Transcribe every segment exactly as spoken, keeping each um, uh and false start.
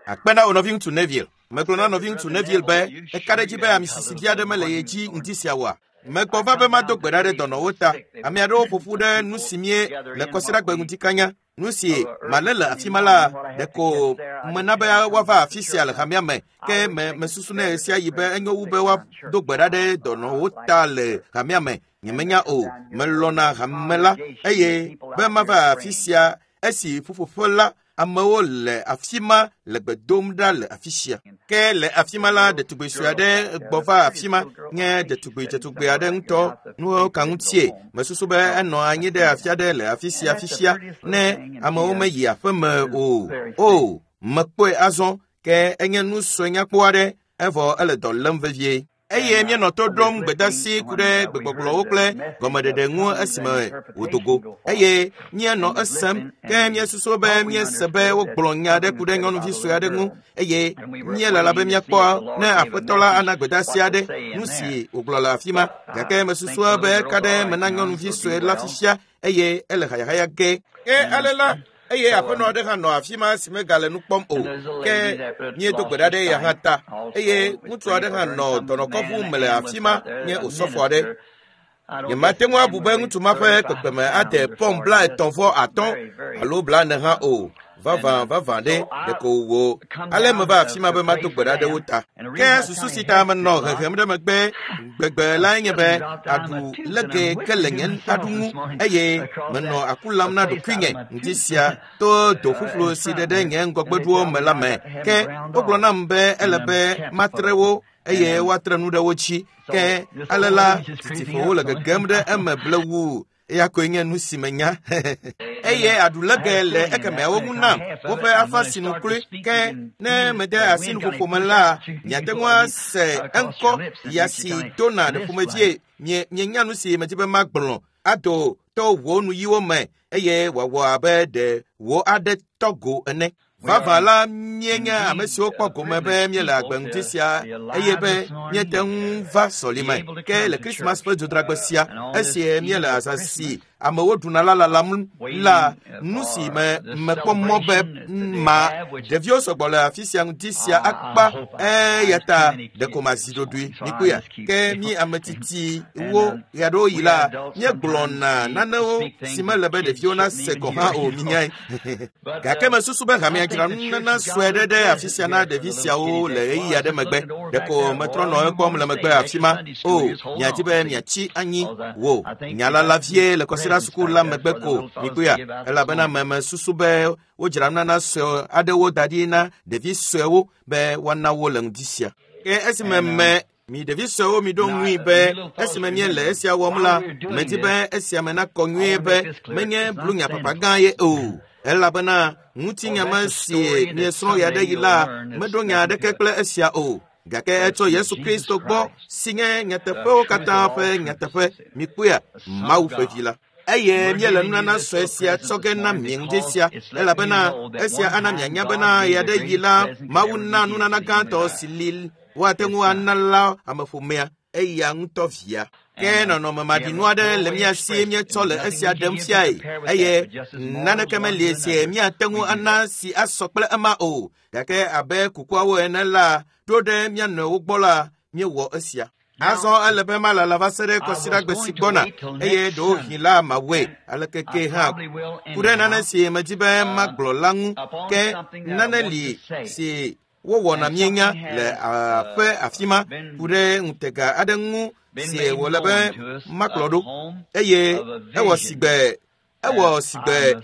Akpe na wo nɔviŋutsu Neville. Megblɔ na nɔviŋutsu Neville be eka ɖe edzi be ame sisi vi aɖe mele ye dzi ŋdi sia oa. Megbɔ va be mado gbe ɖa ɖe dɔnɔwo ta. Ame aɖewo ƒo ƒu ɖe nu si mie le kɔsiɖagbe ŋdi kanya. Nu si malé le afi ma la, ɖeko mena be woava afi sia le hamea me. Ke me mesusu nɛ ɣe sia ɣi be enyo wu be woado gbe ɖa ɖe dɔnɔwo ta le hamea me. Nyemenya o, melɔ̃na hame la eye be mava afi sia esi ƒuƒoƒe la amewo le afi ma le gbe dom ɖa le afi sia. Ke le afi ma la, ɖetugbui sue aɖe gbɔ va afi ma nye ɖetugbui dzetugbe aɖe ŋutɔ nuwo ka ŋutie. Mesusu be enɔ anyi ɖe afi aɖe le afi sia fifia ne amewo meyi aƒeme o. O, mekpɔe azɔ ke enye nu sue nyakpɔ aɖe evɔ ele dɔ lém vevie. Eye míenɔ to ɖom gbedasi ku ɖe gbegbɔgblɔwo kple gɔmeɖeɖe ŋu esime wòdo go. Eye míenɔ esem ke míesusu be míese be wogblɔ nya aɖe ku ɖe nyɔnuvi sue aɖe ŋu eye míelala be míakpɔ ne aƒetɔ la ana gbedasi aɖe nu si wògblɔ le afi ma. Gake mesusu be eka ɖe me na nyɔnuvi sue la fifia eye ele hayahaya ge. Ke ale la eye aƒenɔ aɖe hã nɔ afi ma si megale nu kpɔm o. Ke míedo gbe ɖa ɖe eya hã ta. Eye ŋutsu aɖe hã nɔ dɔnɔkɔƒu me le afi ma nye osɔfo aɖe. Nyemate ŋu abu be ŋutsu ma ƒe kpekpeme ade pɔn bla etɔ̃ vɔ atɔ̃ alo bla ene hã o. Vavã vavã ɖe ɖeko wò. Ale meva afi ma be mado gbe ɖa ɖe wo ta. Ke susu si ta menɔ hehem ɖe megbe gbegbe lae nye be aɖu lege ke le nye aɖu ŋu eye menɔ aku lam na ɖokuinye ŋdi sia to do ƒuƒlu si ɖe ɖe nye ŋgɔgbeɖuwo me la me. Ke wogblɔ nam be ele be matre wo eye woatre nu ɖe wo dzi. Ke ale la titiƒowo le gegem ɖe eme blewu. Eya koe nye nu si menya. Eye aɖu lege le ekemeawo ŋu nam woƒe afa sinu kloe. Ke ne mede asi nuƒoƒo me la, miate ŋu ase eŋkɔ ya si dona ɖe ƒomevie. Mie mienya nu si medi be magblɔ ado to wò nuyiwo me eye wòawɔ abe ɖe wò aɖe tɔ go ene. Vavã la míenye ame siwo kpɔ gome be míele agbe ŋdi sia eye be míete ŋu va sɔlime. Ke le Krismas ƒe dzodragbe sia, esi míele azã si amewo ɖuna la lalam la, nu si me mekpɔ mɔ be ma ɖeviwo sɔgbɔ le afi sia ŋdi sia akpa eya ta ɖeko mazi ɖoɖoe mikpɔea. Ke mí ame tsitsiwo ɣeaɖewoɣi la, míegblɔna nanewo si mele be ɖeviwo nase gɔ̃ hã o minyae. Gake mesusu be hamea dzra nunana sue ɖe ɖe afi sia na ɖevi siawo le ɣeyiɣi aɖe megbe. Ɖeko metrɔ nɔ ekpɔm le megbe afi ma. O, miadi be miatsi anyi wò nya la la vie le kɔsiɖa suku la megbe ko mikpɔea, elabena me mesusu be wodzra nunana sue aɖewo da ɖi na ɖevi suewo be woana wo le ŋdi sia. Ke esime me mi ɖevi suewo miɖo ŋui be esime míele esia wɔm la, medi be esia me nakɔ nyuie be menye blunya papa gã ye o. Elabena ŋutinya me si míesrɔ̃ ɣe aɖe yi la, meɖo nya aɖeke kple esia o. Gake etso Yesu Kristo gbɔ si nye nyateƒewo katã ƒe nyateƒe. Mikpɔea, Mawu ƒe vi la. Eye míele nunana sue sia tsɔ ge na mi ŋdi sia, elabena esia ana mianya bena ɣe aɖe yi la, Mawu na nunana gãtɔ si li woate ŋu ana la ameƒomea, eya ŋutɔ via. Ke nɔnɔme maɖinu aɖe le mía si míetsɔ le esia ɖem fiae eye naneke meli si míate ŋu ana si asɔ kple ema o. Gake abe kukuawo ene la, ɖo ɖe mía nɔewo gbɔ la, míewɔ esia. Azɔ ele be malala va se ɖe kɔsiɖagbe si gbɔna eye ɖewohĩ la mawɔe aleke ke hã ku ɖe nane si medi be magblɔ la ŋu. Ke nane li si wowɔna míenya le aƒe afi ma ku ɖe ŋutega aɖe ŋu si wòle be makplɔ ɖo eye ewɔ sigbe ewɔ sigbe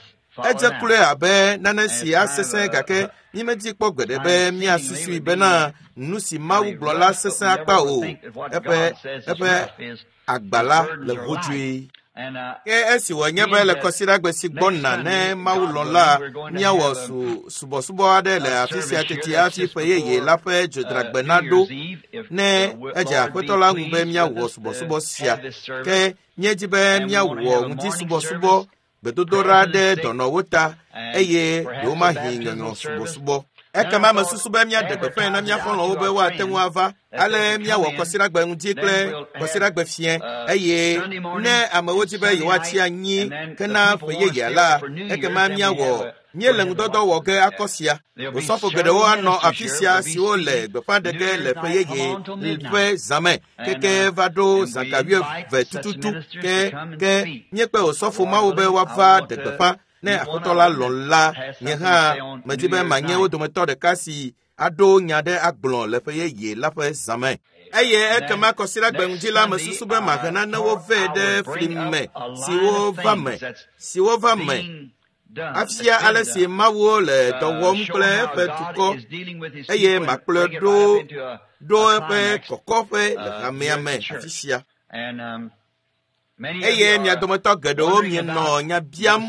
edze kloe abe nane si asesẽ gake mímedi kpɔ gbeɖe be míasusui bena nu si Mawu gblɔ la sesẽ akpa o. Eƒe eƒe agba la le hodzoe. Ke esi wònye be le kɔsiɖagbe si gbɔna ne Mawu lɔ̃ la, míawɔ su subɔsubɔ aɖe le afi sia teti hafi ƒe yeye la ƒe dzodragbe naɖo ne edze aƒetɔ la ŋu be míawɔ subɔsubɔ sia. Ke míedi be míawɔ ŋdisubɔsubɔ gbedodoɖa ɖe dɔnɔwo ta eye ɖewomahi nyɔnyrɔ subɔsubɔ. Ekema mesusu be míaɖe gbeƒãe na mía xɔlɔ̃wo be woate ŋu ava. Ale míawɔ kɔsiɖagbe ŋdi kple kɔsiɖagbe fiẽ eye ne amewo di be yewoatsi anyi hena ƒe yeyea la, ekema míawɔ Míele ŋudɔdɔ wɔ ge akɔ sia. Osɔfo geɖewo anɔ afi sia siwo le gbeƒã ɖe ge le ƒe yeye ƒe zãme keke va ɖo zã ga wuieve tututu ke ke míekpe osɔfo mawo be woava ɖe gbeƒã ne Aƒetɔ la lɔ̃ la. Nye hã medi be manye wo dometɔ ɖeka si aɖo nya ɖe agblɔ le ƒe yeye la ƒe zãme. Eye ekema kɔsiɖagbe ŋdi la mesusu be mahe nanewo vɛ ɖe fli me siwo va me siwo va me afia ale si Mawuwo le dɔ wɔm kple eƒe dukɔ eye makplɔe ɖo ɖo eƒe kɔkɔƒe le hamea me afi sia. Eye mia dometɔ geɖewo mienɔ nya biam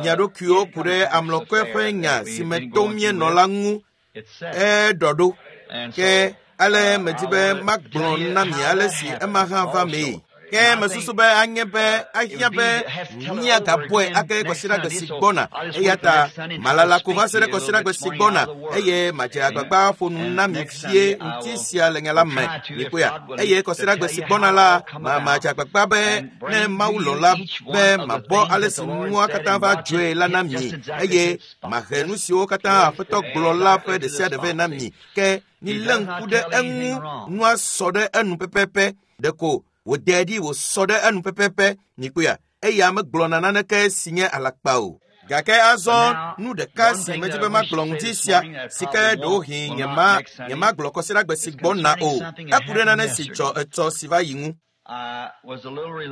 mia ɖokuiwo ku ɖe amlɔkɔe ƒe nya si me tom míenɔ la ŋu eɖɔ ɖo. Ke ale medi be magblɔ na mi ale si ema hã va mee. Ke mesusu be anye be ahiã be míagabɔe ake kɔsiɖagbe si gbɔna. Eya ta malala ko va se ɖe kɔsiɖagbe si gbɔna eye madze agbagba ƒo nu na mi fie ŋuti sia le nya la me. Mikpɔea? Eye kɔsiɖagbe si gbɔna la, ma madze agbagba be ne Mawu lɔ̃ la be mabɔ ale si nua katã va dzɔe la na mi eye mahe nu siwo katã Aƒetɔ gblɔ la ƒe ɖe sia ɖe vɛ na mi. Ke milé ŋku ɖe eŋu nua sɔ ɖe enu pɛpɛpɛ ɖeko wòde ɖi wòsɔ ɖe enu pɛpɛpɛ. Mikpɔea? Eya megblɔna naneke si nye alakpa o. Gake azɔ nu ɖeka si medi be magblɔ ŋuti sia si ke ɖewohĩ nyema nyemagblɔ kɔsiɖagbe si gbɔna o. Eku ɖe nane si dzɔ etsɔ si va yi ŋu.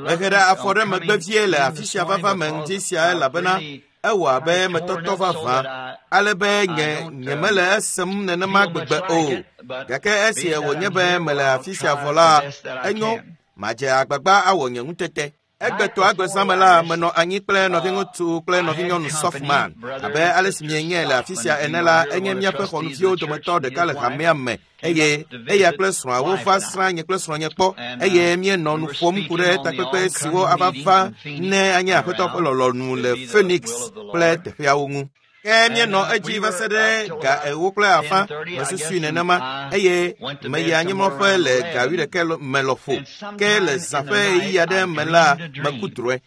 Mehe ɖe afɔ ɖe megbe vie le afi sia vava me ŋuti sia elabena ewɔ abe metɔtɔ vavã ale be nye nyemele esem nenema gbegbe o. Gake esi wònye be mele afi sia vɔ la, enyo madze agbagba awɔ nye ŋutete. Egbetɔ agbezãme la menɔ anyi kple nɔviŋutsu kple nɔvinyɔnu Softman. Abe ale si mienye le afi sia ene la, enye míaƒe xɔnuviwo dometɔ ɖeka le hamea me eye eya kple srɔ̃awo va srã nye kple srɔ̃nye kpɔ eye míenɔ nu ƒom ku ɖe takpekpe siwo ava va ne anye Aƒetɔ ƒe lɔlɔ̃nu le Phoenix kple teƒeawo ŋu. Ke míenɔ edzi va se ɖe ga ewo kple afã mesusui nenema eye meyi anyimlɔƒe le ga wuiɖeke me lɔƒo. Ke le zã ƒe ɣeyiɣi aɖe me la meku drɔ̃e.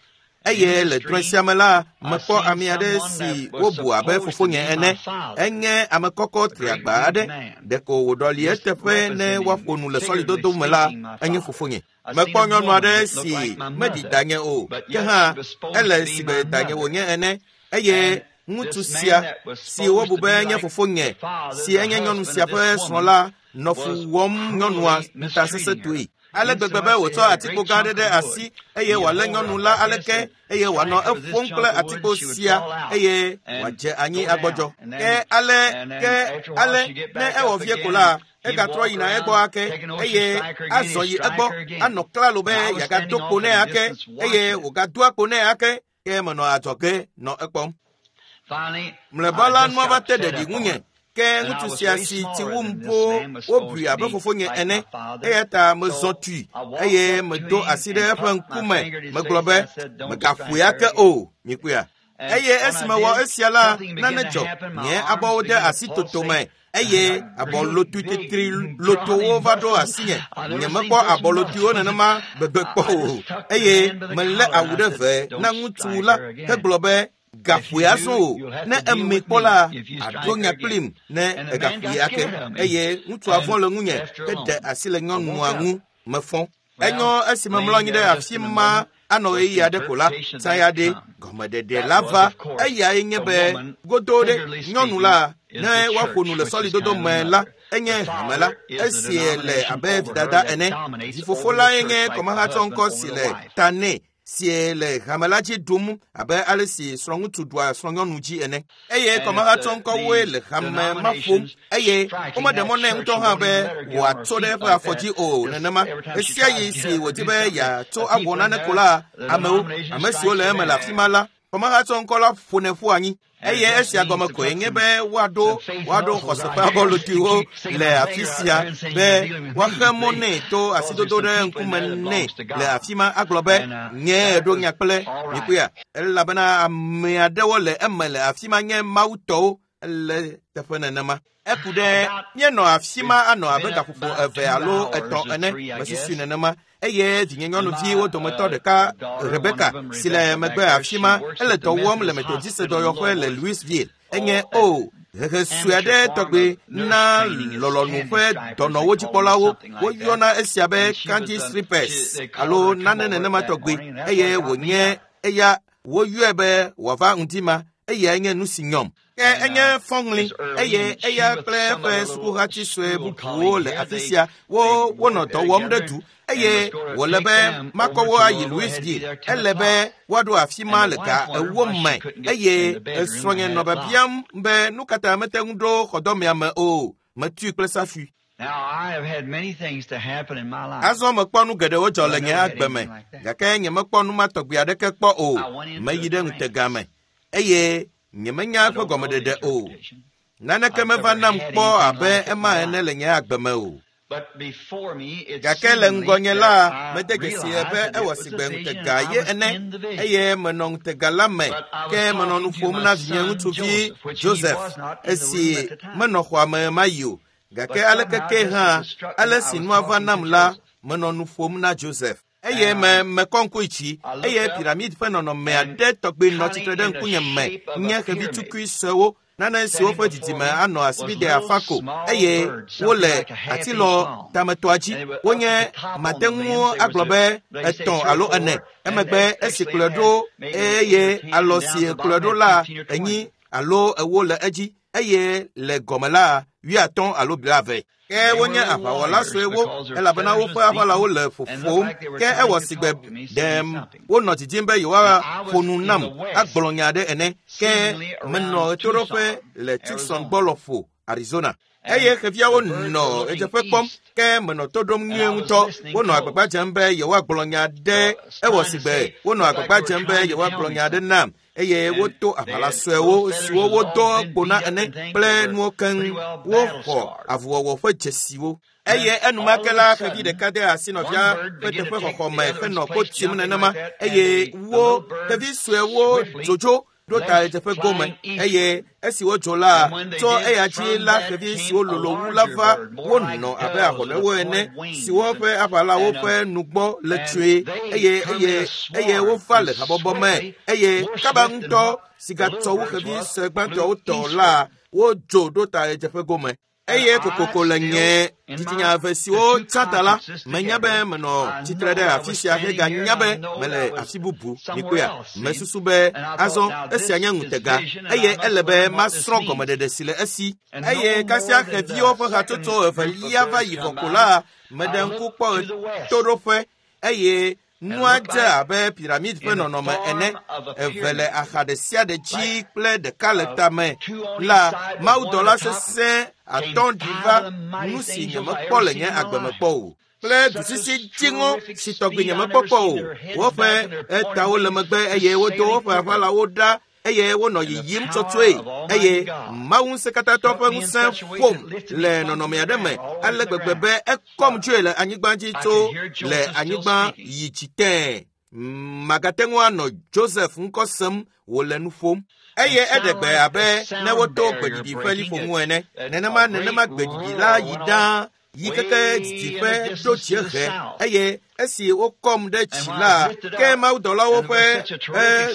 Eye le drɔ̃e sia me la mekpɔ ame aɖe si wobu abe fofonye ene. Enye ame kɔkɔ triagba aɖe. Ɖeko wòɖɔli eteƒe ne woaƒo nu le sɔlidodo me la, enye fofonye. Mekpɔ nyɔnu aɖe si meɖi danye o, ke hã ele sigbe danye wònye ene eye ŋutsu sia si wobu be nye fofonye si enye nyɔnu sia ƒe srɔ̃ la nɔ fu wɔm nyɔnua ŋutasesẽtɔe. Ale gbegbe be wòtsɔ atikpo gã aɖe ɖe asi eye wòalé nyɔnu la aleke eye wòanɔ eƒom kple atikpo sia eye wòadze anyi agbɔdzɔ. Ke ale ke ale ne ewɔ vie ko la, egatrɔ yina egbɔ ake eye azɔ yi egbɔ anɔ klalo be yeagado kpo nɛ ake eye wògadoa kpo nɛ ake ke menɔ adzɔge nɔ ekpɔm. Mlɔeba la nua va te ɖeɖi ŋunye. Ke ŋutsu sia si tsi wum boo wobui abe fofonye ene eya ta mezɔ tui eye medo asi ɖe eƒe ŋkume megblɔ be megaƒoe ake o. Mikpɔea? Eye esi mewɔ esia la, nane dzɔ. Nye abɔwo de asi totome eye abɔlotui titri lotowo va ɖo asinye. Nyemekpɔ abɔlotuiwo nenema gbegbe kpɔ o eye melé awu ɖe ve na ŋutsu la hegblɔ be gaƒoe azɔ o. Ne eme kpɔ la, aɖo nya kplim ne egaƒoe ake. Eye ŋutsua vɔ̃ le ŋunye heɖe asi le nyɔnua ŋu mefɔ. Enyo esi memlɔ anyi ɖe afi ma anɔ ɣeyiɣi aɖe ko la, saya ɖe gɔmeɖeɖe la va. Eyae nye be godo ɖe nyɔnu la ne woaƒo nu le sɔlidodo me la, enye hame la esi le abe vidada ene. Vifofo lae nye kɔmahatsɔŋkɔ si le ta nɛ si le hame la dzi ɖum abe ale si srɔ̃ŋutsu ɖua srɔ̃nyɔnu dzi ene. Eye kɔmahatsɔŋkɔwoe le hame ma ƒom eye womeɖe mɔ nɛ ŋutɔ hã be wòatso ɖe eƒe afɔ dzi o nenema. Ɣesiaɣi si wòdi be yeatso awɔ nane ko la, amewo, ame siwo le eme le afi ma la, kɔmahatsɔŋkɔ la ƒonɛ ƒu anyi. Eye esia gɔme koe nye be woaɖo woaɖo xɔse ƒe abɔlotuiwo le afi sia be woaxe mɔ nɛ to asidodo ɖe ŋkume nɛ le afi ma agblɔ be nye ɖo nya kple mikpɔea? Elabena ame aɖewo le eme le afi ma nye Mawu tɔwo ele teƒe nenema. Eku ɖe míenɔ afi ma anɔ abe gaƒoƒo eve alo etɔ̃ ene mesusui nenema. Eye vinyenyɔnuviwo dometɔ ɖeka Rebeka si le megbe afi ma ele dɔ wɔm le Methodist dɔyɔƒe le Louisville. Enye o hehe sue aɖe tɔgbe na lɔlɔ̃nu ƒe dɔnɔwo dzikpɔlawo. Woyɔna esia be kanji strippers alo nane nenema tɔgbe eye wònye eya woyɔe be wòava ŋdi ma eyae nye nu si nyɔm. Ke enye fɔŋli eye eya kple eƒe sukuhati sue bubuwo le afi sia wo wonɔ dɔ wɔm ɖe du eye wòle be makɔ wo ayi Louisville. Ele be woaɖo afi ma le ga ewo me eye esrɔ̃nye nɔ biabiam be nu ka ta mete ŋu ɖo xɔdɔmea me o. Metui kple safui. Azɔ mekpɔ nu geɖewo dzɔ le nye agbe me gake nyemekpɔ nu ma tɔgbi aɖeke kpɔ o. Meyi ɖe ŋutega me eye nyemenya eƒe gɔmeɖeɖe o. Naneke meva nam kpɔ abe ema ene le nye agbe me o. Gake le ŋgɔnye la, mede dzesi be ewɔ sigbe ŋutega ye ene eye menɔ ŋutega la me ke menɔ nu ƒom na vinye ŋutsuvi Joseph esi menɔ xɔa me mayi o. Gake aleke ke hã ale si nua va nam la, menɔ nu ƒom na Joseph. Eye me mekɔ ŋku yi dzi eye piramid ƒe nɔnɔme aɖe tɔgbe nɔ tsitre ɖe ŋkunye me nye xevi tukui suewo nane siwo ƒe didime anɔ asibide afa ko eye wole atilɔ tametɔa dzi. Wonye mate ŋu agblɔ be etɔ̃ alo ene. Emegbe esi kplɔe ɖo eye alɔ si kplɔe ɖo la enyi alo ewo le edzi eye le gɔme la wuiatɔ̃ alo blaeve. Ke wonye aʋawɔla suewo elabena woƒe aʋalawo le ƒoƒom ke ewɔ sigbe ɖem wonɔ didim be yewoaƒo nu nam agblɔ nya aɖe ene. Ke menɔ ɣetoɖoƒe le Tucson gbɔ lɔƒo, Arizona. Eye xeviawo nɔ ɣedzeƒe kpɔm ke menɔ to ɖom nyuie ŋutɔ. Wonɔ agbagba dzem be yewoagblɔ nya aɖe. Ewɔ sigbe wonɔ agbagba dzem be yewoagblɔ nya aɖe nam eye woto aʋala suewo siwo wodo kpo na ene kple nuwo keŋ. Woxɔ avuwɔwɔ ƒe dzesiwo. Eye enumake la xevi ɖeka de asi nɔvia ƒe teƒe xɔxɔ me henɔ ko tim nenema eye wo xevi suewo dzodzo ɖo ta ɣedzeƒe gome eye esi wodzo la tso eya dzi la xevi siwo lolo wu la va wonɔ abe ahɔnɛwo ene siwo ƒe aʋalawo ƒe nugbɔ le tsue eye eye eye wova le habɔbɔ me eye kaba ŋutɔ si gatsɔ wu xevi sue gbãtɔwo tɔ la wodzo ɖo ta ɣedzeƒe gome. Eye kokoko le nye dzitsinya eve siwo tsã ta la, menya be menɔ tsitre ɖe afi sia heganya be mele afi bubu. Mikpɔea, mesusu be azɔ esia nye ŋutega eye ele be masrɔ̃ gɔmeɖeɖe si le esi. Eye kasia xeviwo ƒe hatsotso evelia va yi vɔ ko la, meɖe ŋku kpɔ ɣetoɖoƒe eye nua dze abe piramid ƒe nɔnɔme ene, eve le axa ɖe sia ɖe dzi kple ɖeka le tame la, mawudɔla sesẽ atɔ̃ ɖi va nu si nyemekpɔ le nye agbe me kpɔ o kple dusisi dziŋɔ si tɔgbi nyemekpɔ kpɔ o. Woƒe etawo le megbe eye wodo woƒe aʋalawo ɖa eye wonɔ yiyim tsɔtsɔe eye Mawu ŋusẽkatãtɔ ƒe ŋusẽ ƒom le nɔnɔme aɖe me ale gbegbe be ekɔm dzoe le anyigba dzi tso le anyigba yi dzi tẽe. Magate ŋu anɔ Joseph ŋkɔ sem wòle nu ƒom. Eye eɖe gbe abe ne woto gbeɖiɖi ƒe liƒo ŋu ene. Nenema nenema gbeɖiɖi la yi ɖaa yi keke didiƒe ɖo dziehe eye esi wokɔm ɖe dzi la ke mawudɔlawo ƒe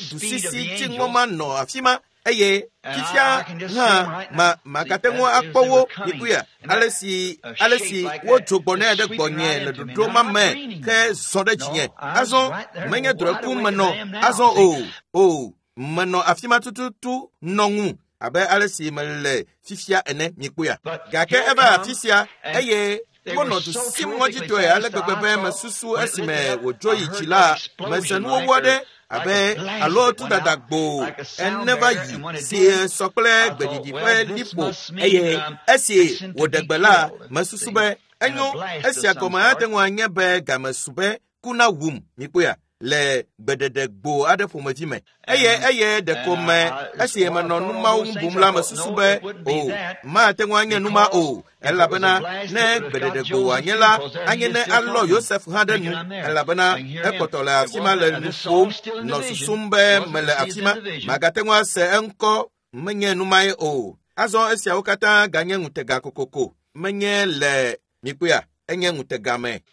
dusisi dziŋɔ ma nɔ afi ma eye fifia hã ma magate ŋu akpɔ wo mikuya ale si ale si wodzo gbɔnɛ ɖe gbɔnye le ɖoɖo ma me ke zɔ ɖe dzinye. Azɔ menye drɔ̃e kum menɔ azɔ o o menɔ afi ma tututu nɔ ŋu abe ale si mele fifia ene mikpɔea. Gake eva afi sia eye wonɔ du sim ŋɔdzitɔe ale gbegbe be mesusu esime wòdzo yi dzi la mese nuwɔwɔ aɖe abe alo tudada gbo ene va yi si sɔ kple gbeɖiɖi ƒe liƒo eye esi wòɖe gbe la mesusu be enyo esia gɔme ate ŋu anye be game su be ku na wum mikpɔea le gbeɖeɖe gbo aɖe ƒomevi me. Eye eye ɖeko me esi menɔ nu mawo ŋu bum la mesusu be o mate ŋu anye nu ma o elabena ne gbeɖeɖe gbo wòanye la anye ne alɔ Yosef hã ɖe nu elabena ekpɔtɔ le afi ma le nu ƒom nɔ susum be mele afi ma magate ŋu ase eŋkɔ menye nu mae o. Azɔ esiawo katã ganye ŋutega kokoko menye le mikpɔea enye ŋutega me.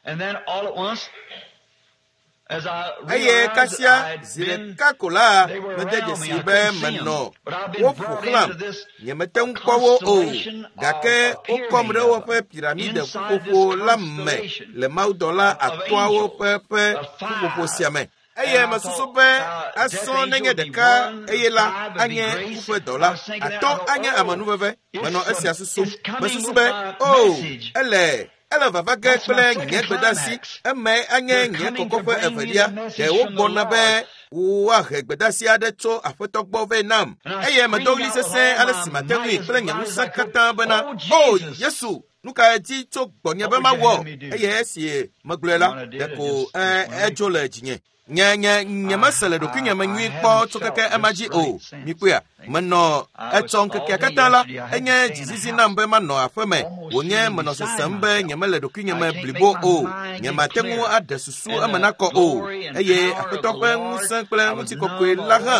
And then all at once, Eye kasia zi ɖeka ko la mede dzesi be menɔ woƒo xlãm. Nyemete ŋu kpɔ wo o, gake wokɔm ɖe woƒe piramide ƒuƒoƒo la me le mawudɔla atɔ̃awo ƒe ƒe ƒuƒoƒo sia me. Eye mesusu be asɔ nenye ɖeka eye la anye kuƒe dɔla, atɔ̃ anye amenuveve. Menɔ esia susum. Mesusu be o ele ele vava ge kple nye gbedasi, eme anye nye kɔkɔƒe evelia. Ɖe wogbɔna be woahe gbedasi aɖe tso aƒetɔ gbɔ vɛ nam. Eye medo ɣli sesẽ ale si mate ŋui kple nye ŋusẽ katã bena, o Yesu, nu kae di tso gbɔnye be mawɔ? Eye esi megblɔe la, ɖeko edzo le dzinye. Nye nye nye mese le ɖokuinye me nyui kpɔ tso keke ema dzi o. Mikpɔea, menɔ etsɔ ŋkekea katã la, enye dzizizi nam be manɔ aƒe me. Wònye menɔ sesem be nyemele ɖokuinye me blibo o. Nyemate ŋu aɖe susu eme nakɔ o. Eye aƒetɔ ƒe ŋusẽ kple ŋutikɔkɔe la hã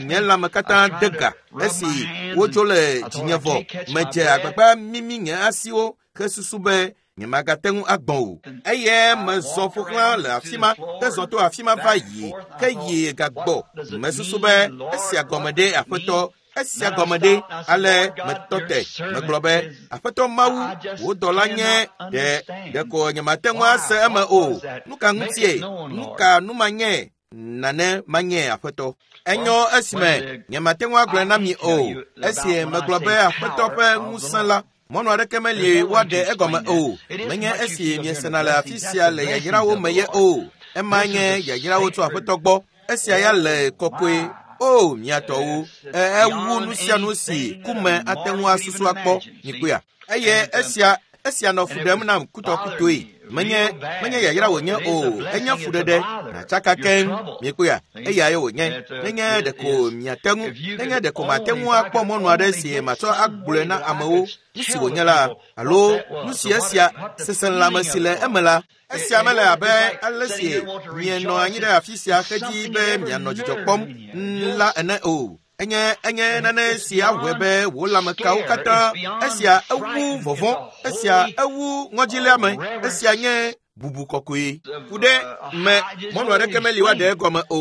nye lãme katã de ga. Esi wodzo le dzinye vɔ, medze agbagba mimi nye asiwo hesusu be nyemagate ŋu agbɔ̃ o. Eye mezɔ ƒo xlã le afi ma, hezɔ to afi ma va yi, ke yi gagbɔ. Mesusu be esia gɔme ɖe aƒetɔ, esia gɔme ɖe. Ale metɔ te, megblɔ be, aƒetɔ Mawu, wò dɔla nye ɖe ɖeko nyemate ŋu ase eme o. Nu ka ŋutie? Nu ka nu manye? Nane manye aƒetɔ. Enyo esime nyemate ŋu agblɔe na mi o. Esi megblɔ be aƒetɔ ƒe ŋusẽ la, mɔnu aɖeke meli woaɖe egɔme o. Menye esi miesena le afi sia le yayrawo me ye o. Ema nye yayrawo tso aƒetɔ gbɔ. Esia ya le kɔkɔe. O mia tɔwo, ewu nu sia nu si ku me ate ŋu asusu akpɔ. Mikpɔea? Eye esia esia nɔ fu ɖem nam kutɔkutoe. Menye menye yayra wònye o, enye fuɖeɖe natsaka keŋ. Mikpɔea? Eyae wònye. Nenye ɖeko miate ŋu, nenye ɖeko mate ŋu akpɔ mɔnu aɖe si matsɔ agblɔe na amewo nu si wònye la, alo nu si esia seselãme si le eme la. Esia mele abe ale si mienɔ anyi ɖe afi sia xedzi be mianɔ dzidzɔ kpɔm la ene o. Enye enye nane si awɔe be wò lãmekawo katã, esia ewu vɔvɔ̃, esia ewu ŋɔdziléame, esia nye bubu kɔkɔe. Ku ɖe me mɔnu aɖeke meli woaɖe egɔme o.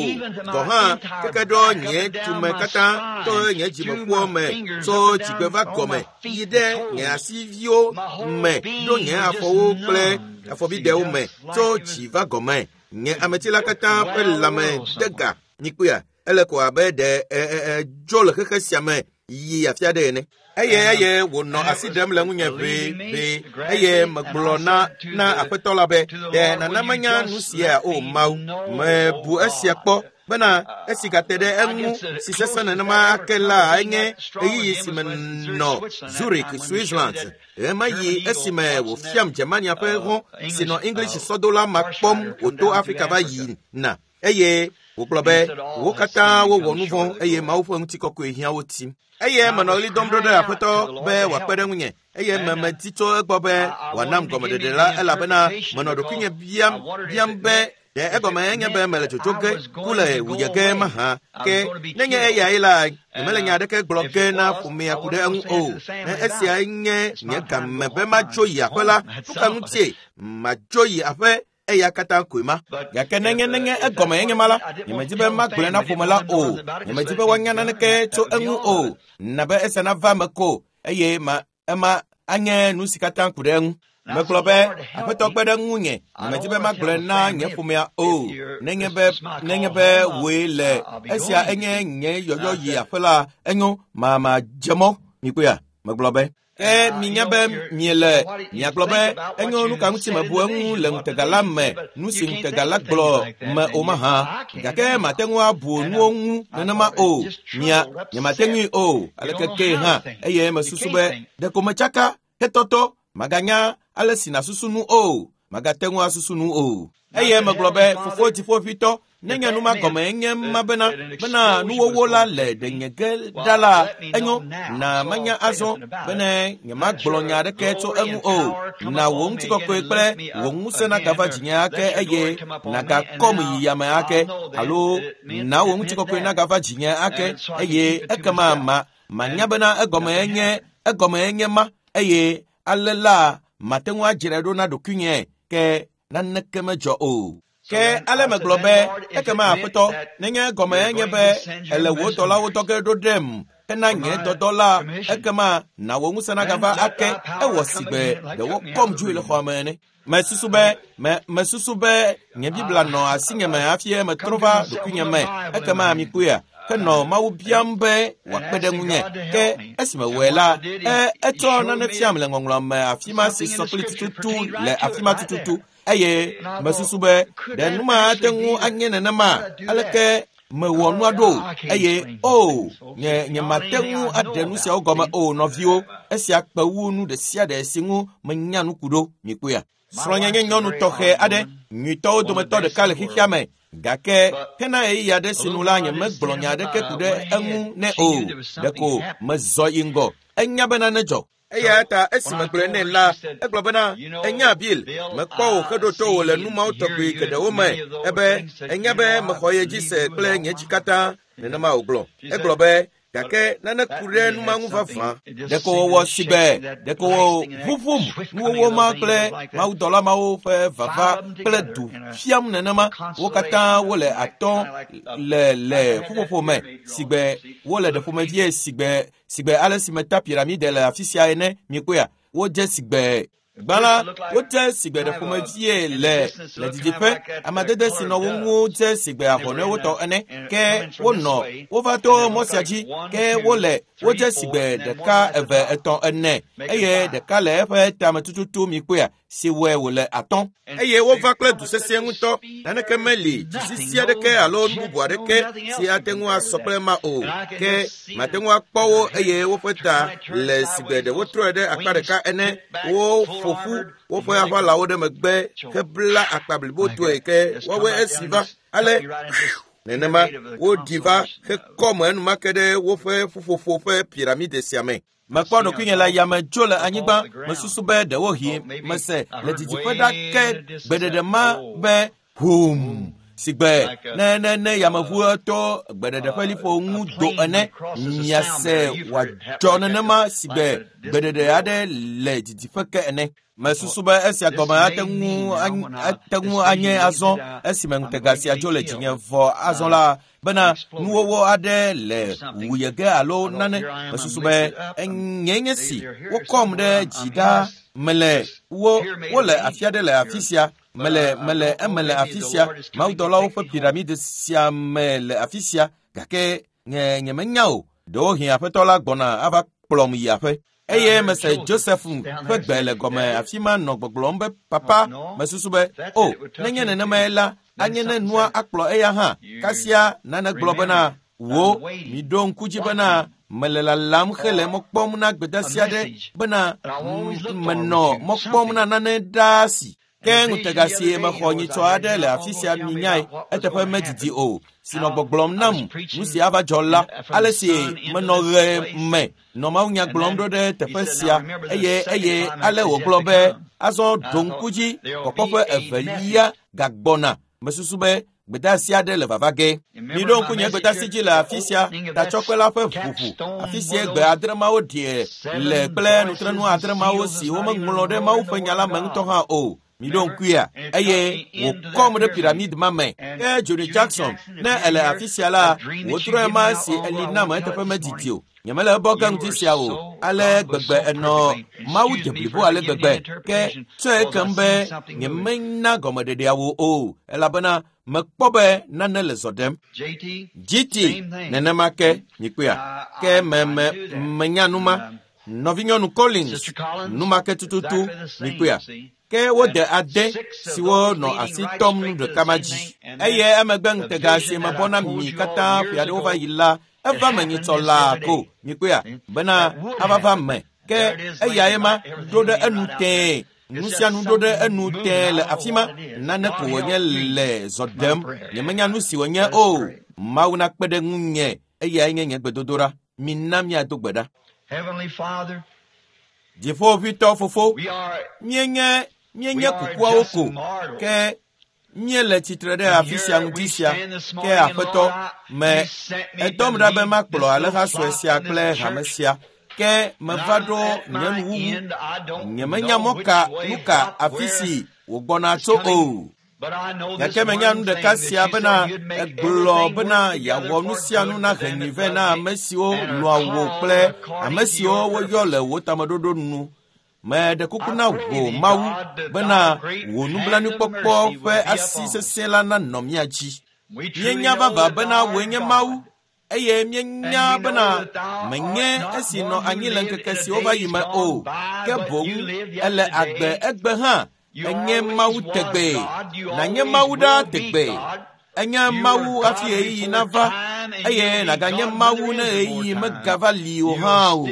Gɔ hã keke ɖo nye tume katã to nye dzimeƒuwo me tso dzigbe va gɔme yi ɖe nye asiviwo me ɖo nye afɔwo kple afɔbidewo me tso dzi va gɔme. Nye ameti la katã ƒe lãme de ga. Mikpɔea? Ele ko abe ɖe dzo le xexe sia me yi afi aɖe ene. Eye eye wònɔ asi ɖem le ŋunye ʋeʋe. Eye megblɔ na na aƒetɔ la be, ɖe nana menya nu sia o Mawu. Mebu esia kpɔ bena esi gate ɖe eŋu si sesẽ nenema ake la enye ɣeyiɣi si menɔ Zurich, Switzerland. Ɣemaɣi esime wòfiam Germania ƒe hɔ̃ si nɔ English sɔdola ma kpɔm wòto Afrika va yina. Eye wògblɔ be wo katã wowɔ nu vɔ̃ eye Mawu ƒe ŋutikɔkɔe hiã wo tim. Eye menɔ ɣli dɔm ɖo ɖe aƒetɔ be wòakpe ɖe ŋunye. Eye memedi tso egbɔ be wòanam gɔmeɖeɖe la elabena menɔ ɖokuinye biam biam be ɖe egɔme enye be mele dzodzo ge ku le wuyɛ ge mahã. Ke nenye eyae la, nyemele nya aɖeke gblɔ ge na ƒomea ku ɖe eŋu o. Ne esiae nye nye game be madzo yi aƒe la, nu ka ŋutie madzo yi aƒe? Eya katã koe ma. Gake nenye nenye egɔme enye ma la, nyemedi be magblɔe na ƒome la o. Nyemedi be woanya naneke tso eŋu o. Na be esia nava eme ko eye ma ema anye nu si katã ku ɖe eŋu. Megblɔ be aƒetɔ kpe ɖe ŋunye. Nyemedi be magblɔe na nye ƒomea o. Nenye be nenye be wòe le esia enye nye yɔyɔ yi aƒe la, enyo ma madze mɔ. Mikpɔea? Megblɔ be ke minya be miele miagblɔ be enyo nu ka ŋuti mebu eŋu le ŋutega la me nu si ŋutega la gblɔ me o mahã. Gake mate ŋu abu nuwo ŋu nenema o. Mia nyemate ŋui o. Aleke ke hã eye mesusu be ɖeko metsaka hetɔtɔ maganya ale si nasusu nu o. Magate ŋu asusu nu o. Eye megblɔ be fofo dziƒoʋĩtɔ, nenye nu ma gɔme enye ma bena bena nuwɔwɔ la le ɖenye ge ɖa la, enyo na menya azɔ bene nyemagblɔ nya aɖeke tso eŋu o. Na wò ŋutikɔkɔe kple wò ŋusẽ nagava dzinye ake eye nagakɔm yi yame ake, alo na wò ŋutikɔkɔe nagava dzinye ake eye ekema ma manya bena egɔme enye egɔme enye ma eye ale la mate ŋu adzrae ɖo na ɖokuinye ke naneke medzɔ o. Ke ale megblɔ be ekema aƒetɔ nenye gɔme nye be ele wò dɔlawo dɔ ge ɖo ɖem hena nye dɔdɔ la ekema na wò ŋusẽ nagava ake ewɔ si gbe ɖe wokɔm dzoe le xɔa me ene. Mesusu be me mesusu be nye Biblia nɔ asinye me hafi metrɔ va ɖokuinye me ekema mikpɔea henɔ Mawu biam be wòakpe ɖe ŋunye. Ke esime wɔe la, e etsɔ nane fiam le ŋɔŋlɔ me afi ma si sɔ kpli tututu le afi ma tututu eye mesusu be ɖe nu ma ate ŋu anye nenema aleke mewɔ nua ɖo eye o nye nye mate ŋu aɖe nu siawo gɔme o nɔviwo esia kpe wu nu ɖe sia ɖe si ŋu menya nu ku ɖo mikpɔea. Srɔ̃nye nye nyɔnu tɔxɛ aɖe nyuitɔwo dometɔ ɖeka le xexea me gake hena ɣeyiɣi aɖe si nu la nye megblɔ nya aɖeke ku ɖe eŋu nɛ o ɖeko mezɔ yi ŋgɔ enya be nane dzɔ. Eya ta esi megblɔe nɛ la egblɔ bena enya Bill mekpɔ wò heɖo to wò le nu mawo tɔgbi geɖewo me ebe enya be mexɔ ye dzi se kple nye dzi katã nenema wògblɔ. Egblɔ be gake nane ku ɖe nu ma ŋu vavã. Ɖeko wòwɔ si gbe ɖeko wò ʋuʋum nuwɔwɔ ma kple mawudɔla mawo ƒe vava kple du fiam nenema wo katã wole atɔ̃ le le ƒuƒoƒo me si gbe wole ɖe ƒomevie si gbe si gbe ale si meta piramide le afi sia ene mikpɔea wodze si gbe gbã la wodze si gbe ɖe ƒomevie le le didiƒe amadede si nɔ wo ŋu dze si gbe ahɔnɔewo tɔ ene ke wonɔ wova to mɔ sia dzi ke wole wodze si gbe ɖeka eve etɔ̃ ene eye ɖeka le eƒe tame tututu mikpɔea si wɔe wòle atɔ̃ eye wova kple du sesẽ ŋutɔ naneke meli dzisisi aɖeke alo nu bubu aɖeke si ate ŋu asɔ kple ma o ke mate ŋu akpɔ wo eye woƒe ta le si gbe ɖe wotrɔe ɖe akpa ɖeka ene woƒo ƒu woƒe aʋalawo ɖe megbe hebla akpa blibotoe ke woawoe esi va ale nenema woɖi va hekɔ me enumake ɖe woƒe ƒuƒoƒo ƒe piramide sia me. Mekpɔ ɖokuinye le yame tso le anyigba mesusu be ɖewohĩ mese le didiƒe ɖa ke gbeɖeɖe ma be hum si gbe ne ne ne yameʋu to gbeɖeɖe ƒe liƒo ŋu do ene miase wòadzɔ nenema si gbe gbeɖeɖe aɖe le didiƒe ke ene. Mesusu be esia gɔme ate ŋu ate ŋu anye azɔ esime ŋutega sia dzo le dzinye vɔ azɔ la bena nuwɔwɔ aɖe le wuye ge alo nane mesusu be nye nye si wokɔm ɖe dzi ɖa mele wo wole afi aɖe le afi sia mele mele eme le afi sia mawudɔlawo ƒe piramide sia me le afi sia gake nye nyemenya o ɖewohĩ aƒetɔ la gbɔna ava kplɔm yi aƒe. Eye mese Joseph ƒe gbe le gɔme afi ma nɔ gbɔgblɔm be papa mesusu be o nenye nenemae la anye ne nua akplɔ eya hã kasia nane gblɔ bena wo miɖo ŋku dzi bena mele lalam hele mɔ kpɔm na gbedeasi aɖe bena menɔ mɔ kpɔm na nane ɖaa si. Ke ŋutega si mexɔ nyitsɔ aɖe le afi sia minyae eteƒe medidi o si nɔ gbɔgblɔm nam nu si ava dzɔ la ale si menɔ ɣe me nɔ mawunya gblɔm ɖo ɖe teƒe sia eye eye ale wògblɔ be azɔ ɖo ŋku dzi kpɔkpɔ ƒe evelia gagbɔna mesusu be gbedeasi aɖe le vava ge. Miɖo ŋku nye gbedeasi dzi le afi sia tatsɔkpe la ƒe ʋuʋu afi sia gbe adre mawo ɖie le kple nutrenu adre mawo si womeŋlɔ ɖe Mawu ƒe nya la me ŋutɔ hã o. Miɖo ŋkuia eye wòkɔm ɖe piramide ma me. Ke Johnny Jackson ne ele afi sia la wòtrɔe ma si eli nam eteƒe medidi o. Nyemele ebɔ ge ŋuti sia o ale gbegbe enɔ Mawu de blibo ale gbegbe ke tsɔe kem be nyemenya gɔmeɖeɖeawo o elabena mekpɔ be nane le zɔ ɖem. G T nenema ke mikpɔea ke me me menya nu ma. Nɔvinyɔnu Collins nu ma ke tututu mikpɔea ke wode ade siwo nɔ asi tɔm nu ɖeka ma dzi eye emegbe ŋutega si mebɔ na mi katã ƒe aɖewo va yi la eva me nyitsɔ laa ko mikpɔea bena ava va me ke eyae ma ɖo ɖe enu tẽe nu sia nu ɖo ɖe enu tẽe le afi ma nane ko wònye le zɔ ɖem nyemenya nu si wònye o Mawu nakpe ɖe ŋunye eyae nye nye gbedodoɖa mina míado gbe ɖa. Dziƒoʋĩtɔ fofo míenye míenye kukuawo ko ke míele tsitre ɖe afi sia ŋuti sia ke aƒetɔ me edɔm ɖa be makplɔ alẽha sue sia kple hame sia ke meva ɖo nye nuwuwu nyemenya mɔ ka nu ka afi si wògbɔna tso o. Gake menya nu ɖeka sia bena egblɔ bena yeawɔ nu sia nu na henyui vɛ na ame siwo lɔ̃a wò kple ame siwo woyɔ le wò tameɖoɖo nu. Meɖe kuku na wò Mawu bena wò nublanuikpɔkpɔ ƒe asi sesẽ la nanɔ mía dzi. Míenya vavã bena wòe nye Mawu eye míenya bena menye esi nɔ anyi le ŋkeke siwo va yi me o, ke boŋ ele agbe egbe hã. Enye Mawu tegbee, nànye Mawu ɖaa tegbee. Enye Mawu hafi ɣeyiɣi nava eye nàganye Mawu ne ɣeyiɣi megava li o hã o.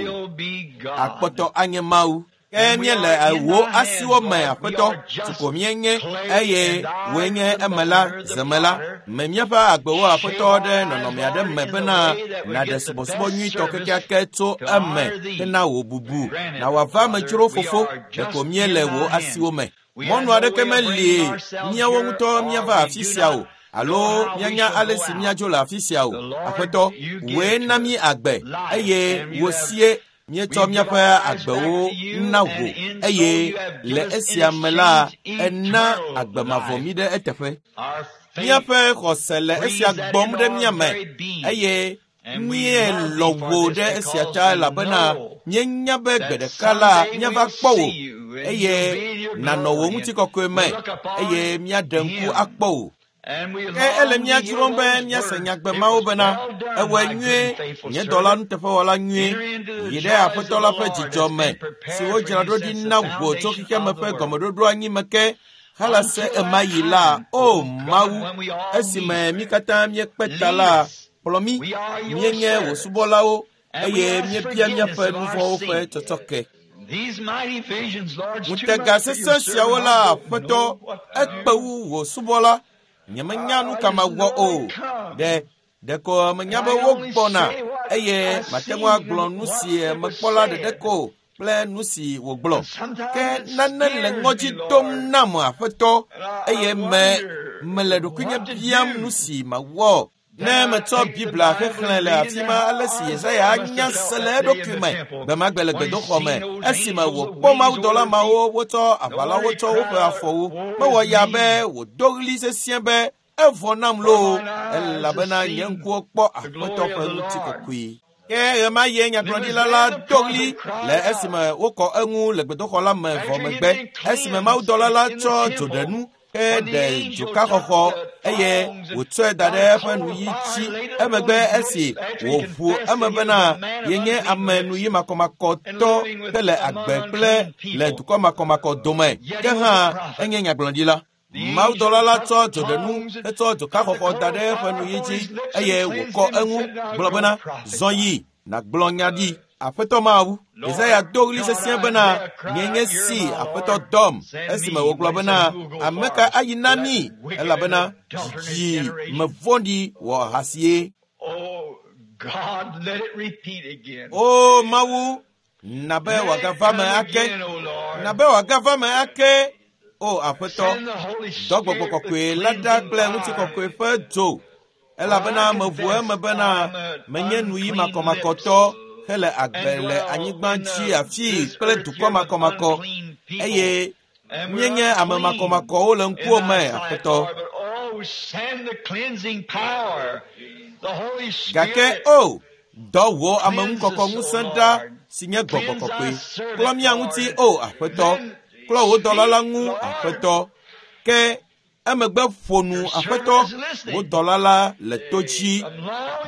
Akpɔtɔ anye Mawu. Ke míele wò asiwo me, Aƒetɔ, si ko míenye eye wòe nye emela, zemela. Me míaƒe agbewo, Aƒetɔ, ɖe nɔnɔme aɖe me bena nàɖe subɔsubɔ nyuitɔ kekeake tso eme hena wò bubu. Na wòava amedzro fofo, ɖeko míele wò asiwo me. Mɔnu aɖeke meli míawo ŋutɔ míava afi sia o alo míanya ale si míadzo le afi sia o. Aƒetɔ, wòe na mí agbe eye wò sie míetsɔ míaƒe agbewo na wò eye le esia me la ena agbe mavɔ mí ɖe eteƒe. Míaƒe xɔse le esia gbɔm ɖe mía me eye míelɔ̃ wò ɖe esia ta elabena míenya be gbe ɖeka la míava kpɔ wò eye nànɔ wò ŋutikɔkɔe me eye míaɖe ŋku akpɔ wò. Ke ele mía dzrom be míase nyagbe mawo bena ewɔe nyuie, nye dɔla nuteƒewɔla nyuie, yi ɖe Aƒetɔ la ƒe dzidzɔ me si wodzra ɖo ɖi na wò tso xexeame ƒe gɔmeɖoɖo anyi me ke halase ema yi la, o Mawu, esime mí katã míekpe ta la, kplɔ mí, míenye wò subɔlawo eye míebia míaƒe nu vɔ̃wo ƒe tsɔtsɔke. Ŋutega sesẽ siawo la, Aƒetɔ, ekpe wu wò subɔla. Nyemenya nu ka mawɔ o. Ɖe ɖeko menya be wogbɔna eye mate ŋu agblɔ nu si mekpɔ la ɖeɖe ko kple nu si wògblɔ. Ke nane le ŋɔdzi dom nam, Aƒetɔ, eye me mele ɖokuinye biam nu si mawɔ. Ne metsɔ Biblia xexlẽ le afi ma ale si Yesaya anya se le eɖokui me gbemagbe le gbedoxɔ me esime wòkpɔ mawudɔla mawo wotsɔ aʋalawo tsɔ woƒe afɔwo. Mewɔ ya be wòdo ɣli sesĩe be evɔ nam loo elabena nye ŋkuwo kpɔ Aƒetɔ ƒe ŋutikɔkɔe. Ke ɣemaɣie nyagblɔɖila la do ɣli le esime wokɔ eŋu le gbedoxɔ la me vɔ megbe esime mawudɔla la tsɔ dzoɖenu ke ɖe dzokaxɔxɔ eye wòtsɔe da ɖe eƒe nuyi dzi. Emegbe esi wòʋu eme bena yenye ame nuyi makɔmakɔtɔ hele agbe kple le dukɔ makɔmakɔ dome, ke hã enye nyagblɔɖila. Mawudɔla la tsɔ dzoɖenu hetsɔ dzokaxɔxɔ da ɖe eƒe nuyi dzi eye wòkɔ eŋu gblɔ bena, zɔ yi nàgblɔ nya ɖi. Aƒetɔ Mawu, Yesaya do ɣli sesĩe bena, nye nye si Aƒetɔ dɔm, esime wògblɔ bena, ame ka ayi na mí elabena dzidzi me vɔ̃ɖi wɔ ahasie. O Mawu, na be wòagava me ake, na be wòagava me ake. O Aƒetɔ, dɔ gbɔgbɔ kɔkɔe la ɖa kple ŋutikɔkɔe ƒe dzo elabena meʋu eme bena menye nuyi makɔmakɔtɔ hele agbe le anyigba dzi afii kple dukɔ makɔmakɔ eye míenye ame makɔmakɔwo le ŋkuwò me, Aƒetɔ. Gake o, dɔ wò ameŋukɔkɔ ŋusẽ ɖa si nye gbɔgbɔ kɔkɔe. Klɔ mía ŋuti, o Aƒetɔ. Klɔ wò dɔla la ŋu, Aƒetɔ. Ke emegbe ƒo nu, Aƒetɔ, wò dɔla la le to dzi.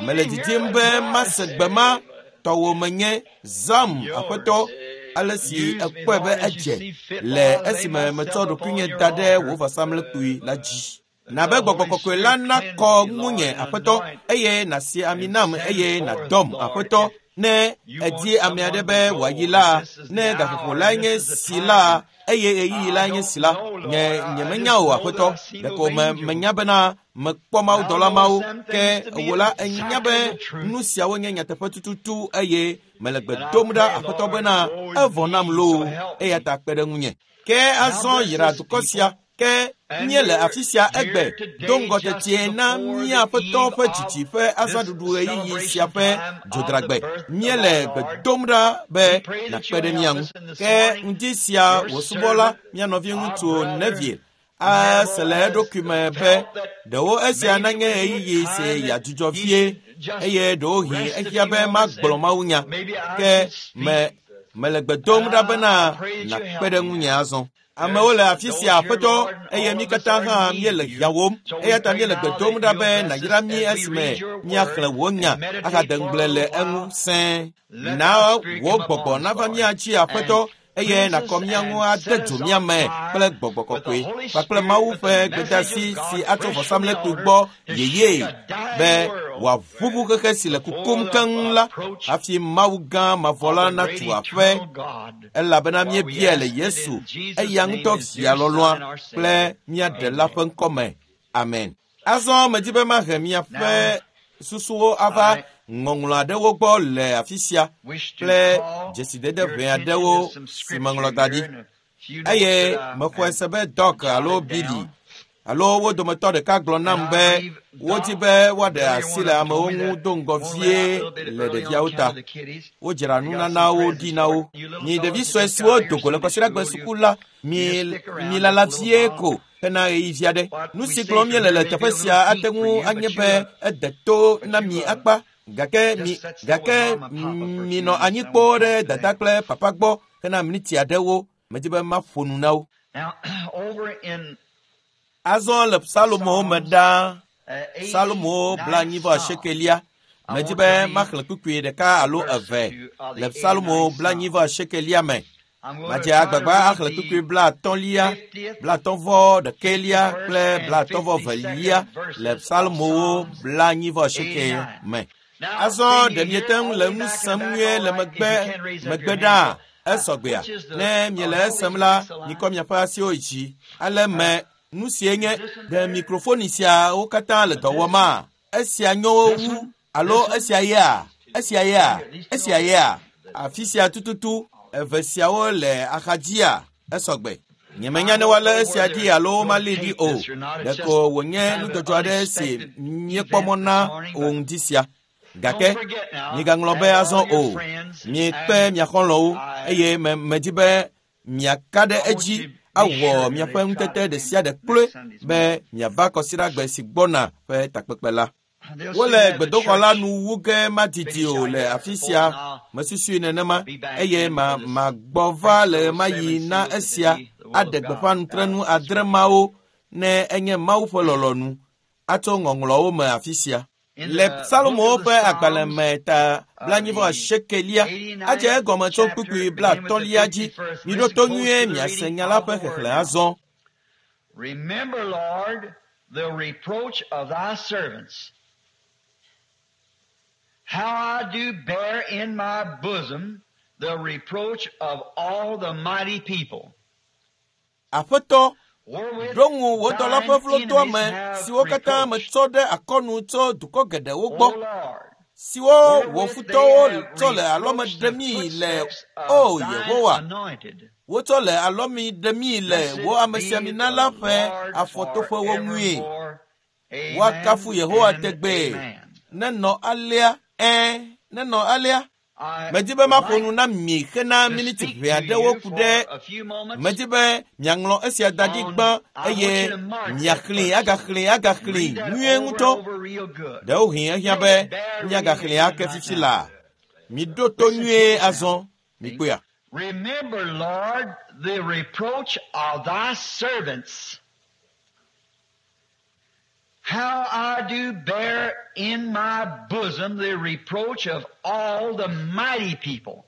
Mele didim be mase gbe ma tɔwò menye zam, Aƒetɔ, ale si ekpɔe be edze le esime metsɔ ɖokuinye da ɖe wò vɔsamlekpui la dzi. Na be gbɔgbɔ kɔkɔe la nakɔ ŋunye, Aƒetɔ, eye nàsi ami nam eye nàdɔm, Aƒetɔ. Ne èdi ame aɖe be wòayi la, ne gaƒoƒo lae nye si la, eye ɣeyiɣi lae nye si la, nye nyemenya o, Aƒetɔ. Ɖeko me menya bena mekpɔ mawudɔla mawo, ke wò la ènya be nu siawo nye nyateƒe tututu eye mele gbe dom ɖa, Aƒetɔ, bena evɔ nam loo, eya ta kpe ɖe ŋunye. Ke azɔ yra dukɔ sia. Ke míele afi sia egbe do ŋgɔ tetie na mía Aƒetɔ ƒe dzidzi ƒe azãɖuɖu ɣeyiɣi sia ƒe dzodragbe. Míele gbe dom ɖa be nàkpe ɖe mía ŋu. Ke ŋdi sia wò subɔla, mía nɔviŋutsu Neville, Ase le eɖokui me be ɖewo esia nanye ɣeyiɣi si yeadzudzɔ vie eye ɖewohĩ ehiã be magblɔ mawunya. Ke me mele gbe dom ɖa bena nàkpe ɖe ŋunye azɔ. Amewo le afi sia aƒetɔ eye mí katã hã míele hiãwom eya ta míele gbe dom ɖa be nàyra mí esime míaxlẽ wò nya ahade ŋugble le eŋu sẽe. Na wò gbɔgbɔ nava mía dzi aƒetɔ eye nàkɔ mía ŋu ade dzo mía me kple gbɔgbɔ kɔkɔe kpakple Mawu ƒe gbedeasi si atso vɔsamlekpui gbɔ yeye be wòaʋuʋu xexe si le kukum keŋ la hafi Mawu gã mavɔ la natu aƒe elabena míebiae le Yesu eya ŋutɔ via lɔlɔ̃a kple mía Ɖela ƒe ŋkɔme. Amen. Azɔ medi be mahe miaƒe susuwo ava ŋɔŋlɔ aɖewo gbɔ le afi sia kple dzesidede ʋɛ aɖewo si meŋlɔ da ɖi eye mexɔe se be Doc alo Billy alo wo dometɔ ɖeka gblɔ nam be wodi be woaɖe asi le amewo ŋu do ŋgɔ vie le ɖeviawo ta. Wodzra nunanawo ɖi na wo. Mi ɖevi sue siwo do go le kɔsiɖagbe suku la, mi milala vie ko hena ɣeyiɣi aɖe. Nu si gblɔm míele le teƒe sia ate ŋu anye be ede to na mi akpa gake mi gake minɔ anyi kpoo ɖe dada kple papa gbɔ hena miniti aɖewo. Medi be maƒo nu na wo. Azɔ le Psalomo me ɖaa, Psalomo blaenyi-vɔ-asiekelia. Medi be maxlẽ kpukpui ɖeka alo eve le Psalomo blaenyi-vɔ-asiekelia me. Madze agbagba axlẽ kpukpui blaatɔ̃lia, blaatɔ̃-vɔ-ɖekɛlia kple blaatɔ̃-vɔ-velia le Psalomowo blaenyi-vɔ-asieke me. Azɔ ɖe miete ŋu le nu sem nyuie le megbe megbe ɖaa esɔgbea? Ne miele esem la, mikɔ miaƒe asiwo dzi. Ale me nu sie nye ɖe mikrofoni siawo katã le dɔ wɔma? Esia nyo wu alo esia yea? Esia yea? Esia yea? Afi sia tututu eve siawo le axadzia esɔgbe. Nyemenya ne woalé esia ɖi alo womalée ɖi o. Ɖeko wònye nudzɔdzɔ aɖe si míekpɔ mɔ na o ŋdi sia. Gake migaŋlɔ be azɔ o. Miekpe mia xɔlɔ̃wo eye me medi be miaka ɖe edzi awɔ miaƒe ŋutete ɖe sia ɖe kloe be miava kɔsiɖagbe si gbɔna ƒe takpekpe la. Wole gbedoxɔ la nu wu ge madidi o le afi sia mesusui nenema eye ma magbɔ va le ɣemaɣi na esia aɖe gbeƒã nutrenu adre mawo ne enye Mawu ƒe lɔlɔ̃nu atso ŋɔŋlɔwo me afi sia. Le Psalomowo ƒe agbalẽ me ta blaenyi-vɔ-asiekelia adze egɔme tso kpukpui blaatɔ̃lia dzi. Miɖo to nyuie miase nya la ƒe xexlẽ azɔ. Remember, Lord, the reproach of thy servants, how I do bear in my bosom the reproach of all the mighty people. Aƒetɔ, ɖo ŋu wò dɔla ƒe vlodoame siwo katã metsɔ ɖe akɔnu tso dukɔ geɖewo gbɔ, siwo wò futɔwo tsɔ le alɔme ɖemii le o Yehowa, wotsɔ le alɔme ɖemii le wò amesiamina la ƒe afɔtoƒewo ŋue. Woakafu Yehowa tegbee. Nenɔ alea, ɛ̃, nenɔ alea. Medi be maƒo nu na mi hena miniti ʋɛ aɖewo ku ɖe medi be miaŋlɔ esia da ɖi gbã eye miaxlẽe agaxlẽe agaxlẽe nyuie ŋutɔ. Ɖewohĩ ehiã be míagaxlẽe ake fifi laa. Miɖo to nyuie azɔ, mikpɔea. Remember, Lord, the reproach of thy servants, how I do bear in my bosom the reproach of all the mighty people.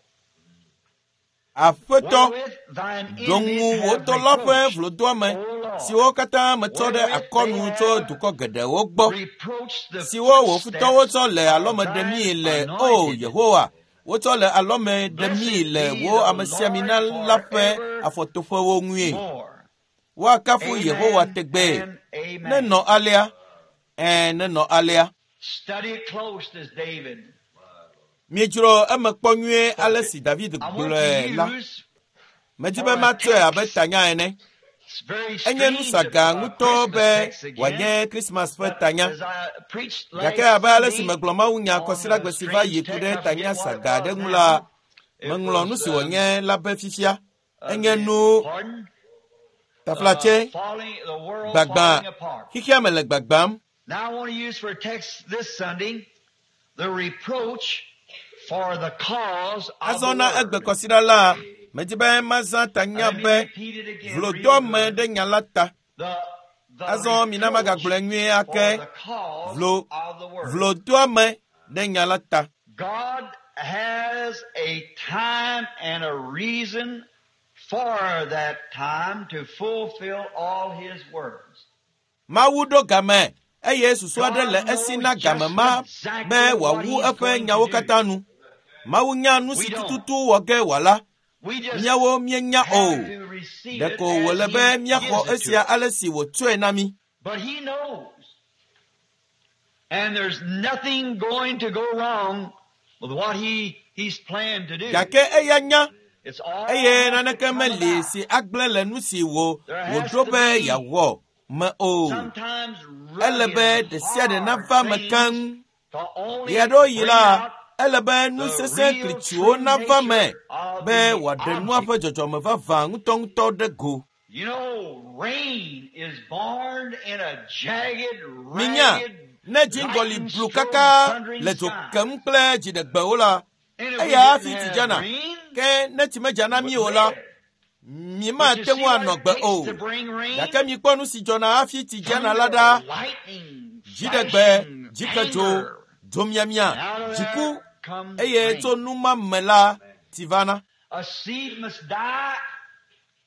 Aƒetɔ, ɖo ŋu wò dɔla ƒe vlodoame siwo katã metsɔ ɖe akɔnu tso dukɔ geɖewo gbɔ, siwo wò futɔwo tsɔ le alɔme ɖemii le o Yehowa, wotsɔ le alɔme ɖemii le wò amesiamina la ƒe afɔtoƒewo ŋue. Woakafu Yehowa tegbee. Nenɔ alea. Ɛ̃, nenɔ alea. Miedzro eme kpɔ nyuie ale si David gblɔe la. Medi be matsɔe abe tanya ene. Enye nu saga ŋutɔ be wòanye Krismas ƒe tanya. Gake abe ale si megblɔ mawunya kɔsiɖagbe si va yi ku ɖe tanya saga aɖe ŋu la, meŋlɔ nu si wònye la be fifia. Enye nu Taflatse, gbagba, xexea me le gbagbam. Now I want to use for a text this Sunday the reproach for the cause of Azɔ the na word. egbe kɔsiɖa la, medi be mazã tanya Let me be repeat it again real vlodɔme good. ɖe nya la ta. The, the Azɔ mina magagblɔe nyuie reproach for ake. the cause Vlo, of the word. vlodoame ɖe nya la ta. God has a time and a reason for that time to fulfill all His words. Mawu ɖo game eye susu aɖe God le esi knows na game just ma be exactly what wòawu He's eƒe going to nyawo do. katã nu. Mawu nya nu We si don't. tututu wɔ ge wòala. We just Míawo míenya o. have to receive it Ɖeko wòle as be He míaxɔ gives it to esia us. ale si wòtsɔe na mí. But He knows. And there's nothing going to go wrong with what he, He's planned to do. Gake eya nya It's all eye has to naneke come meli about. si agblẽ le nu si wò There has wòɖo to be be yeawɔ me o. sometimes Ele rugged be and ɖe sia ɖe hard nava me things keŋ. to only Ɣeaɖewoɣi bring la, out ele be nu the sesẽ real klitsuwo true nava me nature of be the wòaɖe nua object. ƒe dzɔdzɔme vavã ŋutɔŋutɔ ɖe go. You know, rain is born in a jagged, Minya, ragged, ne dziŋgɔli lightning blu strode, kaka thundering le dzo sky. kem kple dziɖegbewo la, And if we eya hafi didn't tsi have dzana. rain, Ke ne tsi medza na we mí o wouldn't la, live. mí But you mate see ŋu what anɔ it gbe takes o. to bring rain? Gake mikpɔ nu si dzɔna hafi tsi dzana la Thunder, ɖa. lightning, Dziɖegbe, flashing, dzikedzo, anger. dzomiamia, And out of dziku there comes eye rain. tso nu ma me la, tsi vana. A seed must die,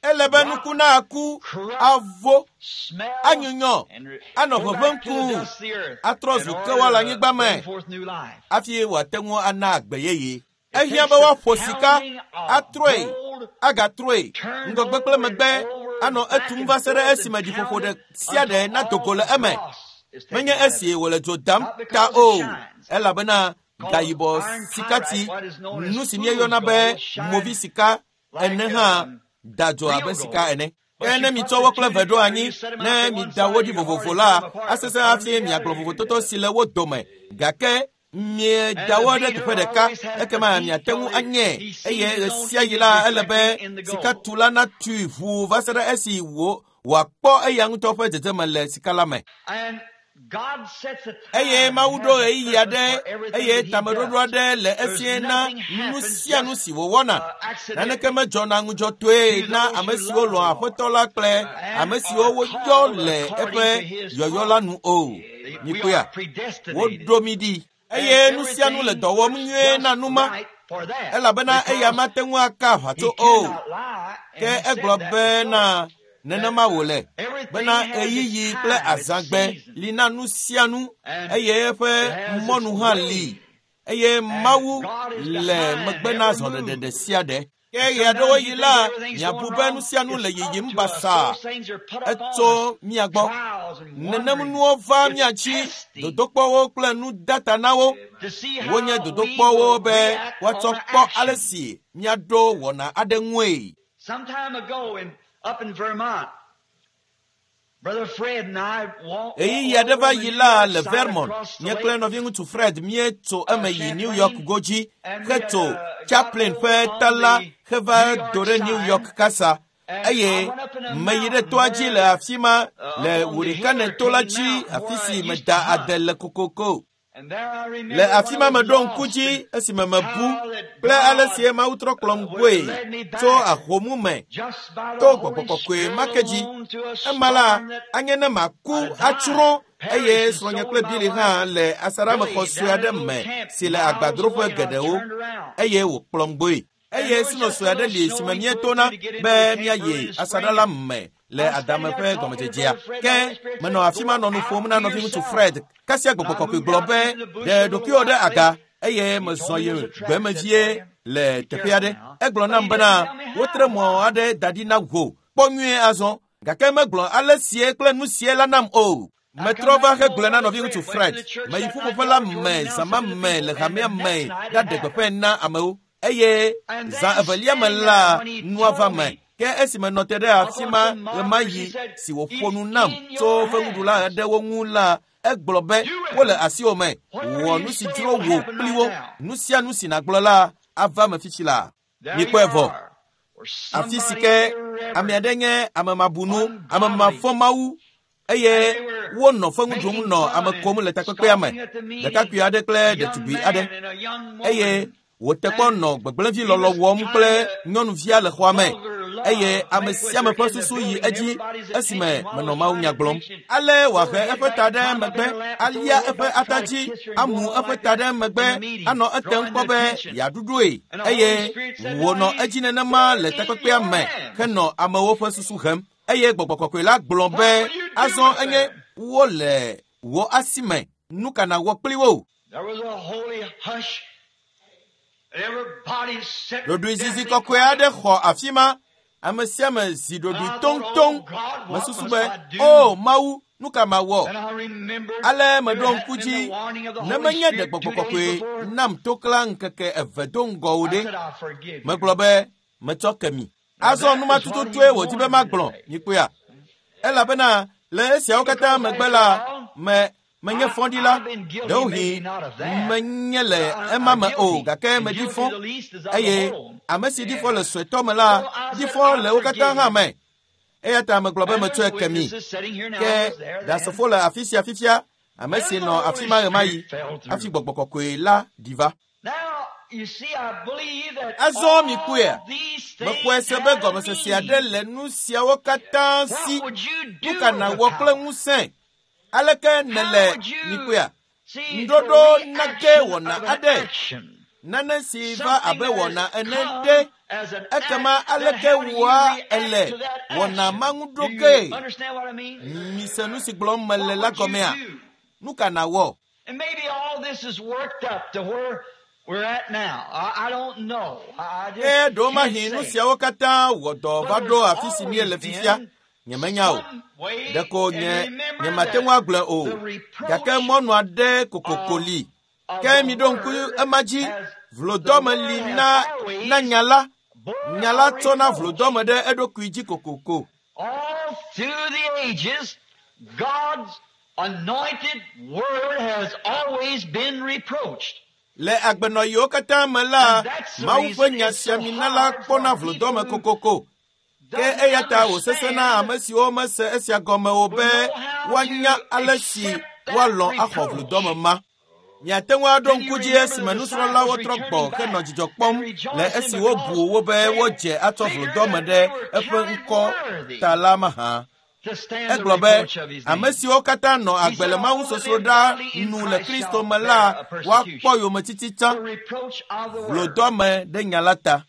Ele be rot, nuku na aku, corrupt, avo, smell, anyunyɔ, and re- anɔ go ʋeʋẽm back to the kũu, dust of the earth atrɔ in zu order kewɔ le to anyigba bring me forth new life. hafi wòate ŋu ana agbe yeye. It Ehiã takes be the woaƒo sika, pounding of atrɔe, gold agatrɔe, turned ŋgɔgbe kple over and megbe, over, anɔ back etum and va se ɖe forth esime and dziƒoƒo ɖe pounded sia ɖe until nado all go le the eme. dross is taken Menye out of esi it. wòle dzo dam Not ta because it o, shines, elabena because gayibɔ iron sikati, pyrite, what is known as nu si fool's míeyɔna be gold, shines movi sika like ene hã um, da dzo real abe sika gold. ene. Ke But ne you put mitsɔ the wo kple two ve ɖo together, anyi, you set them ne out to one mida wo side, ɖi you vovovo hardly tell la, them apart, but asesẽ put them hafi together, miagblɔ you can vovototo tell. si le wo dome. Gake And mieda the wo ɖe beater teƒe ɖeka, always has to ekema beat miate till ŋu he, anyɛ he sees eye his own ɣesiaɣi image la ele be reflecting in the gold. sikatula natui ʋuu va se ɖe esi wò wòakpɔ eya ŋutɔ ƒe dzedzeme le sika la me. And God sets a Eye time Mawu and ɖo has a ɣeyiɣi purpose aɖe for everything eye that He tameɖoɖo does. aɖe le There's esie na nothing nu happens sia nu just si wòwɔna. uh, Naneke accidentally medzɔna ŋudzɔtɔe to na those ame who siwo love the lɔ̃a Lord Aƒetɔ la kple ame and siwo are woyɔ called le according eƒe to His yɔyɔ la purpose. nu o. We Mikpɔea, are predestinated. woɖo mí ɖi And eye nu sia nu le everything dɔ wɔm works nyuie na just nu ma right for that elabena eya because mate ŋu aka he aʋatso o. cannot lie, Ke and he egblɔ said that bena before. That nenema wòle everything bena has its ɣeyiɣi kple time, its azãgbe season, li na nu sia nu and eye eƒe it has its mɔnu hã li way. eye And Mawu God is le behind megbe na every zɔɖeɖe move. ɖe sia ɖe. Ke And ɣeaɖewoɣi sometimes you la think everything's miabu going be nu wrong. sia nu le It's yiyim up to us. basaa Those things are put up on us. etso mía gbɔ. Trials and Nenem wandering. nuwo va It's mía dzi, testing dodokpɔwo kple nudatanawo. to see Wonye how we dodokpɔwo will be react woatsɔ on an kpɔ ale action. si míaɖo wɔna aɖe ŋue. Some time ago in up in Vermont, Brother Fred and I walked, Ɣeyiɣi walked aɖe over va on the yi New la York le side Vermont. across the Nye kple lake, nɔviŋutsu Fred míetso uh, eme yi New York Champlain, godzi and we had hetso uh, got Chaplin over ƒe on ta la the heva New York do ɖe New side, York kasa and I eye went up in a meyi ɖe mountain toa dzi where le the, afi ma uh, le up on the Hurricane to la Hurricane dzi Mountain afi where I si used to meda hunt. ade le kokoko. And there I Le remember afi when ma I was meɖo ŋku lost dzi and esime mebu how that kple ale God si Mawu trɔ uh, kplɔm would goe have led me tso back ahomu me just by to the gbɔgbɔ Holy kɔkɔe Spirit ma ke dzi. alone to a Ema la storm that anye ne maku I'd atsrɔ̃ died, eye perished, and srɔ̃nye so kple would my Billy wife hã le asaɖamexɔ Billy sue down in aɖe a little me camp si le miles agbadroƒe away, and I geɖewo turned around. eye wòkplɔm gbɔe. And Eye there was sino just sue a aɖe little li si me snowy míetona pull to get into be the camp early míayi in the asaɖa spring. la And me le I'm standing adame there ƒe talking to gɔmedzedzea. Brother Fred, the Ke Holy Spirit menɔ said, afi ma Go nɔ nu out ƒom na to nɔviŋutsu yourself. Fred. Kasia And gbɔgbɔ I kɔkɔe moved gblɔ out be into the bush ɖe a little ɖokuiwò ɖe while aga later. eye He mezɔ told me yi there's a trap gbeme set for vie you. le Be teƒe careful aɖe. now. Egblɔ But nam he didn't bena tell me wotre how, mɔ why. aɖe da ɖi na wò. Kpɔ nyuie azɔ. Gake megblɔ ale sie kple nu sie la nam o. I come Metrɔ va back to old hegblɔe na Brother nɔviŋutsu Fred, went to Fred. the church Meyi that night, ƒuƒoƒe la the auditorium me zã announced ma it to the me le people, and hamea the me next night it ɖaɖe happened. gbeƒãe na amewo. Eye And zã then evelia me standing there la when he nua va told me. me Ke esi menɔ te ɖe up afi on ma some markers, he ɣemaɣi said, si wòƒo It's nu nam in tso your fewuɖula hands. aɖewo ŋu la, egblɔ be Do wole it. asiwò me. Whatever Wɔ you nu si say dzro will wò happen kpli right wo. now. Nu sia nu si nàgblɔ la ava me fifi la. There you Mikpɔe vɔ. are. Afi si ke ame aɖe nye ame mabunu, ame mafɔmawu eye wonɔ feŋu ɖum nɔ ame kom le takpekpea me. Ɖekakpui aɖe kple ɖetugbui aɖe eye wòte kpɔ nɔ gbegblẽvi lɔlɔ wɔm kple nyɔnuvia le xɔa me eye ame sia ame ƒe susu yi edzi esime menɔ mawunya gblɔm. Ale wòahe eƒe ta ɖe megbe, alia eƒe ata dzi, amu eƒe ta ɖe megbe, anɔ etem kpɔ be yeaɖuɖoe eye wònɔ edzi nenema le takpekpea me henɔ amewo ƒe susu hem. Eye gbɔgbɔ kɔkɔe la gblɔ be azɔ enye wole wò asi me, nu ka nàwɔ kpli wo? Ɖoɖoezizi kɔkɔe aɖe xɔ afi ma. Ame sia ame zi ɖoɖoe toŋtoŋ. Mesusu be, o Mawu, nu ka mawɔ? Ale meɖo ŋku dzi ne menye ɖe gbɔgbɔ kɔkɔe nam toklã ŋkeke eve do ŋgɔ o ɖe. Megblɔ be metsɔ ke mi. Azɔ numa tututue wòdi be magblɔ, mikpɔea? Elabena le esiawo katã megbe la, me menye fɔɖila, ɖewohĩ menye le ema me o, gake meɖi fɔ eye ame si ɖi fɔ le suetɔ me la, ɖi fɔ le wo katã hã me. Eya ta megblɔ be metsɔe ke mi. Ke ɖasefo le afi sia fifia, ame si nɔ afi ma ɣemaɣi hafi gbɔgbɔ kɔkɔe la ɖi va. Azɔ mikpɔea, mexɔe se be gɔmesese aɖe le nu siawo katã si. Nu ka nàwɔ kple ŋusẽ? Aleke nèle mikpɔea? Ŋuɖoɖo nage wɔna aɖe, nane si va abe wɔna ene ɖe, ekema aleke wɔa ele wɔna ma ŋu ɖo ge? Mise nu si gblɔm mele la gɔmea? Nu ka nàwɔ? Ke ɖewomahi nu siawo katã wɔ dɔ va ɖo afi si míele fifia. Nyemenya o. Ɖeko nye nyemate ŋu agblɔe o. Gake mɔnu aɖe kokoko li. Ke miɖo ŋku ema dzi. Vlodɔme li na na nya la. Nya la tsɔna vlodɔme ɖe eɖokui dzi kokoko. All through the ages, God's anointed word has always been reproached. Le agbenɔɣiwo katã me la, Mawu ƒe nya sia mina la kpɔna vlodɔme kokoko. Ke eya ta wòsesẽ na ame siwo mese esia gɔme o be woanya ale si woalɔ̃ axɔ vlodɔme ma. Miate ŋu aɖo ŋku dzi esime nusrɔ̃lawo trɔ gbɔ henɔ dzidzɔ kpɔm le esi wobu wo be wodze atsɔ vlodɔme ɖe eƒe ŋkɔ ta la mahã. Egblɔ be ame siwo katã nɔ agbe le mawusosroɖa nu le Kristo me la, woakpɔ yometiti tsã, vlodɔme ɖe nya la ta.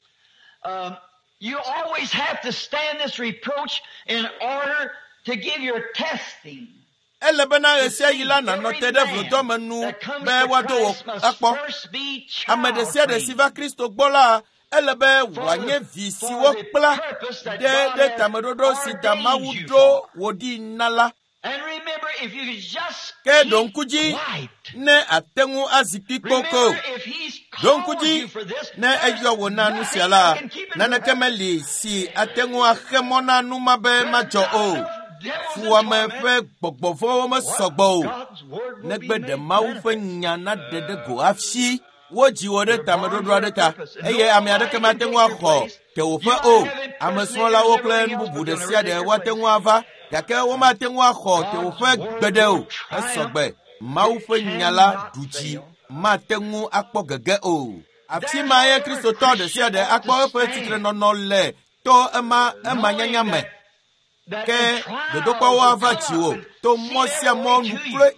You always have to stand this reproach in order to give your testing. Ele bena ɣesiaɣi la nànɔ te ɖe vlodɔme nu be woado wò akpɔ. Ame ɖe sia ɖe si va Kristo gbɔ la, ele be wòanye vi si wokpla ɖe ɖe tameɖoɖo si ta Mawu ɖo wò ɖi na la. Ke ɖo ŋku dzi ne ate ŋu azi kpi kpoko. Ɖo ŋku dzi ne eyɔ wò na nu sia la, naneke meli si ate ŋu axe mɔ na nu ma be madzɔ o. Fuwɔame ƒe gbɔgbɔ vɔ̃wo mesɔgbɔ o. Negbe ɖe Mawu ƒe nya naɖe ɖe go hafi wodzi wò ɖe tameɖoɖo aɖe ta eye ame aɖeke mate ŋu axɔ tewòƒe o. Ame srɔ̃lawo kple nu bubu ɖe sia ɖe woate ŋu ava gake womate ŋu axɔ tewòƒe gbeɖe o. Esɔgbe. Mawu ƒe nya la ɖu dzi mate ŋu akpɔ gege o. Afi ma ye Kristotɔ ɖe sia ɖe akpɔ eƒe tsitrenɔnɔ le to ema ema nyanya me. Ke dodokpɔwo ava dziwò to mɔ sia mɔ nu kloe.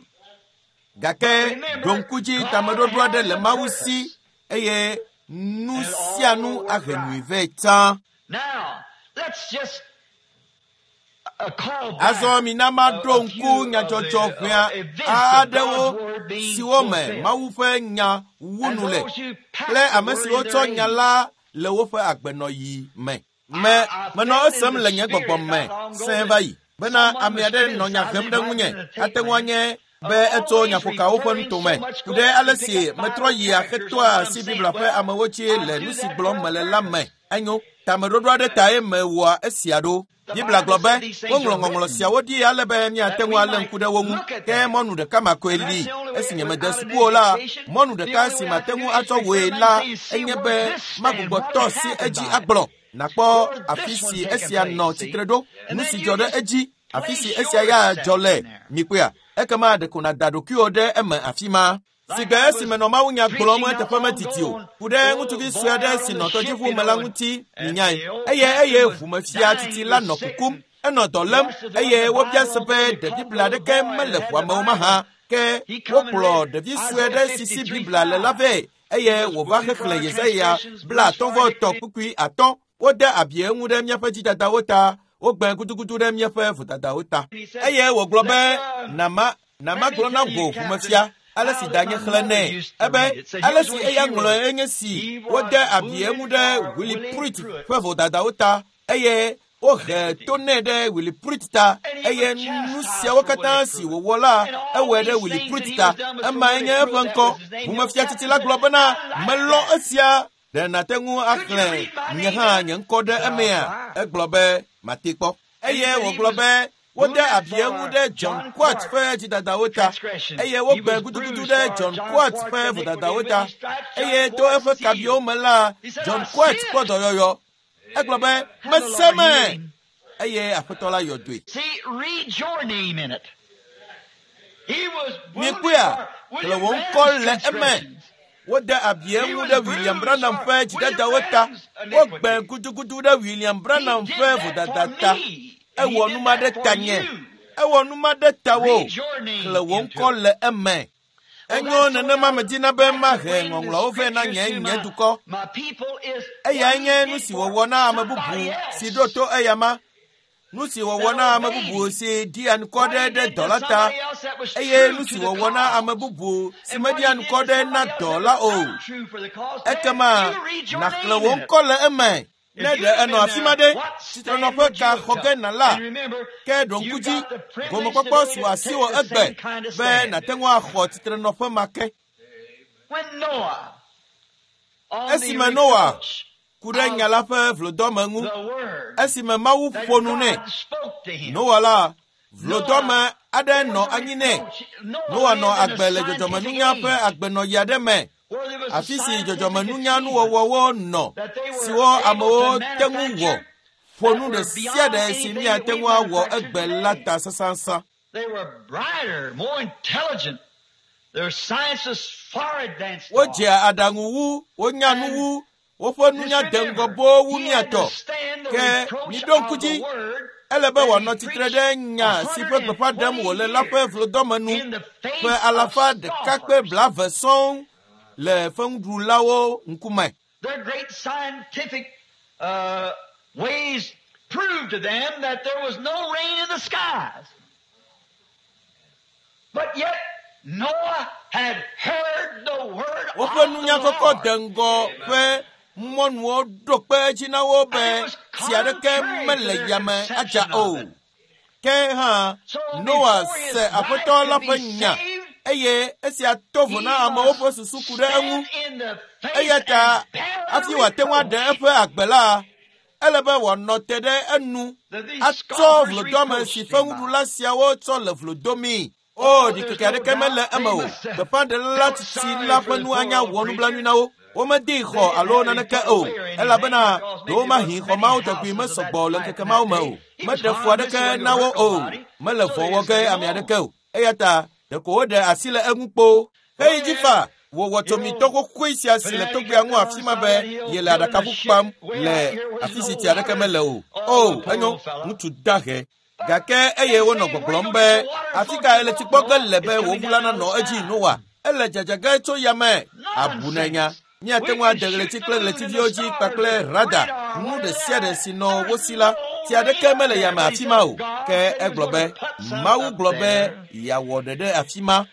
Gake ɖo ŋku dzi tameɖoɖo aɖe le Mawu si eye nu sia nu ahe nyui vɛ tsã. Azɔ mina maɖo ŋku nyadzɔdzɔ ʋɛa aɖewo siwo me Mawu ƒe nya wu nu le kple ame siwo tsɔ nya la le woƒe agbenɔɣi me. Me menɔ esem le nye gbɔgbɔ me sẽe va yi bena ame aɖe nɔ nya hem ɖe ŋunye ate ŋu anye be etso nyaƒokawo ƒe nutome ku ɖe ale si metrɔ yia hetoa asi Biblia ƒe amewo dzi le nu si gblɔm mele la me. Enyo, tameɖoɖo aɖe tae mewɔa esia ɖo. Biblia gblɔ be woŋlɔ ŋɔŋlɔ siawo ɖi ale be míate ŋu alé ŋku ɖe wo ŋu. Ke mɔnu ɖeka ma koe li. Esi nyemede suku o la, mɔnu ɖeka si mate ŋu atsɔ wòe la enye be magbugbɔ tɔ si edzi agblɔ. Nakpɔ afi si esia nɔ tsitre ɖo, nu si dzɔ ɖe edzi, afi si esia ya dzɔ le. Mikpɔea, ekema ɖeko nàda ɖokuiwò ɖe eme afi ma. Sigbe esime nɔ mawunya gblɔm eteƒe metiti o, ku ɖe ŋutsuvi sue aɖe si nɔ tɔdziʋu me la ŋuti minyae. Eye eye ʋumefia titi la nɔ kukum, enɔ dɔ lém eye wobia se be ɖe Biblia aɖeke mele ʋua me o mahã. Ke wokplɔ ɖevi sue aɖe si si Biblia le la vɛ eye wòva xexlẽ Yesaya blaatɔ̃ vɔ etɔ̃ kpukpui atɔ̃. Wode abi eŋu ɖe míaƒe dzidadawo ta, wogbe gudugudu ɖe míaƒe vodadawo ta. Eye wògblɔ be nama nama gblɔ na wò ʋumefia ale si danye xlẽ nɛ ebe ale si eya ŋlɔe enye si wode abi eŋu ɖe Willie Pruitt ƒe vodadawo ta eye wohe to nɛ ɖe Willie Pruitt ta eye nu siawo katã si wòwɔ la ewɔe ɖe Willie Pruitt ta. Emae nye eƒe ŋkɔ. Ʋumefia tsitsi la gblɔ bena melɔ esia. Ɖe nàte ŋu axlẽ nye hã nye ŋkɔ ɖe emea? Egblɔ be mate kpɔ. Eye wògblɔ be wode abi eŋu ɖe John Quartz ƒe dzidadawo ta eye wogbe gudugudu ɖe John Quartz ƒe vodadawo ta eye to eƒe kabiwo me la John Quartz kpɔ dɔyɔyɔ. Egblɔ be mese me eye aƒetɔ la yɔ doe. Mikpɔea, xlẽ wò ŋkɔ le eme. Wode abi eŋu ɖe William Branham ƒe dzidadawo ta. Wogbe gudugudu ɖe William Branham ƒe vodada ta. Ewɔ nu ma ɖe ta nye. Ewɔ nu ma ɖe ta wo. Xlẽ wò ŋkɔ le eme. Enyo nenema medina be mahe ŋɔŋlɔawo vɛ na nye nye dukɔ. Eyae nye nu si wòwɔ na ame bubu si ɖo to eyama. Nu si wòwɔ na ame bubu si ɖi anukɔ ɖe ɖe dɔ la ta eye nu si wòwɔ na ame bubu si meɖi anukɔ ɖe na dɔ la o. Ekema nàxlẽ wò ŋkɔ le eme. Ne ɖe enɔ afi ma ɖe, tsitrenɔƒe ka xɔ ge nàla, ke ɖo ŋku dzi, gomekpɔkpɔ su asiwò egbe be nàte ŋu axɔ tsitrenɔƒe ma ke. Esime Noa ku ɖe nya la ƒe vlodɔme ŋu, esime Mawu ƒo nu nɛ, Noa la, vlodɔme aɖe nɔ anyi nɛ. Noa nɔ agbe le dzɔdzɔmenunya ƒe agbenɔɣi aɖe me, afi si dzɔdzɔmenunya nuwɔwɔwo nɔ, siwo amewo te ŋu wɔ, ƒo nu ɖe sia ɖe si míate ŋu awɔ egbe la ta sãsãsã. Wodzea aɖaŋu wu, wonya nu wu, woƒe nunya de ŋgɔ boo wu mía tɔ. Ke miɖo ŋku dzi, ele be wòanɔ tsitre ɖe nya si ƒe gbeƒã ɖem wòle la ƒe vlodɔme nu ƒe alafa ɖeka kple blaeve sɔŋ le feŋuɖulawo ŋkume. Their great scientific uh, ways proved to them that there was no rain in the skies. But yet Noah had heard the word of Woƒe nunya the kɔkɔ Lord. de ŋgɔ ƒe mɔnuwo ɖo kpe edzi na wo be tsi aɖeke mele yame adza o. Ke hã Noa se Aƒetɔ la ƒe nya eye esia to vo na amewo ƒe susu ku ɖe eŋu. Eya ta hafi wòate ŋu aɖe eƒe agbe la, ele be wòanɔ te ɖe enu atsɔ vlodɔme si feŋuɖula siawo tsɔ le vlo domii. O, ɖikeke aɖeke mele eme o. Gbeƒãɖela la tsitsi la ƒe nu anya wɔ nublanui na wo. Womedee xɔ alo naneke o, elabena ɖewomahi xɔ mawo tɔgbi mesɔgbɔ le ŋkeke mawo me o. Meɖe fu aɖeke na wo o. Mele vɔ̃ wɔ ge ame aɖeke o. Eya ta ɖeko woɖe asi le eŋu kpoo. Heyi dzi fa, wòwɔ tsomitɔ xoxoe sia si le togbea ŋu afi ma be yele aɖakaƒu kpam le afi si tsi aɖeke mele o. O, enyo, ŋutsu dahe. Gake eye wonɔ gbɔgblɔm be afi ka ele tsi kpɔ ge le be wò ʋu la nanɔ edzi Noa. Ele dzadza ge tso yame. Abu na nya. Míate ŋu ade ɣleti kple ɣletiviwo dzi kpakple rada nu ɖe sia ɖe si nɔ wo si la, tsi aɖeke mele yame afi ma o. Ke egblɔ be Mawu gblɔ be yeawɔ ɖe ɖe afi ma.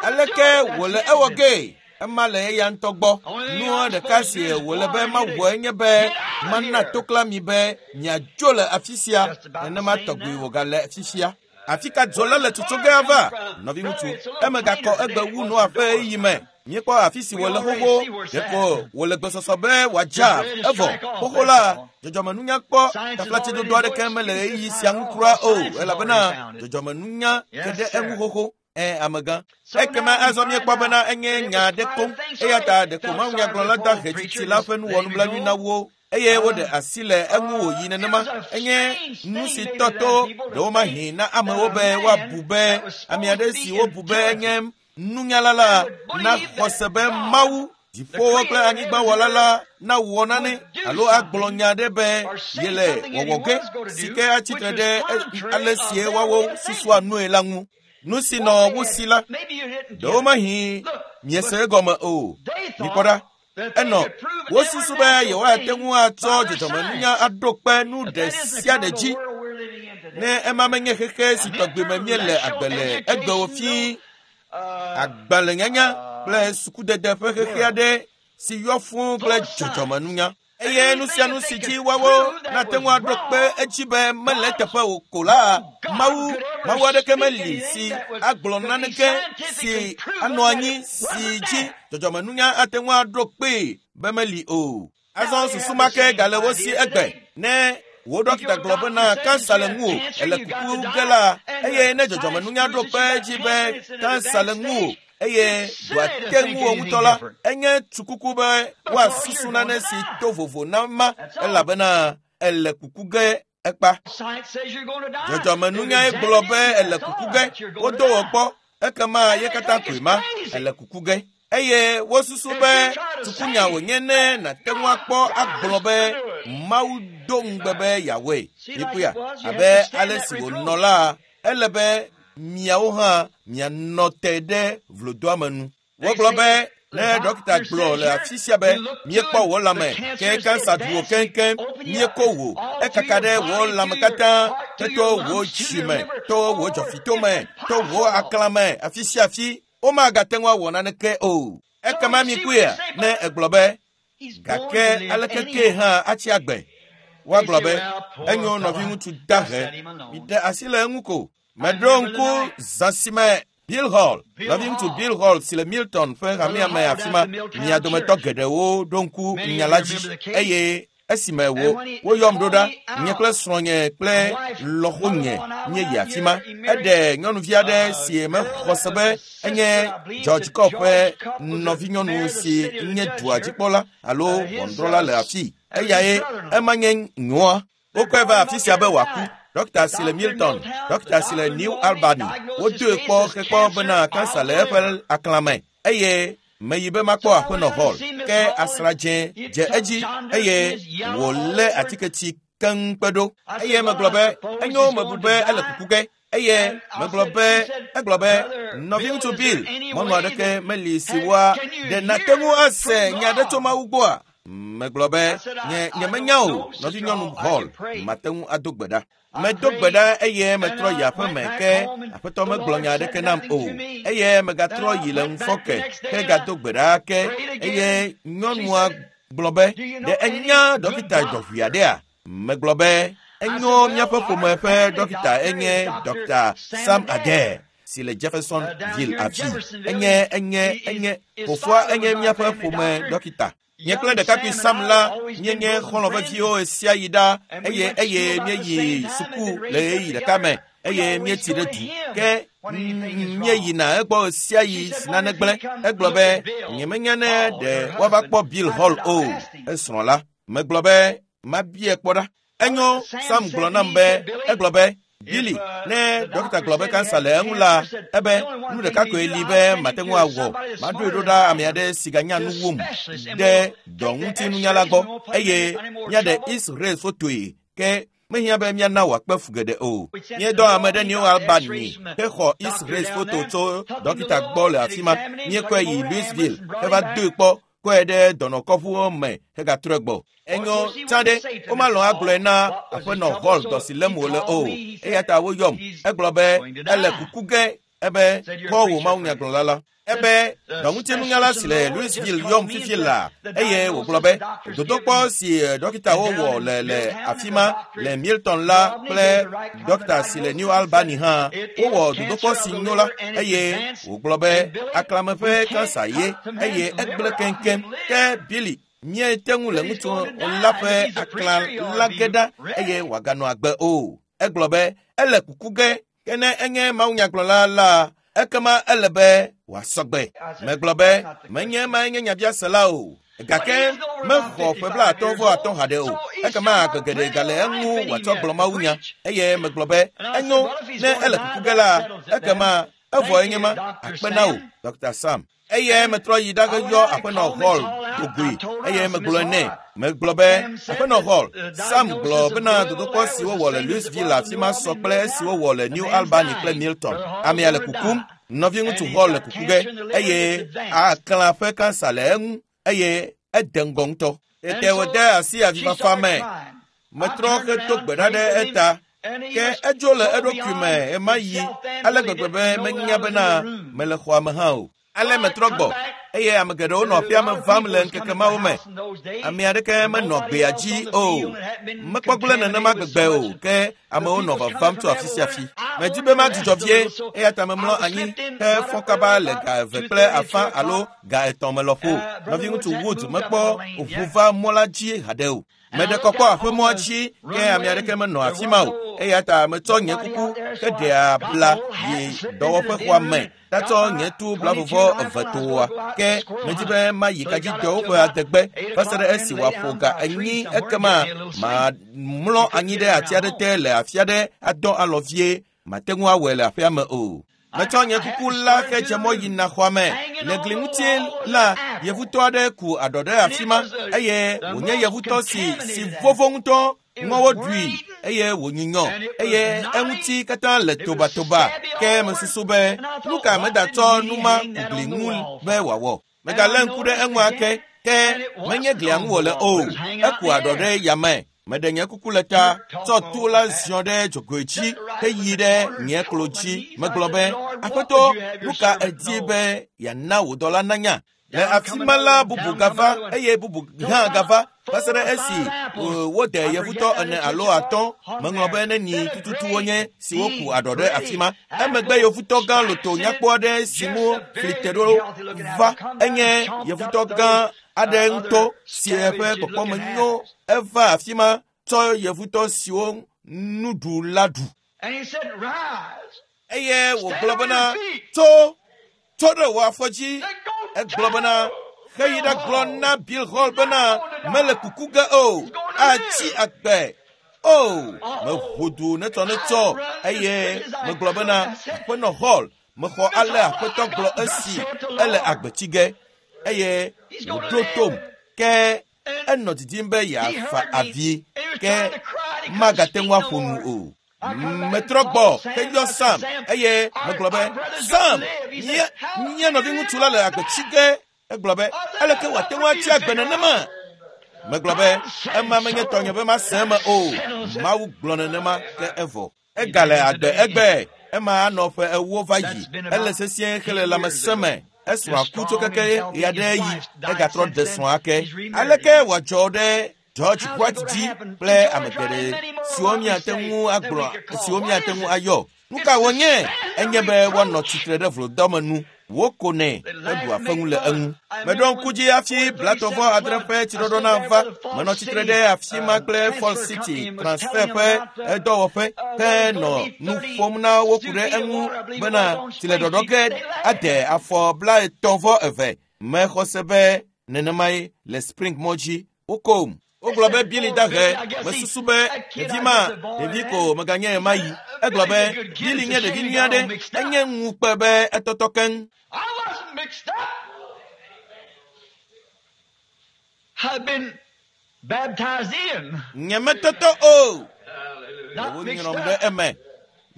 Aleke wòle ewɔ gee? Ema le eya ŋutɔ gbɔ. Nua ɖeka si wòle be mawɔe nye be mana tokla mi be miadzo le afi sia. Nenema tɔgbi wògale fifia. Afi ka dzo la le tsotso ge ava? Nɔviŋutsu, eme gakɔ egbe wu Noa ƒe ɣeyiɣi me. Míekpɔ afi si wòle xoxo, ɖeko wòle gbesɔsɔ be wòadza evɔ. Xoxo la, dzɔdzɔmenunya kpɔ taflatsedodo aɖeke mele ɣeyiɣi sia ŋu kura o, elabena dzɔdzɔmenunya ke ɖe eŋu xoxo. Ẽ, amegã. Ekema azɔ míekpɔ bena enye nya aɖe koŋ, eya ta ɖeko mawunyagblɔla da hetsitsi la ƒe nuwɔnublanui na wo eye woɖe asi le eŋu wòyi nenema. Enye nu si tɔtɔ ɖewomahi na amewo be woabu be ame aɖe si wobu be enye nunyala la naxɔ se be Mawu dziƒowo kple anyigbawɔla la nawɔ nane alo agblɔ nya aɖe be yele wɔwɔ ge si ke atsitre ɖe ale si woawo susua nue la ŋu. Nu si nɔ wo si la, ɖewomahi miese egɔme o. Mikpɔ ɖa. Enɔ wosusu be yewoate ŋu atsɔ dzɔdzɔmenunya aɖo kpe nu ɖe sia ɖe dzi. Ne ema menye xexe si tɔgbi me míele agbe le egbewo fii, agbalẽnyanya kple sukudede ƒe xexe aɖe si yɔ fũu kple dzɔdzɔmenunya. Eye nu sia nu si dzi woawo nate ŋu aɖo kpe edzi be mele eteƒe o ko la, Mawu, Mawu aɖeke meli si agblɔ naneke si anɔ anyi si dzi dzɔdzɔmenunya ate ŋu aɖo kpee be meli o. Azɔ susu ma ke gale wo si egbe. Ne wò dɔkita gblɔ bena kansa le ŋuwò, ele kuku ge la, eye ne dzɔdzɔmenunya ɖo kpe edzi be kansa le ŋuwò, eye dɔa te ŋuwò ŋutɔ la, enye tsukuku be woasusu nane si to vovo na ma, elabena ele kuku ge ekpa. Dzɔdzɔmenunyae gblɔ be ele kuku ge, wodo wò kpɔ, ekema ye katã koe ma, ele kuku ge. Eye wosusu be tsukunya wònye ne nàte ŋu akpɔ agblɔ be Mawu do ŋugbe be yeawɔe. Mikpɔea, abe ale si wònɔ la, ele be miawo hã mianɔ te ɖe vlodoame nu. Wogblɔ be ne dɔkita gblɔ le afi sia be míekpɔ wò lãme ke kansa ɖu wò keŋkeŋ, míeko wò, ekaka ɖe wò lãme katã, to wò dzime, to wò dzɔfitome, to wò aklãme, afi sia afi, womagate ŋu awɔ naneke o. Ekema mikpɔea, ne egblɔ be gake aleke ke hã atsi agbe, woagblɔ be enyo nɔviŋutsu dahe, miɖe asi le eŋu ko. Meɖo ŋku zã si me Bill Hall, nɔviŋutsu Bill Hall si le Milton ƒe hamea me afi ma, mia dometɔ geɖewo ɖo ŋku nya la dzi eye esime wo woyɔm ɖo ɖa, nye kple srɔ̃nye kple lɔƒonye míeyi afi ma. Eɖe nyɔnuvi aɖe si mexɔ se be enye George Cobb ƒe nɔvinyɔnu si nye dua dzikpɔla alo ʋɔnudrɔ̃la le afii. Eyae ema nye nyoa. Wokɔe va afi sia be wòaku. Dɔkita si le Milton, dɔkita si le New Albany, wodoe kpɔ hekpɔ bena kansa le eƒe aklãme eye meyi be makpɔ aƒenɔ Hall. Ke asradzẽ dze edzi eye wòlé atiketsi keŋ kpe ɖo. Eye megblɔ be enyo mebu be ele kuku ge. Eye megblɔ be egblɔ be nɔviŋutsu Bill, mɔnu aɖeke meli si woa ɖe nate ŋu ase nya aɖe tso Mawu gbɔa? Megblɔ be nye nyemenya o, nɔvinyɔnu Hall, mate ŋu ado gbe ɖa. Medo gbe ɖa eye metrɔ yi aƒeme ke aƒetɔ megblɔ nya aɖeke nam o. Eye megatrɔ yi le ŋufɔke hegado gbe ɖa ke eye nyɔnua gblɔ be ɖe enya dɔkita dɔʋui aɖea? Megblɔ be enyo míaƒe ƒome ƒe dɔkita enye Dɔkta Sam Adair si le Jeffersonville afi. Enye enye enye fofoa enye míaƒe ƒome dɔkita. Nye kple ɖekakpui Sam la míenye xɔlɔ̃ veviwo ɣesia ɣi ɖa eye eye míeyi suku le ɣeyiɣi ɖeka me eye míetsi ɖe du. Ke míeyina egbɔ ɣesia ɣi si nane gblẽ. Egblɔ be nyemenya ne ɖe woava kpɔ Bill Hall o. Esrɔ̃ la, megblɔ be mabia kpɔ ɖa. Enyo, Sam gblɔ nam be egblɔ be Billy, ne dɔkita gblɔ be kansa le eŋu la, ebe nu ɖeka koe li be mate ŋu awɔ. Maɖoe ɖo ɖa ame aɖe si ganya nu wum ɖe dɔŋutinunyala gbɔ eye míaɖe X-ray fotoe ke mehiã be míana wòakpe fu geɖe o. Míedɔ ame ɖe New Albany hexɔ X-ray foto tso dɔkita gbɔ le afi ma. Míekɔe yi Louisville heva doe kpɔ kɔe ɖe dɔnɔkɔƒuwo me hegatrɔe gbɔ. Enyo tsã ɖe womalɔ̃ agblɔe na aƒenɔ Hall dɔ si lém wòle o. Eya ta woyɔm. Egblɔ be ele kuku ge Ebe kpɔ wò mawunyagblɔla la. Ebe dɔŋutinunyala si le Louisville yɔm fifi la eye wògblɔ be dodokpɔ si dɔkitawo wɔ le le afi ma le Milton la kple dɔkita si le New Albany hã wowɔ dodokpɔ si nyo la eye wògblɔ be aklame ƒe kansa ye eye egblẽ keŋkeŋ. Ke Billy míete ŋu le ŋutsu la ƒe aklã la ge ɖa eye wòaganɔ agbe o. Egblɔ be ele kuku ge ke ne enye mawunyagblɔla la ekema ele be wòasɔgbe. Megblɔ be menye emae nye nyabiase la o. Gake mexɔ ƒe blaatɔ̃ vɔ atɔ̃ haɖe o. Ekema agbe geɖe gale eŋu wòatsɔ gblɔ mawunya. Eye megblɔ be enyo ne ele kuku ge la ekema evɔ enye ma akpe na wò Doctor Sam. Eye metrɔ yi ɖage yɔ Aƒenɔ Hall dogoe eye megblɔe nɛ. Megblɔ be Aƒenɔ Hall, Sam gblɔ bena dodokpɔ si wowɔ le Louisville afi ma sɔ kple esi wowɔ le New Albany kple Milton. Amea le kukum, nɔviŋutsu Hall le kuku ge eye aklã ƒe kansa le eŋu eye ede ŋgɔ ŋutɔ. Tete wòde asi avifafa me. Metrɔ hedo gbe ɖa ɖe eta. Ke edzo le eɖokui me ɣemaɣi ale gbegbe be menya bena mele xɔa me hã o. Ale metrɔ gbɔ eye ame geɖewo nɔ aƒea me vam le ŋkeke mawo me. Ame aɖeke menɔ gbea dzi o. Mekpɔ gblẽ nenema gbegbe o ke amewo nɔ vavam tso afi sia afi. Medi be madzudzɔ vie eya ta memlɔ anyi he fɔ kaba le ga eve kple afã alo ga etɔ̃ me lɔƒo. Nɔviŋutsu Woods mekpɔ ʋu va mɔ la dzi haɖe o. Meɖe kɔkɔ aƒemɔa dzi ke ame aɖeke menɔ afi ma o. Eya ta metsɔ nye kuku heɖe abla yi dɔwɔƒexɔa me. Tatsɔ nye tu blavuvɔ eve toa ke medi be mayi kadzidɔwo ƒe adegbe va se ɖe esi wòaƒo ga enyi ekema mamlɔ anyi ɖe ati aɖe te le afi aɖe adɔ alɔ vie. Mate ŋu awɔe le aƒea me o. Metsɔ nye kuku la hedze mɔ yina xɔa me. Le gli ŋuti la, yevutɔ aɖe ku aɖɔ ɖe afi ma eye wònye yevutɔ si si vovo ŋutɔ. Ŋɔwo ɖui eye wònyunyɔ eye eŋuti katã le tobatoba. Ke mesusu be nu ka medatsɔ nu ma ku gli ŋu be wòawɔ. Megalé ŋku ɖe eŋu ake ke menye glia ŋu wòle o. Eku aɖɔ ɖe yame. Meɖe nye kuku le ta, tsɔ tu la ziɔ ɖe dzogoe dzi heyi ɖe nye klo dzi. Megblɔ be, Aƒetɔ, nu ka èdi be yeana wò dɔla nanya? Le afi ma la bubu gava eye bubu hã gava va se ɖe esi wode yevutɔ ene alo atɔ̃. Meŋlɔ be neni tututu wonye siwo ku aɖɔ ɖe afi ma. Emegbe yevutɔ gã loto nyakpɔ aɖe si ŋu fli te ɖo va. Enye yevutɔ gã aɖe ŋutɔ si eƒe kpɔkpɔme nyo. Eva afi ma tsɔ yevutɔ siwo nuɖu la ɖu. Eye wògblɔ bena, tso, tso ɖe wò afɔ dzi. Egblɔ bena, heyi ɖagblɔ na Bill Hall bena mele kuku ge o, atsi agbe. O, meʋu du netsɔnetsɔ eye megblɔ bena, Aƒenɔ Hall, mexɔ ale aƒetɔ gblɔ esi ele agbe tsi ge. Eye wòɖo tom ke enɔ didim be yeafa avi ke magate ŋu aƒo nu o. Metrɔ gbɔ heyɔ Sam eye megblɔ be, Sam, nye nye nɔviŋutsu la le agbe tsi ge. Egblɔ be, aleke wòate ŋu atsi agbe nenema? Megblɔ be, ema menye tɔnye be mase eme o. Mawu gblɔ nenema ke evɔ. Egale agbe egbe. Ema anɔ ƒe ewo va yi. Ele sesĩe hele lãmesẽ me. Esrɔ̃a ku tso keke ɣeaɖe yi. Egatrɔ ɖe srɔ̃a ake. Aleke wòadzɔ ɖe George White dzi kple ame geɖe siwo míate ŋu agblɔ siwo míate ŋu ayɔ? Nu ka wònye? Enye be woanɔ tsitre ɖe vlodɔme nu. Wokonɛ heɖua feŋu le eŋu. Meɖo ŋku dzi hafi blatɔvɔ adre ƒe tsiɖɔɖɔ nava. Menɔ tsitre ɖe afi ma kple Falls City Transfer ƒe dɔwɔƒe ke nɔ nu ƒom na wo ku ɖe eŋu bena tsileɖɔɖɔ ge ade afɔ blaetɔ̃ vɔ eve. Mexɔ se be nenemae le Spring mɔ dzi. Wokom. Wogblɔ be Billy dahe. Mesusu be ɖevi ma ɖevi ko meganye ɣemaɣi. Egblɔ be Billy nye ɖevi nyui aɖe. Enye ŋukpe be etɔtɔ keŋ. I wasn't mixed up. I've been baptized in. Nye metɔtɔ o. Not mixed Wonyrɔm ɖe up. eme.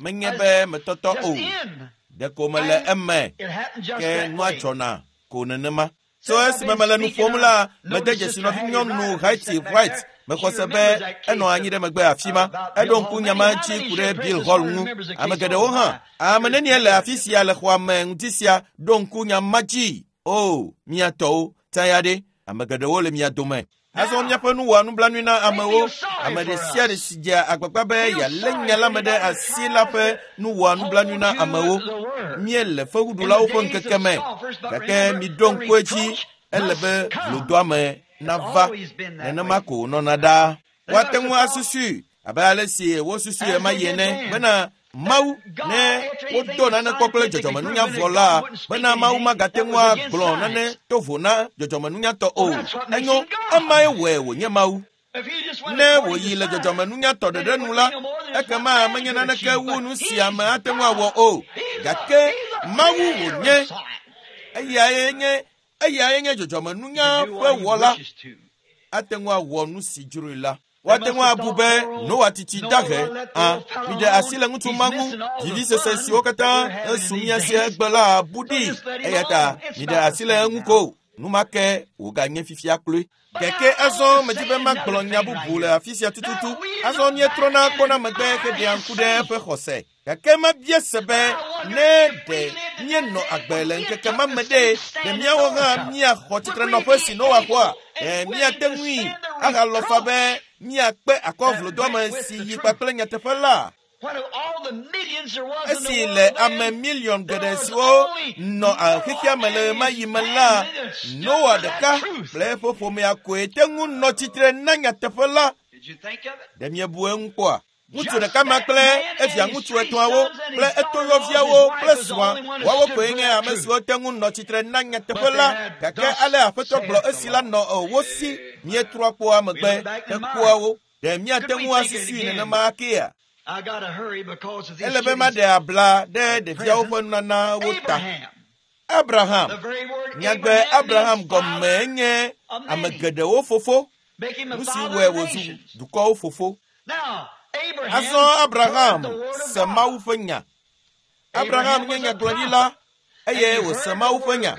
Menye be metɔtɔ Just o. in. Ɖeko mele eme. It happened just Ke that nua way. dzɔna ko nenema. Tso esime mele nu ƒom la, mede dzesi nɔvinyɔnu Haiti White Mexɔ se be enɔ anyi ɖe megbe afi ma. Eɖo ŋku nyama dzi ku ɖe Bill Hall ŋu. Ame geɖewo hã. Ame nenie le afi sia le xɔa me ŋuti sia ɖo ŋku nyama dzi. O, mia tɔwo, taya ɖe. Ame geɖewo le mia dome. Azɔ míaƒe nu wɔa nublanui na amewo. Ame ɖe sia ɖe si dzea agbagba be yealé nya la me ɖe asi la ƒe nu wɔa nublanui na amewo. Míele fewuɖulawo ƒe ŋkeke me. Gake miɖo ŋku edzi, ele be vlodoame nava. Nenema ko wònɔna ɖaa. Woate ŋu asusui abe ale si wosusui ɣemaɣi ene bena Mawu ne wodo nane kpɔ kple dzɔdzɔmenunya vɔ la, bena Mawu magate ŋu agblɔ nane to vo na dzɔdzɔmenunyatɔ o. Enyo, emae wɔe wònye Mawu. Ne wòyi le dzɔdzɔmenunyatɔ ɖeɖe nu la, ekema menye naneke wu nu si ame ate ŋu awɔ o. Gake Mawu wònye. Eyae nye eyae nye dzɔdzɔmenunya ƒe wɔla. Ate ŋu awɔ nu si dzroe la. Woate ŋu abu be Noa titi dahe a miɖe asi le ŋutsu ma ŋu. Vivisese siwo katã esu mía si egbe la bu ɖi. Eya ta miɖe asi le eŋu ko. Nu ma ke wòganye fifia kloe. Gake azɔ medzi be magblɔ nya bubu le afi sia tututu. Azɔ míetrɔna kpɔna megbe heɖea ŋku ɖe eƒe xɔse. Gake mabia se be ne ɖe míenɔ agbe le ŋkeke ma me ɖe, ɖe míawo hã míaxɔ tsitrenɔƒe si Noa xɔa? Ɖe míate ŋui ahalɔ fa be míakpe akɔ vlodoame si yi kpakple nyateƒe la? Esi le ame miliɔn geɖe siwo nɔ xexea me le ɣemaɣi me la, Noa ɖeka kple eƒe ƒomea koe te ŋu nɔ tsitre na nyateƒe la. Ɖe miebu eŋu kpɔa? Ŋutsu ɖeka ma kple evia ŋutsu etɔ̃awo kple etoyɔviawo kple srɔ̃a, woawo koe nye ame siwo te ŋu nɔ tsitre na nyateƒe la. Gake ale Aƒetɔ gblɔ esi la nɔ wo si. Míetrɔ kpɔa megbe hekpɔa wo. Ɖe míate ŋu asusui nenema akea? Ele be maɖe abla ɖe ɖeviawo ƒe nunanawo ta. Abraham. Nyagbe Abraham gɔmee nye ame geɖewo fofo. Nu si wɔe wòzu dukɔwo fofo. Azɔ Abraham se Mawu ƒe nya. Abraham nye nyagblɔɖila eye wòse Mawu ƒe nya.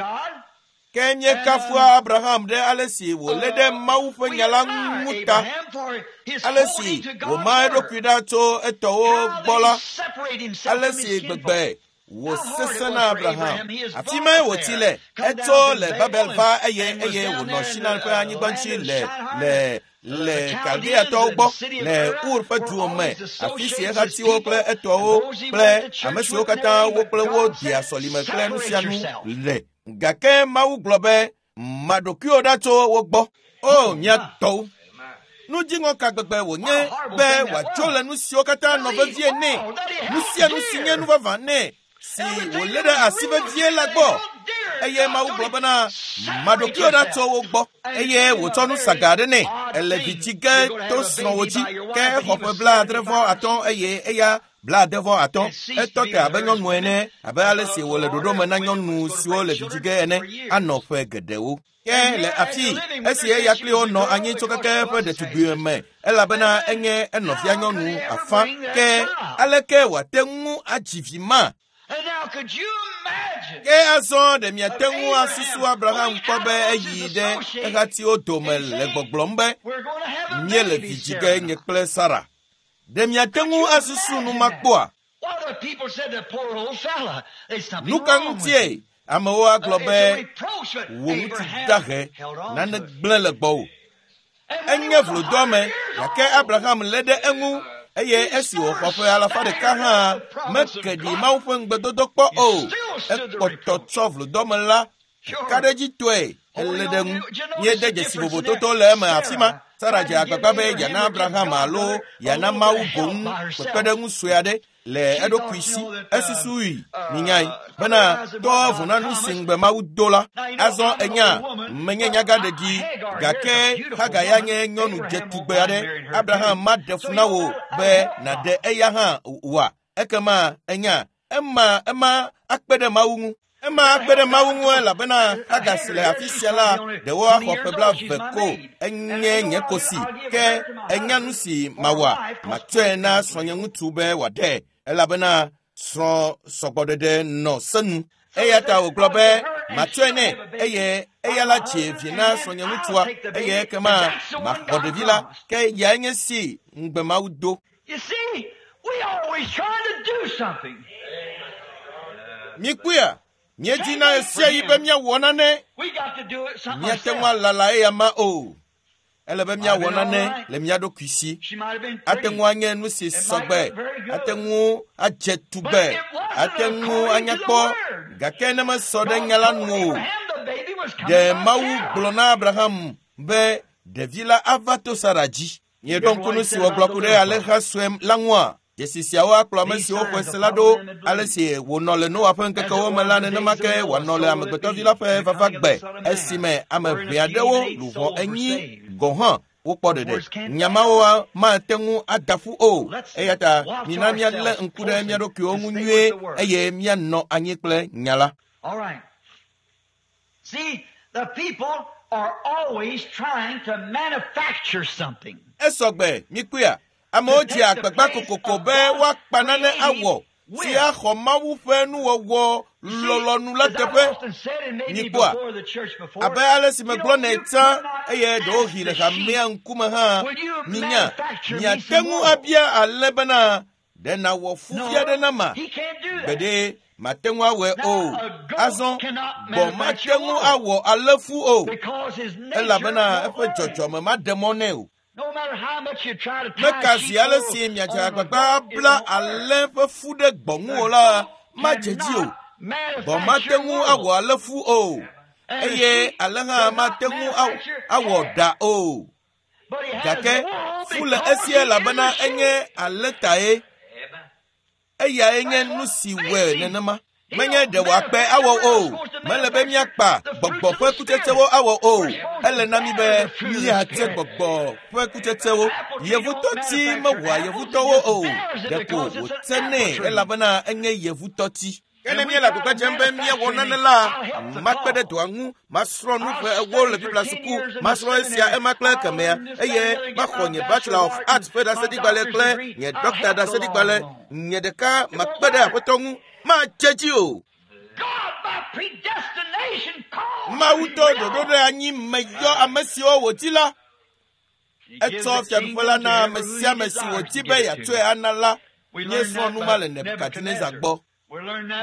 Ke míekafua Abraham ɖe ale si wòlé ɖe Mawu ƒe nya la ŋu ta. Ale si wòma eɖokui ɖa tso etɔwo gbɔ la, ale si gbegbe wòsesẽ na Abraham. Afi mae wòtsi le. Etso le Babel va eye eye wònɔ Shinar ƒe anyigba ŋuti le le le Kaldeatɔwo gbɔ le Ur ƒe duwo me, afi si ehatiwo kple etɔwo kple ame siwo katã wo kple wo dea sɔlime kple nu sia nu le. Gake Mawu gblɔ be, ma ɖokuiwò ɖa tso wo gbɔ. O, mia tɔwo. Nu dziŋɔ ka gbegbe wònye be wòatso le nu siwo katã nɔ vevie nɛ, nu sia nu si nye nu vavã nɛ, si wòlé ɖe asi vevie la gbɔ. Eye Mawu gblɔ bena, ma ɖokuiwò ɖa tso wo gbɔ. Eye wòtsɔ nu saga aɖe nɛ. Ele vi dzi ge to srɔ̃wò dzi. Ke exɔ ƒe blaadre vɔ atɔ̃ eye eya blaade vɔ atɔ̃. Etɔ te abe nyɔnu ene, abe ale si wòle ɖoɖo me na nyɔnu siwo le vi dzi ge ene, anɔ ƒe geɖewo. Ke le afi esi eya kpli wo nɔ anyi tso keke ƒe ɖetugbui me, elabena enye enɔvia nyɔnu afã. Ke aleke wòate ŋu adzi vi ma? Ke azɔ ɖe miate ŋu asusu Abraham kpɔ be eyi ɖe ehatiwo dome le gbɔgblɔm be míele vi dzi ge nye kple Sara. Ɖe miate ŋu asusu nu ma kpɔa? Nu ka ŋutie amewo agblɔ be wò ŋutsu dahe, nane gblẽ le gbɔwò? Enye vlodoame, gake Abraham lé ɖe eŋu eye esi wòxɔ ƒe alafa ɖeka hã meke ɖi Mawu ƒe ŋugbedodo kpɔ o. Ekpɔtɔ tsɔ vlodoame la kaɖedzitɔe elé ɖe ŋu. Míede dzesi vovototo le eme afi ma. Sara dze agbagba be yeana Abraham alo yeana Mawu boŋ kpekpeɖeŋu sue aɖe le eɖokui si. Esusui minyae bena tɔ vo na nu si ŋugbe Mawu do la. Azɔ enya menye nyagaɖeɖi, gake Hagar ya nye nyɔnu dzetugbe aɖe. Abraham maɖe fu na wò be nàɖe eya hã oa? Ekema enya ema ema akpe ɖe Mawu ŋu. Ema akpe ɖe Mawu ŋu elabena Hagar si le afi sia la ɖewo axɔ ƒe blaeve ko enye nye kosi. Ke enya nu si mawɔa, matsɔe na srɔ̃nyeŋutsu be wòaɖe elabena srɔ̃ sɔgbɔɖeɖe nɔ se nu. Eya ta wògblɔ be Matsɔe nɛ eye eya la dzi vi na srɔ̃nyeŋutsua eye ekema maxɔ ɖevi la ke eyae nye si ŋugbe Mawu do. You see, we always trying to do something. Mikpɔea, míedina ɣe sia ɣi be míawɔ nane. We got to do it something Míate ŋu ourselves. alala eya ma o. Ele be míawɔ nane le mía ɖokui si. She might have been Ate pretty. ŋu anye nu si sɔgbe, ate ŋu adze tugbe, ate ŋu anya kpɔ, gake ne mesɔ ɖe nya la nu o. Abraham, the baby was coming Ɖe by Mawu Sarah. gblɔ na Abraham be ɖevi la ava to Sara dzi. Mieɖo ŋku nu si wògblɔ ku ɖe alẽha sue la ŋua? Dzesi siawo akplɔ ame siwo xɔe se la ɖo. Ale si wònɔ le Noa ƒe ŋkekewo me la, nenema ke wòanɔ le Amegbetɔvi la ƒe vava gbe esime ame ʋɛ aɖewo luʋɔ enyi gɔ̃ hã wokpɔ ɖeɖe. Nya mawo mate ŋu ada ƒu o. Eya ta mina míalé ŋku ɖe mía ɖokuiwo ŋu nyuie eye míanɔ anyi kple nya la. All right. See, the people are always trying to manufacture something. Esɔgbe mikpɔea, amewo dzea agbagba kokoko be woakpa nane awɔ si axɔ Mawu ƒe nuwɔwɔ lɔlɔ̃nu la teƒe. Mikpɔa, abe ale si megblɔ nɛ tsã eye ɖewohĩ le hamea ŋkume hã, minya, miate ŋu abia alẽ bena ɖe nàwɔ fufi aɖe nama? He can't do that. Gbeɖe mate ŋu awɔe o. Azɔ gbɔ̃ mate ŋu awɔ alẽfu o Because his nature elabena won't eƒe work. dzɔdzɔme maɖe mɔ nɛ o. No matter how much you try to tie Meka sheep zi ale wool si miadze on a agbagba goat, it abla won't work. alẽ ƒe fu ɖe gbɔ̃ ŋu o la, madze dzi o. Gbɔ̃ mate ŋu awɔ alẽfu o eye alẽ hã mate ŋu aw- awɔ ɖa o. Gake fu le esi elabena enye alẽ tae. Eyae nye nu si wɔe nenema. Menye ɖe wòakpe awɔ o. Mele be míakpa gbɔgbɔ ƒe kutsetsewo awɔ o. Ele na mí be míatse gbɔgbɔ ƒe kutsetsewo. Yevutɔti mewɔa yevutɔwo o. Ɖeko wòtsenɛ elabena enye yevutɔti. Ke ne míele agbagba dzem be míawɔ nane la, makpe ɖe dɔa ŋu, masrɔ̃ nu ƒe ewo le Biblia suku, masrɔ̃ esia, ema kple ekemɛa, eye maxɔ nye Bachelor of Arts ƒe ɖaseɖigbalẽ kple nye Dɔkta ɖaseɖigbalẽ. Nye ɖeka makpe ɖe Aƒetɔ ŋu, madze dzi o. God by predestination called Mawu tɔ ɖoɖo ɖe anyi me yɔ ame siwo wòdi la. Etsɔ fiaɖuƒe la na ame sia ame si wòdi be yeatsɔe ana la. Míesrɔ̃ nu ma le Nebukadnezar gbɔ.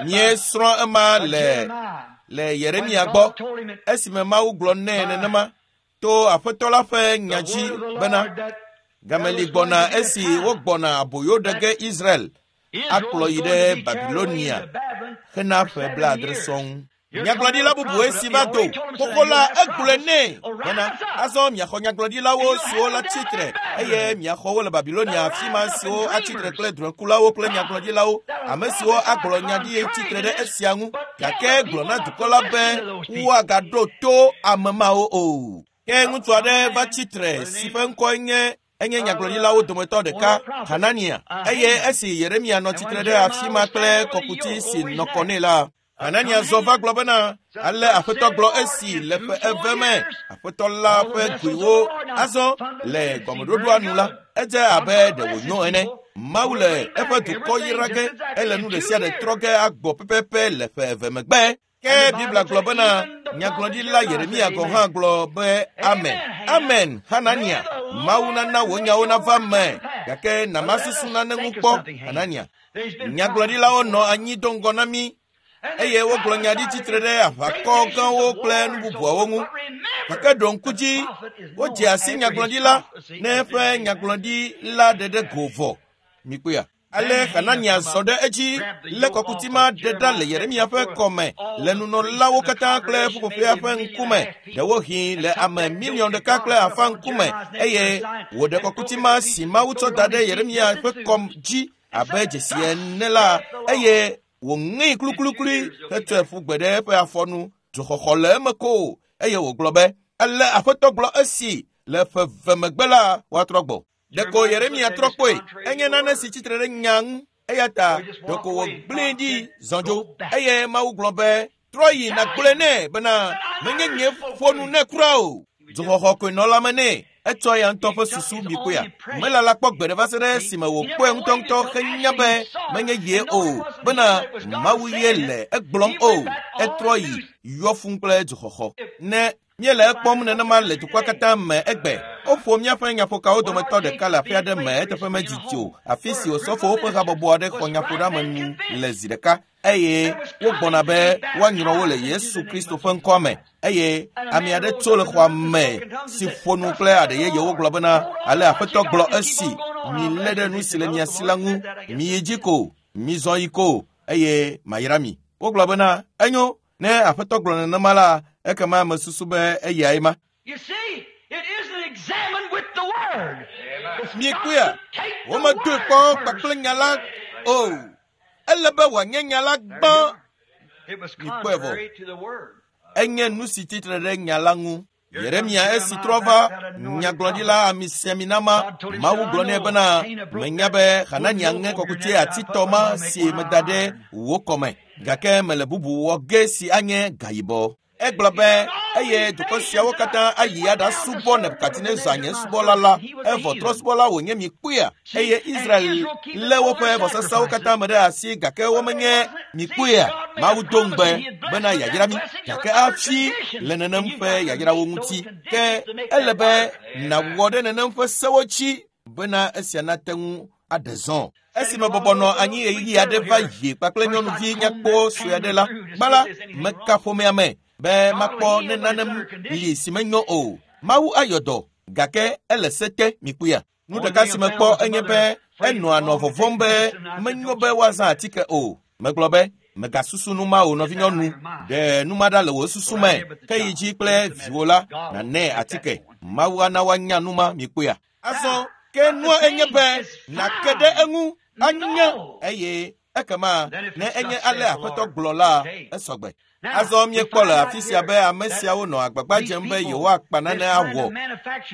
Míesrɔ̃ ema le le Yeremia gbɔ esime Mawu gblɔ nɛ nenema to Aƒetɔ la ƒe nya dzi bena gameli gbɔna esi wogbɔna aboyo ɖe ge Israel akplɔ yi ɖe Babilonia hena ƒe blaadre sɔŋ. Nyagblɔɖila bubuwoe si va do xoxo la egblɔe nɛ bena azɔ miaxɔ nyagblɔɖilawo siwo la tsitre eye miaxɔ wo le Babilonia afi ma siwo atsitre kple drɔ̃ekulawo kple nyagblɔɖilawo ame siwo agblɔ nya ɖi tsitre ɖe esia ŋu gake gblɔ na dukɔ la be woagaɖo to ame mawo o. Ke ŋutsu aɖe va tsitre si ƒe ŋkɔe nye enye nyagblɔɖilawo dometɔ ɖeka, Hanania, eye esi Yeremia nɔ tsitre ɖe afi ma kple kɔkuti si nɔ kɔ nɛ la, Hanania zɔ va gblɔ bena, ale Aƒetɔ gblɔ esi le ƒe eve me, Aƒetɔ la ƒe goewo azɔ le gɔmeɖoɖoa nu la, edze abe ɖe wònyo ene. Mawu le eƒe dukɔ yra ge, ele nu ɖe sia ɖe trɔ ge agbɔ pɛpɛpɛ le ƒe eve megbe. Ke Biblia gblɔ bena, nyagblɔɖila Yeremia gɔ̃ hã gblɔ be amen. Amen, Hanania. Mawu nana wò nyawo nava me, gake namasusu nane ŋu kpɔ, Hanania. Nyagblɔɖilawo nɔ anyi do ŋgɔ na mí eye wogblɔ nya ɖi tsitre ɖe aʋakɔ gãwo kple nu bubuawo ŋu. Gake ɖo ŋku dzi, wodze asi nyagblɔɖila ne eƒe nyagblɔɖi la ɖeɖe go vɔ. Mikpɔea? Ale Hanania zɔ ɖe edzi lé kɔkuti ma ɖe ɖa le Yeremia ƒe kɔme le nunɔlawo katã kple ƒuƒoƒea ƒe ŋkume, ɖewohĩ le ame miliɔn ɖeka kple afã ŋkume eye wòɖe kɔkuti ma si Mawu tsɔ da ɖe Yeremia ƒe kɔm dzi abe dzesi ene la eye wòŋee kluklukli hetsɔe ƒu gbe ɖe eƒe afɔnu. Dzoxɔxɔ le eme ko eye wògblɔ be ale Aƒetɔ gblɔ esi le ƒe eve megbe la woatrɔ gbɔ. Ɖeko Yeremia trɔ kpɔe, enye nane si tsitre ɖe nya ŋu eya ta ɖeko wògblẽe ɖi zɔ dzo eye Mawu gblɔ be trɔ yi nàgblɔe nɛ bena menye nye ƒo nu nɛ kura o. Dzoxɔxɔ koe nɔ lãme nɛ. Etsɔ ya ŋutɔ ƒe susu mi kpɔea. Melala kpɔ gbe ɖe va se ɖe esime wòkpɔe ŋutɔŋutɔ henya be menye ye o, bena Mawu ye le egblɔm o. Etrɔ yi yɔ fũu kple dzoxɔxɔ. Ne míele ekpɔm nenema le dukɔa katã me egbe. Woƒo míaƒe nyaƒokawo dometɔ ɖeka le aƒe aɖe me eteƒe medidi o, afi si osɔfowo ƒe habɔbɔ aɖe xɔ nyaƒoɖeamenu le zi ɖeka eye wogbɔna be woanyrɔ wo le Yesu Kristo ƒe ŋkɔa me. Eye ame aɖe tso le xɔa me si ƒo nu kple aɖe yeyewo gblɔ bena ale Aƒetɔ gblɔ esi milé ɖe nu si le mia si la ŋu, miyi dzi ko, mizɔ yi ko eye mayra mi. Wogblɔ bena enyo, ne Aƒetɔ gblɔ nenema la, ekema mesusu be eyae ma. You see, it isn't examined with the word. It's Mikpɔea, got to take the womedoe word kpɔ first. kpakple nya la o. Ele be wòanye nya la gbã. It was Mikpɔe vɔ. contrary to the word. Enye nu si tsitre ɖe nya la ŋu. Yeremia esi trɔ va nyagblɔɖila amisiaminama, Mawu gblɔ nɛ bena menya be Hanania ŋe kɔkuti atitɔ ma si meda ɖe wò kɔme, gake mele bubu wɔ ge si anye gayibɔ. Egblɔ be eye dukɔ siawo katã ayi aɖasubɔ Nebukadnezar nye subɔla la, evɔ trɔsubɔla wònye mi kpɔea. Eye Israel lé woƒe vɔsasawo katã me ɖe asi gake womenye mi kpɔea. Mawu do ŋugbe bena yeayra mí gake hafi le nenem ƒe yayrawo ŋuti. Ke ele be nàwɔ ɖe nenem ƒe sewo dzi bena esia nate ŋu aɖe zɔ. Esime bɔbɔ nɔ anyi ɣeyiɣi aɖe va yi kpakple nyɔnuvi nyakpɔ sue aɖe la, gbã la, meka ƒomea me be makpɔ ne nane li si menyo o. Mawu ayɔ dɔ gake ele se te mi kpɔea. Nu ɖeka si mekpɔ enye be enɔa nɔ vɔvɔ̃m be menyo be woazã atike o. Megblɔ be megasusu nu ma o nɔvinyɔnu, ɖe nu ma ɖa le wò susu me, ke yi dzi kple viwò la nànɛ atike. Mawu ana woanya nu ma mi kpɔea. Azɔ ke nua enye be nàke ɖe eŋu anya eye ekema ne enye ale Aƒetɔ gblɔ la, esɔgbe. Azɔ míekpɔ le afi sia be ame siawo nɔ agbagba dzem be yewoakpa nane awɔ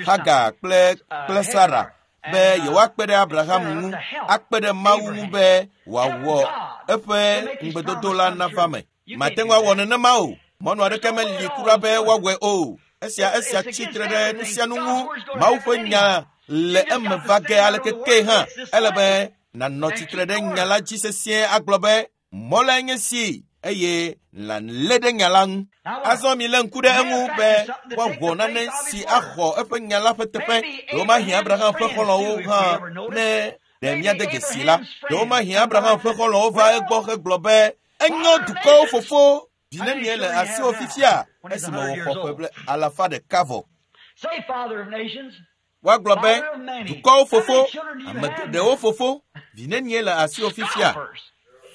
Hagar kple kple Sara be yewoakpe ɖe Abraham ŋu, akpe ɖe Mawu ŋu be wòawɔ eƒe ŋugbedodo la nava me. Mate ŋu awɔ nenema o. Mɔnu aɖeke meli kura be woawɔe o. Esia esia tsitre ɖe nu sia nu ŋu. Mawu ƒe nya le eme va ge aleke ke hã. Ele be nànɔ tsitre ɖe nya la dzi sesĩe agblɔ be mɔ lae nye si eye nàlé ɖe nya la ŋu. Azɔ milé ŋku ɖe eŋu be woawɔ nane si axɔ eƒe nya la ƒe teƒe. Ɖewomahi Abraham ƒe xɔlɔ̃wo hã ne ɖe míade dzesi la. Ɖewomahi Abraham ƒe xɔlɔ̃wo va egbɔ hegblɔ be enyo dukɔwo fofo vi nenie le asiwò fifia esime wòxɔ ƒe ble alafa ɖeka vɔ. Say, Father of nations, Woagblɔ be dukɔwo fofo, ame geɖewo fofo, vi nenie le asiwò fifia? scoffers.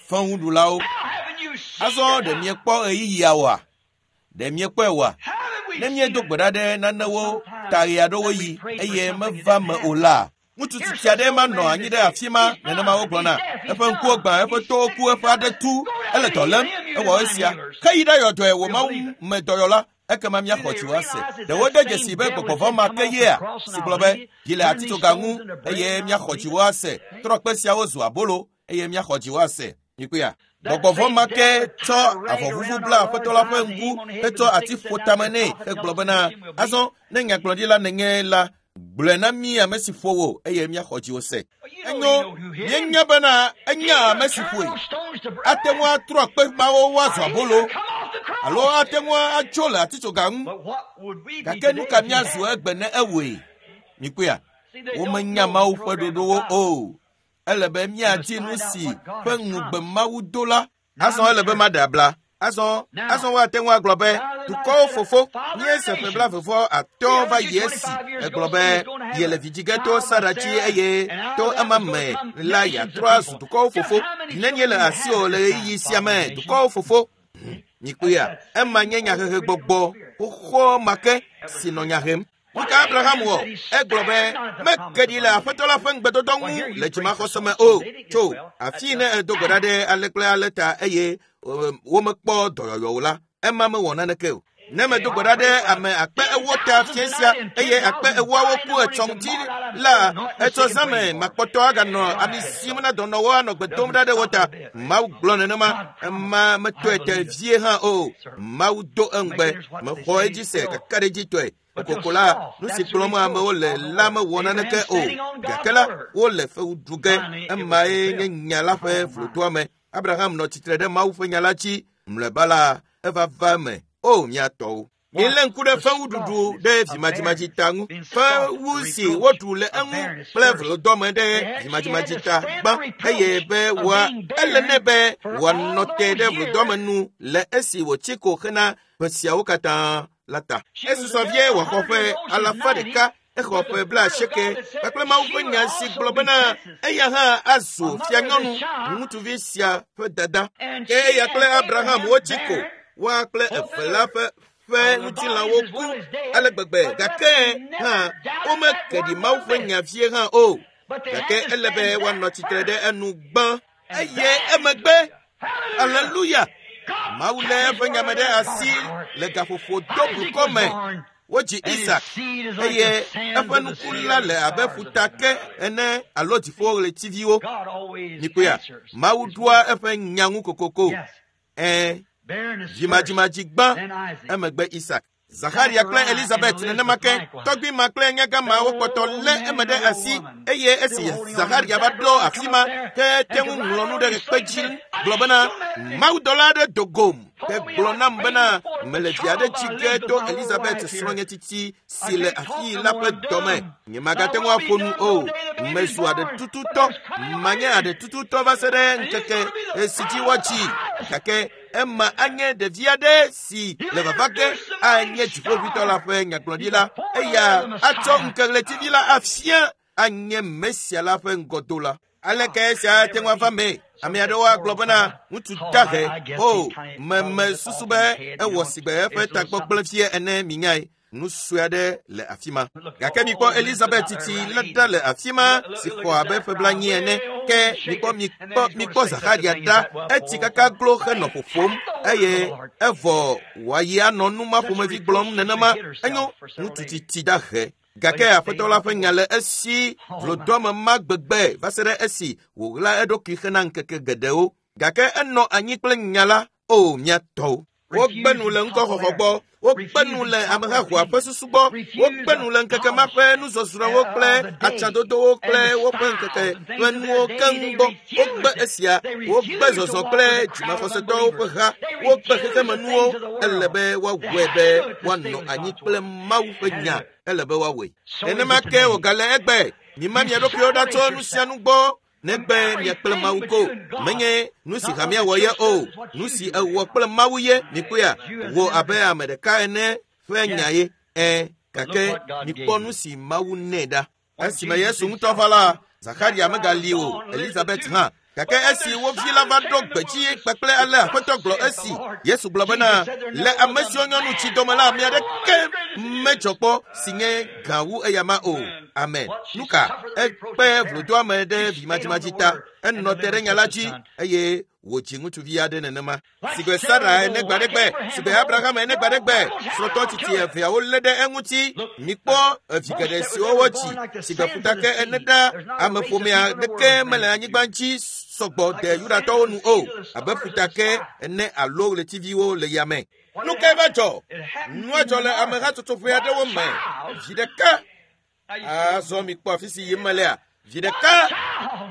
Fewuɖulawo. Now haven't you seen Azɔ it ɖe now? miekpɔ ɣeyiɣia oa? Ɖe miekpɔe oa? Haven't we Ne seen míedo it? gbe ɖa ɖe nanewo ta ɣe aɖewo yi eye meva me o la, ŋutsu tsitsi aɖe ma nɔ anyi ɖe afi ma nenema wogblɔna. Eƒe ŋkuwo gbã, eƒe towo ku, eƒe aɖe tu, ele dɔ lém, ewɔ esia. Ke yi ɖayɔ dɔe wò Mawu me dɔyɔla, ekema míaxɔ dziwò ase. Ɖe wode dzesi be gbɔgbɔ vɔ̃ ma ke yea si gblɔ be yi le atitsoga ŋu eye míaxɔ dziwò ase. Trɔ kpe siawo zu abolo eye míaxɔ dziwò ase. Mikpɔea? Gbɔgbɔ vɔ̃ ma ke tsɔ avɔvuvu bla Aƒetɔ la ƒe ŋku hetsɔ ati ƒo tame nɛ hegblɔ bena azɔ ne nyagblɔɖila nènye la, gblɔe na mí ame si ƒo wò eye míaxɔ dziwò se. You know Enyo, he know who hit him. míenya bena enya ame si Turn ƒoe. those stones to bread. Ate ŋu atrɔ kpe mawo woazu He abolo could come off the cross. alo ate ŋu atso le atitsoga ŋu. But what would we be Gake today nu ka if he míazu had? egbe ne ewɔe? Mikpɔea? See, they don't Womenya know the Mawu ƒe program of ɖoɖowo God. o. Ele be míadi nu si ƒe ŋugbe Mawu do la. Azɔ ele be maɖe abla. Azɔ azɔ woate ŋu agblɔ be dukɔwo fofo míese ƒe blaeve atɔ̃ va yi esi egblɔ be yele vidzi ge to Sara dzi eye to ema me la yeatrɔ azu dukɔwo fofo. Nenye le asiwò le ɣeyiɣi sia me dukɔwo fofo. Mikpɔea, ema nye nyahehe gbɔgbɔ xoxoa ma ke si nɔ nya hem. Nu ka Abraham wɔ? Egblɔ be meke ɖi le Aƒetɔ la ƒe ŋugbedodo ŋu le dzimaxɔse me o. Tso afii ne edo gbe ɖa ɖe ale kple ale ta eye womekpɔ dɔyɔyɔ o la, ema mewɔ naneke o. Ne medo gbe ɖa ɖe ame akpe ewo ta fiẽ sia eye akpe ewoawo ku etsɔ ŋuti la, etsɔ zãme makpɔtɔ aganɔ ami sim na dɔnɔwo anɔ gbe dom ɖa ɖe wo ta. Mawu gblɔ nenema, ema metɔe te vie hã o. Mawu do eŋugbe, mexɔ edzi se kakaɖedzitɔe. Kokoko la, nu si gblɔm amewo le la mewɔ naneke o. Gake la, wole fewu ɖu ge. Emae nye nya la ƒe vlodoame. Abraham nɔ tsitre ɖe Mawu ƒe nya la dzi. Mlɔeba la, eva va eme. O, mía tɔwo. Milé ŋku ɖe fewuɖuɖu ɖe vimadzimadzi ta ŋu. Fewu si woɖu le eŋu kple vlodɔme ɖe vimadzimadzi ta gbã eye be wòa ele nɛ be wòanɔ te ɖe vlodɔme nu le esi wòtsi ko hena ƒe siawo katã la ta. Esusɔ vie wòaxɔ ƒe alafa ɖeka, exɔ ƒe blaasieke kpakple Mawu ƒe nya si gblɔ bena eya hã azu fianyɔnu ŋutsuvi sia ƒe dada. Ke eya kple Abraham wotsi ko, woa kple eve la ƒe ƒe ŋutilãwo ku ale gbegbe gake hã womeke ɖi Mawu ƒe nya vie hã o. Gake ele be woanɔ tsitre ɖe enu gbã eye emegbe, aleluya, Mawu lé eƒe nyame ɖe asi le gaƒoƒo doblukɔ me. Wodzi Isak eye eƒe nuku la le abe ƒutake ene alo dziƒoɣletiviwo. Mikpɔea, Mawu ɖoa eƒe nya ŋu kokoko. Ɛ̃, vimadzimadzi gbã, emegbe Isak. Zaxaria kple Elizabeth nenema ke, tɔgbui ma kple nyagã wokpɔtɔ lé eme ɖe asi eye esi Zaxaria va ɖo afi ma ke te ŋu ŋlɔ nu ɖe kpe dzi gblɔ bena mawudɔla aɖe do gom ke gblɔ nam bena mele vi aɖe dzi ge to Elizabeth srɔ̃nye tsitsi si le afii la ƒe dɔme. Nyemagate ŋu aƒo nu o. Mezu aɖetututɔ, manye aɖetututɔ va se ɖe ŋkeke si dzi woadzi. Gake ema anye ɖevi aɖe si le vava ge anye dziƒoʋĩtɔ la ƒe nyagblɔɖila. Eya atsɔ ŋkeɣletivi la afia anye Mesia la ƒe ŋgɔdola. Aleke esia ate ŋu ava mee? Ame aɖewo agblɔ bena ŋutsu dahe o, meme susu be ewɔ sigbe eƒe tagbɔ vie ene minyae. Nu sue aɖe le afi ma. Gake mikpɔ Elizabeth titi la ɖa le afi ma si xɔ abe ƒe blaenyi ene. Ke mikpɔ mikpɔ mikpɔ Zaxaria ɖa, etsi kaka glo henɔ ƒoƒom eye evɔ wòayi anɔ nu ma ƒomevi gblɔm nenema. Enyo, ŋutsu tsitsi dahe. Gake aƒetɔ la ƒe nya le esi vlodoame ma gbegbe va se ɖe esi wòɣla eɖokui hena ŋkeke geɖewo. Gake enɔ anyi kple nya la, o mía tɔwo. Wogbe nu le ŋkɔxɔxɔ gbɔ, wogbe nu le amehahoa ƒe susu gbɔ, wogbe nu le ŋkeke ma ƒe nuzɔzrɔ̃wo kple atsadodowo kple woƒe ŋkeke ƒe nuwo keŋ gbɔ. Wogbe esia, wogbe zɔzɔ kple dzimaxɔsetɔwo ƒe ha, wogbe xexemenuwo. Ele be woawɔe be woanɔ anyi kple Mawu ƒe nya. Ele be woawɔe. Nenema ke wògale egbe. Mima mia ɖokuiwo ɖa tso nu sia nu gbɔ. Negbe mia kple Mawu ko. Menye nu si hamea wɔ ye o, nu si ewɔ kple Mawu ye. Mikpɔea, wò abe ame ɖeka ene ƒe nya ye. Ɛ̃, gake mikpɔ nu si Mawu nɛ ɖa. Esime Yesu ŋutɔ va la, Zaxaria megali o, Elizabeth hã. Gake esi wo vi la va ɖo gbedzi kpakple ale aƒetɔ gblɔ esi Yesu gblɔ bena le ame siwo nyɔnu tsi dɔme la, ame aɖeke medzɔ kpɔ si nye gã wu eyama o. Amen. Nu ka? Ekpe vlodoame ɖe vimadzimadzi ta. Enɔ te ɖe nya la dzi eye wòdzi ŋutsuvi aɖe nenema. Sigbe Sara ene gbaɖegbe, sigbe Abraham ene gbaɖegbe, srɔ̃tɔ tsitsi eveawo lé ɖe eŋuti. Mikpɔ evi geɖe siwo wodzi sigbe ƒutake ene ɖa. Ameƒomea ɖeke mele anyigba dzi sɔgbɔ de Yudatɔwo nu o, abe ƒutake ene alo ɣletiviwo le yame. Nu kae va dzɔ? Nua dzɔ le amehatsotso ƒe aɖewo me. Vi ɖeka. Azɔ mikpɔ afi si yim melea. Vi ɖeka,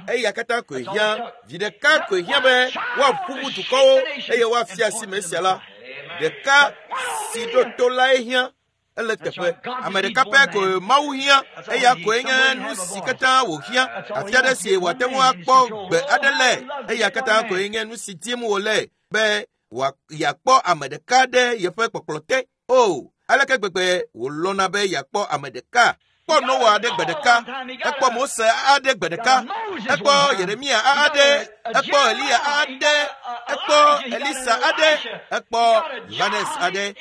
eya katã koe hiã. Vi ɖeka koe hiã be woaƒuƒu dukɔwo eye woafia asi Mesia la. Ɖeka si ɖo to lae hiã. Ele teƒe. Ame ɖeka pɛ koe Mawu hiã. Eya koe nye nu si katã wòhiã. Afi aɖe si wòate ŋu akpɔ gbe aɖe le. Eya katã koe nye nu si dim wòle be yeakpɔ ame ɖeka ɖe yeƒe kpɔkplɔ te. O, aleke gbegbe wòlɔ̃na be yeakpɔ ame ɖeka. Ekpɔ Noa aɖe gbe ɖeka, ekpɔ Mose aɖe gbe ɖeka, ekpɔ Yeremia aɖe, ekpɔ Eliya aɖe, ekpɔ Elisa aɖe, ekpɔ Yohanes aɖe,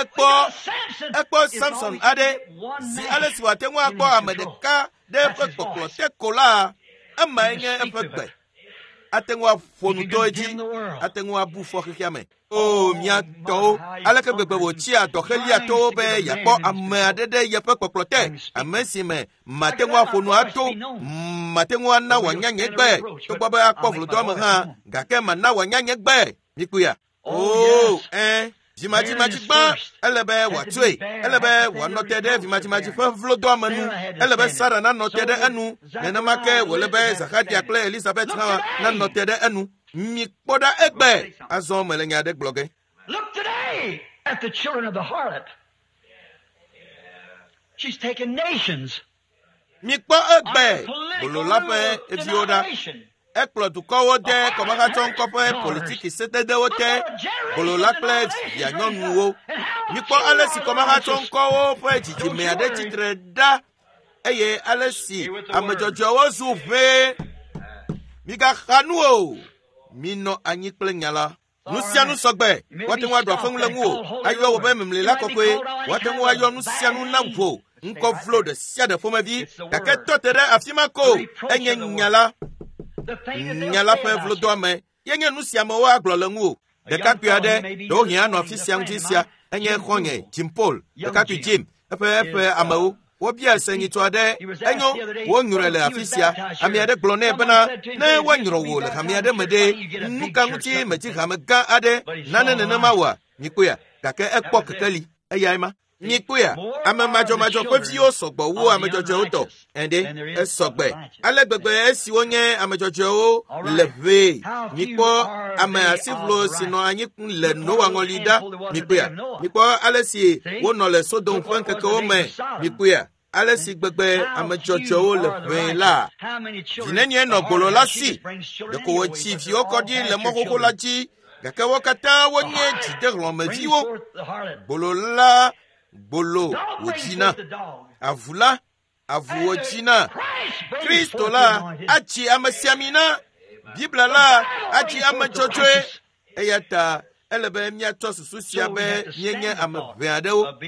ekpɔ ekpɔ Samson aɖe. Zi ale si wòate ŋu akpɔ ame ɖeka ɖe eƒe kpɔkplɔ te ko la, emae nye eƒe gbe. Ate ŋu aƒo nu to edzi, ate ŋu abu fɔ xexea me. O, mía tɔwo, aleke gbegbe wòtsia dɔxeliatɔwo be yeakpɔ ame aɖe ɖe yeƒe kpɔkplɔ te, ame si me mate ŋu aƒo nu ato, mate ŋu ana wòanya nye gbe, togbɔ be akpɔ vlodoame hã, gake mana wòanya nye gbe. Mikpɔea? O, ɛ̃, Vimadzimadzi gbã ele be wòatsoe, ele be wòanɔ te ɖe vimadzimadzi ƒe vlodoame nu, ele be Sara nanɔ te ɖe enu, nenema ke wòle be Zakaria kple Elizabeth hã nanɔ te ɖe enu. Mikpɔ ɖa egbe, azɔ mele nya aɖe gblɔ ge. Look today at the children of the harlot. She's taken nations. Mikpɔ egbe bolola ƒe viwo ɖa. Ekplɔ dukɔwo de kɔmahatsɔŋkɔ ƒe politiki sededewo te, bolola kple vianyɔnuwo. Mikpɔ ale si kɔmahatsɔŋkɔwo ƒe dzidzime aɖe tsitre ɖa eye ale si ame dzɔdzɔewo zu ʋee. Migaxa nu o, minɔ anyi kple nya la. Nu sia nu sɔgbe, woate ŋu aɖu afeŋu le ŋuwò, ayɔ wò be memlila kɔkɔe, woate ŋu ayɔ nu sia nu na wò, ŋkɔ vlo ɖe sia ɖe ƒomevi, gake tɔ te ɖe afi ma ko, enye nya la. Nya la ƒe vlodoame ye nye nu sia amewo agblɔ le ŋuwò. Ɖekakpui aɖe ɖewohĩ anɔ afi sia ŋuti sia, enye xɔ̃nye Jim Paul, ɖekakpui Jim, eƒe eƒe amewo. Wobia se nyitsɔ aɖe, enyo, wonyrɔe le afi sia. Ame aɖe gblɔ nɛ bena, ne woanyrɔ wò le hame aɖe me ɖe, nu ka ŋuti medzi hame gã aɖe, nane nenema wɔa? Mikpɔea, gake ekpɔ kekeli, eyae ma. Mikpɔea, ame madzɔmadzɔ ƒe viwo sɔgbɔ wu ame dzɔdzɔewo tɔ. Ɛnde, esɔgbe. Ale gbegbe esiwo nye ame dzɔdzɔewo le ʋee. Mikpɔ ame asiʋlo si nɔ anyi le Noa ŋɔli ɖa. Mikpɔea, mikpɔ ale si wonɔ le Sodom ƒe ŋkekewo me. Mikpɔea, ale si gbegbe ame dzɔdzɔewo le ʋee la. Vi nenie nɔ gbolo la si? Ɖeko wòtsi viwo kɔ ɖi le mɔ xoxo la dzi, gake wo katã wonye dzidehlɔ̃meviwo. Gbolo la gbolo wòdzina, avu la avu wòdzina. Kristo la atsi ame siamina, Biblia la atsi ame dzɔdzɔe. Eya ta ele be míatsɔ susu sia be míenye ame ʋɛ aɖewo.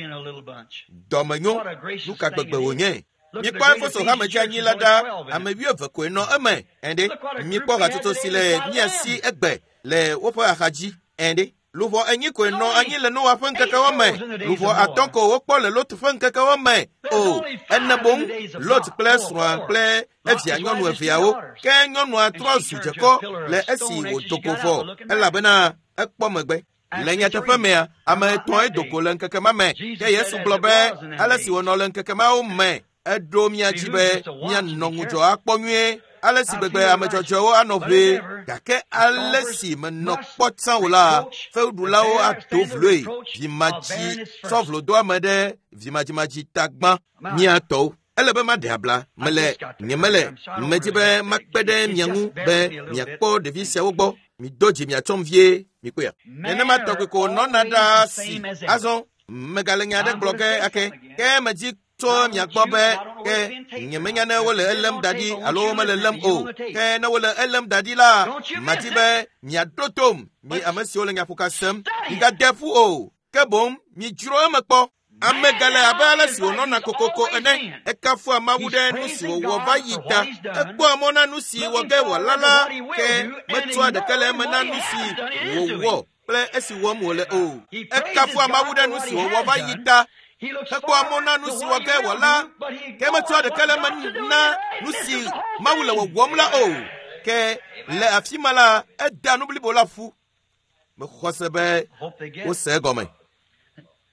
Dɔmenyo, nu ka gbegbe wònye? Mikpɔ Efeso hame dzi anyi la ɖa, ame wuieve koe nɔ eme. Ɛnde, mikpɔ hatsotso si le mía si egbe le woƒe axadzi. Ɛnde, luʋɔ enyi koe nɔ anyi le Noa ƒe ŋkekewo me. Luʋɔ atɔ̃ ko wokpɔ le Lot ƒe ŋkekewo me. O, ene boŋ, Lot kple srɔ̃a kple evia nyɔnu eveawo. Ke nyɔnua trɔ zu dzekɔ le esi wòdo go vɔ, elabena ekpɔ megbe. Le nyateƒe mea, ame etɔ̃e do go le ŋkeke ma me. Ke Yesu gblɔ be ale si wònɔ le ŋkeke mawo me, eɖo mía dzi be míanɔ ŋudzɔ akpɔ nyuie. Ale si gbegbe ame dzɔdzɔewo anɔ ʋee, gake ale si menɔ kpɔ tsã o la, fewuɖulawo ado vloe. Vimadzi tsɔ vlodoame ɖe vimadzimadzi ta gbã. Mía tɔwo. Ele be maɖe abla, mele nyemele medzi be makpe ɖe mia ŋu be miakpɔ ɖevi siawo gbɔ. Mido dzi miatsɔm vie, mikpɔea. Nenema tɔgbi ko nɔna ɖaa si. Azɔ megale nya aɖe gblɔ ge ake, ke medzi tso mia gbɔ be ke nyemenya ne wole elém da ɖi alo womele lém o. Ke ne wole elém da ɖi la, madi be miaɖo tom, mi ame siwo le nyaƒoka sem. Migade ƒu o, ke boŋ midzro eme kpɔ. Ame gale abe ale si wònɔna kokoko ene. Ekafua Mawu ɖe nu si wòwɔ va yi ta. Ekpɔa mɔ na nu si wɔ ge wòala la, ke metsɔa ɖeke le eme na nu si wòwɔ kple esi wɔm wòle o. Ekafua Mawu ɖe nu si wòwɔ va yi ta. Ekpɔa mɔ na nu si wɔ ge wòala, ke metsɔa ɖeke le eme na nu si Mawu le wɔwɔm la o. Ke le afi ma la, edea nu blibo la ƒu. Mexɔ se be wose egɔme.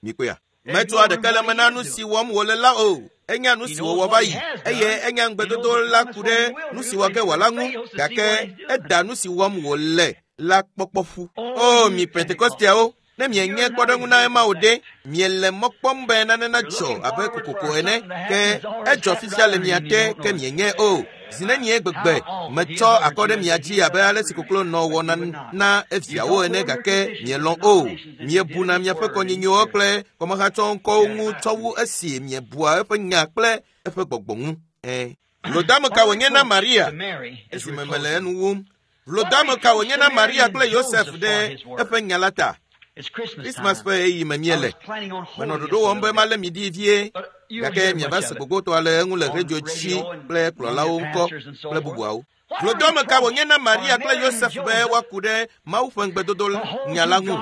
Mikpɔea. Metsɔa ɖeke le eme na nu si wɔm wòle la o. Enya nu si wòwɔ va yi, eye enya ŋugbedodo la ku ɖe nu si wɔ ge wòala ŋu, gake eda nu si wɔm wòle la kpɔkpɔ ƒu. O, mi Pentekosteawo, ne mienye kpɔɖeŋu na ema o ɖe, miele mɔ kpɔm be nane nadzɔ abe kokoko ene, ke edzɔ fifia le mia te, ke mienye o. Zi nenie gbegbe metsɔ akɔ ɖe mia dzi abe ale si koklo nɔ wɔna na eviawo ene, gake mielɔ̃ o. Miebuna miaƒe kɔnyinyiwo kple kɔmahatsɔŋkɔwo ŋu tsɔ wu esi miebua eƒe nya kple eƒe gbɔgbɔ ŋu. Ẽ. Vlodame ka wònye na Maria esime mele enu wum? Vlodame ka wònye na Maria kple Yosef ɖe eƒe nya la ta? Krismas ƒe ɣeyiɣi me míele. Menɔ ɖoɖo wɔm be malé mi ɖi vie, gake miava se gbogbotɔa le eŋu le redio dzi kple kplɔlawo ŋkɔ kple bubuawo. Vlodome ka wònye na Maria kple Yosef be woaku ɖe Mawu ƒe ŋugbedodo nya la ŋu?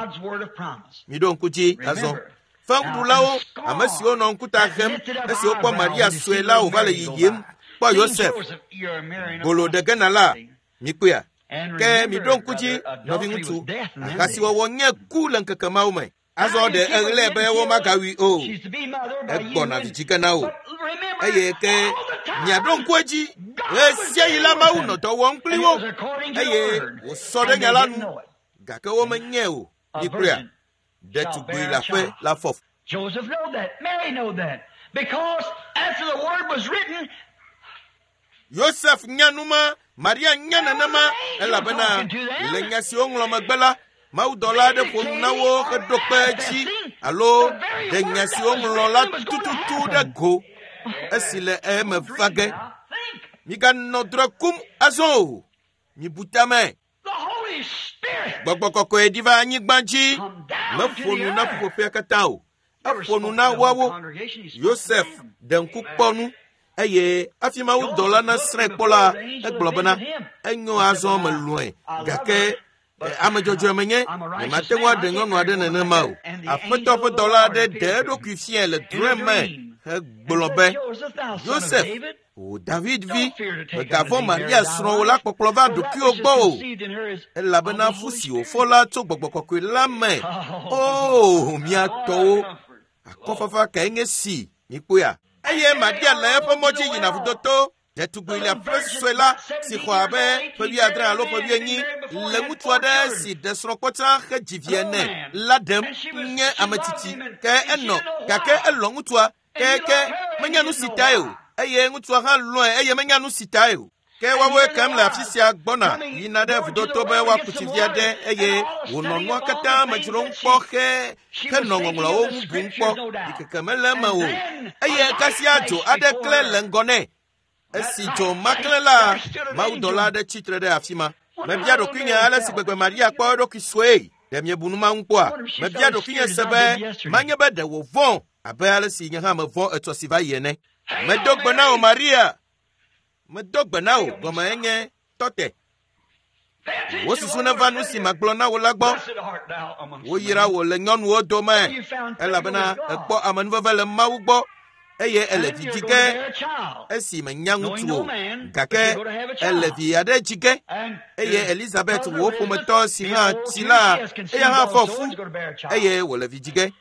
Miɖo ŋku dzi azɔ. Fewuɖulawo, ame siwo nɔ ŋkuta hem esi wokpɔ Maria sue la wòva le yiyim kpɔ Yosef gbolo ɖe gena la, mikpɔea? Ke miɖo ŋku dzi, nɔviŋutsu, ahasiwɔwɔ nye ku le ŋkeke mawo me. Azɔ ɖe eɣlae be womagawui o. Egbɔna vi dzi ge na wò. Eye ke miaɖo ŋku edzi ɣe sia ɣi la Mawu nɔ dɔ wɔm kpli wo eye wòsɔ ɖe nya la nu gake womenyae o. Mikpɔea, ɖetugbui le aƒe la fɔ. Joseph know that. Mary know that. Because after the word was written, Yosef nya nu ma, Maria nya nenema elabena le nya si woŋlɔ megbe la, mawudɔla aɖe ƒo nu na wo heɖo kpe edzi alo ɖe nya si woŋlɔ la tututu ɖe go esi le eme va ge. Miganɔ drɔ̃e kum azɔ o. Mibu tame. the Holy Spirit Gbɔgbɔ kɔkɔe ɖi va anyigba dzi. come down to Meƒo the nu na earth. ƒuƒoƒea katã o. Never Eƒo spoke nu to na the whole woawo. congregation. He spoke to Yosef them. ɖe ŋku kpɔ nu eye hafi mawudɔla nasrãe kpɔ la, egblɔ bena enyo azɔ melɔ̃e gake eh, ame dzɔdzɔe menye nyemate ŋu aɖe nyɔnu aɖe nenema o. Aƒetɔ ƒe dɔla aɖe ɖe eɖokui fiae le drɔ̃e me hegblɔ be Joseph, thou son of Yosef, David, wò David vi, don't fear to take unto mègavɔ̃ thee Maria Mary thy srɔ̃wò wife, la kpɔkplɔ va for that ɖokuiwò which is gbɔ o. conceived in her is of Elabena the fu Holy si Spirit. wòfɔ la tso gbɔgbɔ kɔkɔe la me. O, mía tɔwo, akɔfafa kae nye si mikpɔea? Eye Maria le eƒe mɔ dzi yina vudoto. Ɖetugbui le aƒe sue la si xɔ abe ƒe wuiadre alo ƒe wuienyi le ŋutsu aɖe si ɖe srɔ̃ kpɔ tsã hedzi vi ene la ɖem nye ame tsitsi. Ke enɔ gake elɔ̃ ŋutsua ke ke menya nu si tae o eye ŋutsua hã lɔ̃e eye menya nu si tae o. Ke woawoe kem le afi sia gbɔna yina ɖe vudoto be woaku tsi vi aɖe eye wònɔ nua katã me dzrom kpɔ he henɔ ŋɔŋlɔawo ŋu bum kpɔ. Ɖikeke mele eme o. Eye kasia dzo aɖe klẽ le ŋgɔ nɛ. Esi dzo ma klẽ la, mawudɔla aɖe tsitre ɖe afi ma. Mebia ɖokuinye ale si gbegbe Maria kpɔ eɖokui sue. Ɖe miebu nu ma ŋu kpɔa? Mebia ɖokuinye se be manye be ɖe wòvɔ̃ abe ale si nye hã mevɔ̃ etsɔ si va yi ene. Medo gbe na wò Maria. Medo gbe na wò gɔme enye tɔte. Pay attention Wò to susu what neva I nu said si here. magblɔ na wò la gbɔ. Blessed art thou amongst Woyra women. wò le nyɔnuwo dome You found favor elabena with God. èkpɔ amenuveve le Mawu gbɔ eye ele And vi you're dzi going to ge bear a child. esi menya Knowing ŋutsu no o man, but gake you're going to have a ele child. vi aɖe dzi ge And eye your Elizabeth cousin wò Elizabeth, ƒometɔ si being hã old tsi too, la she has conceived eya hã fɔ also fu and is going to bear a child. eye wòle vi dzi ge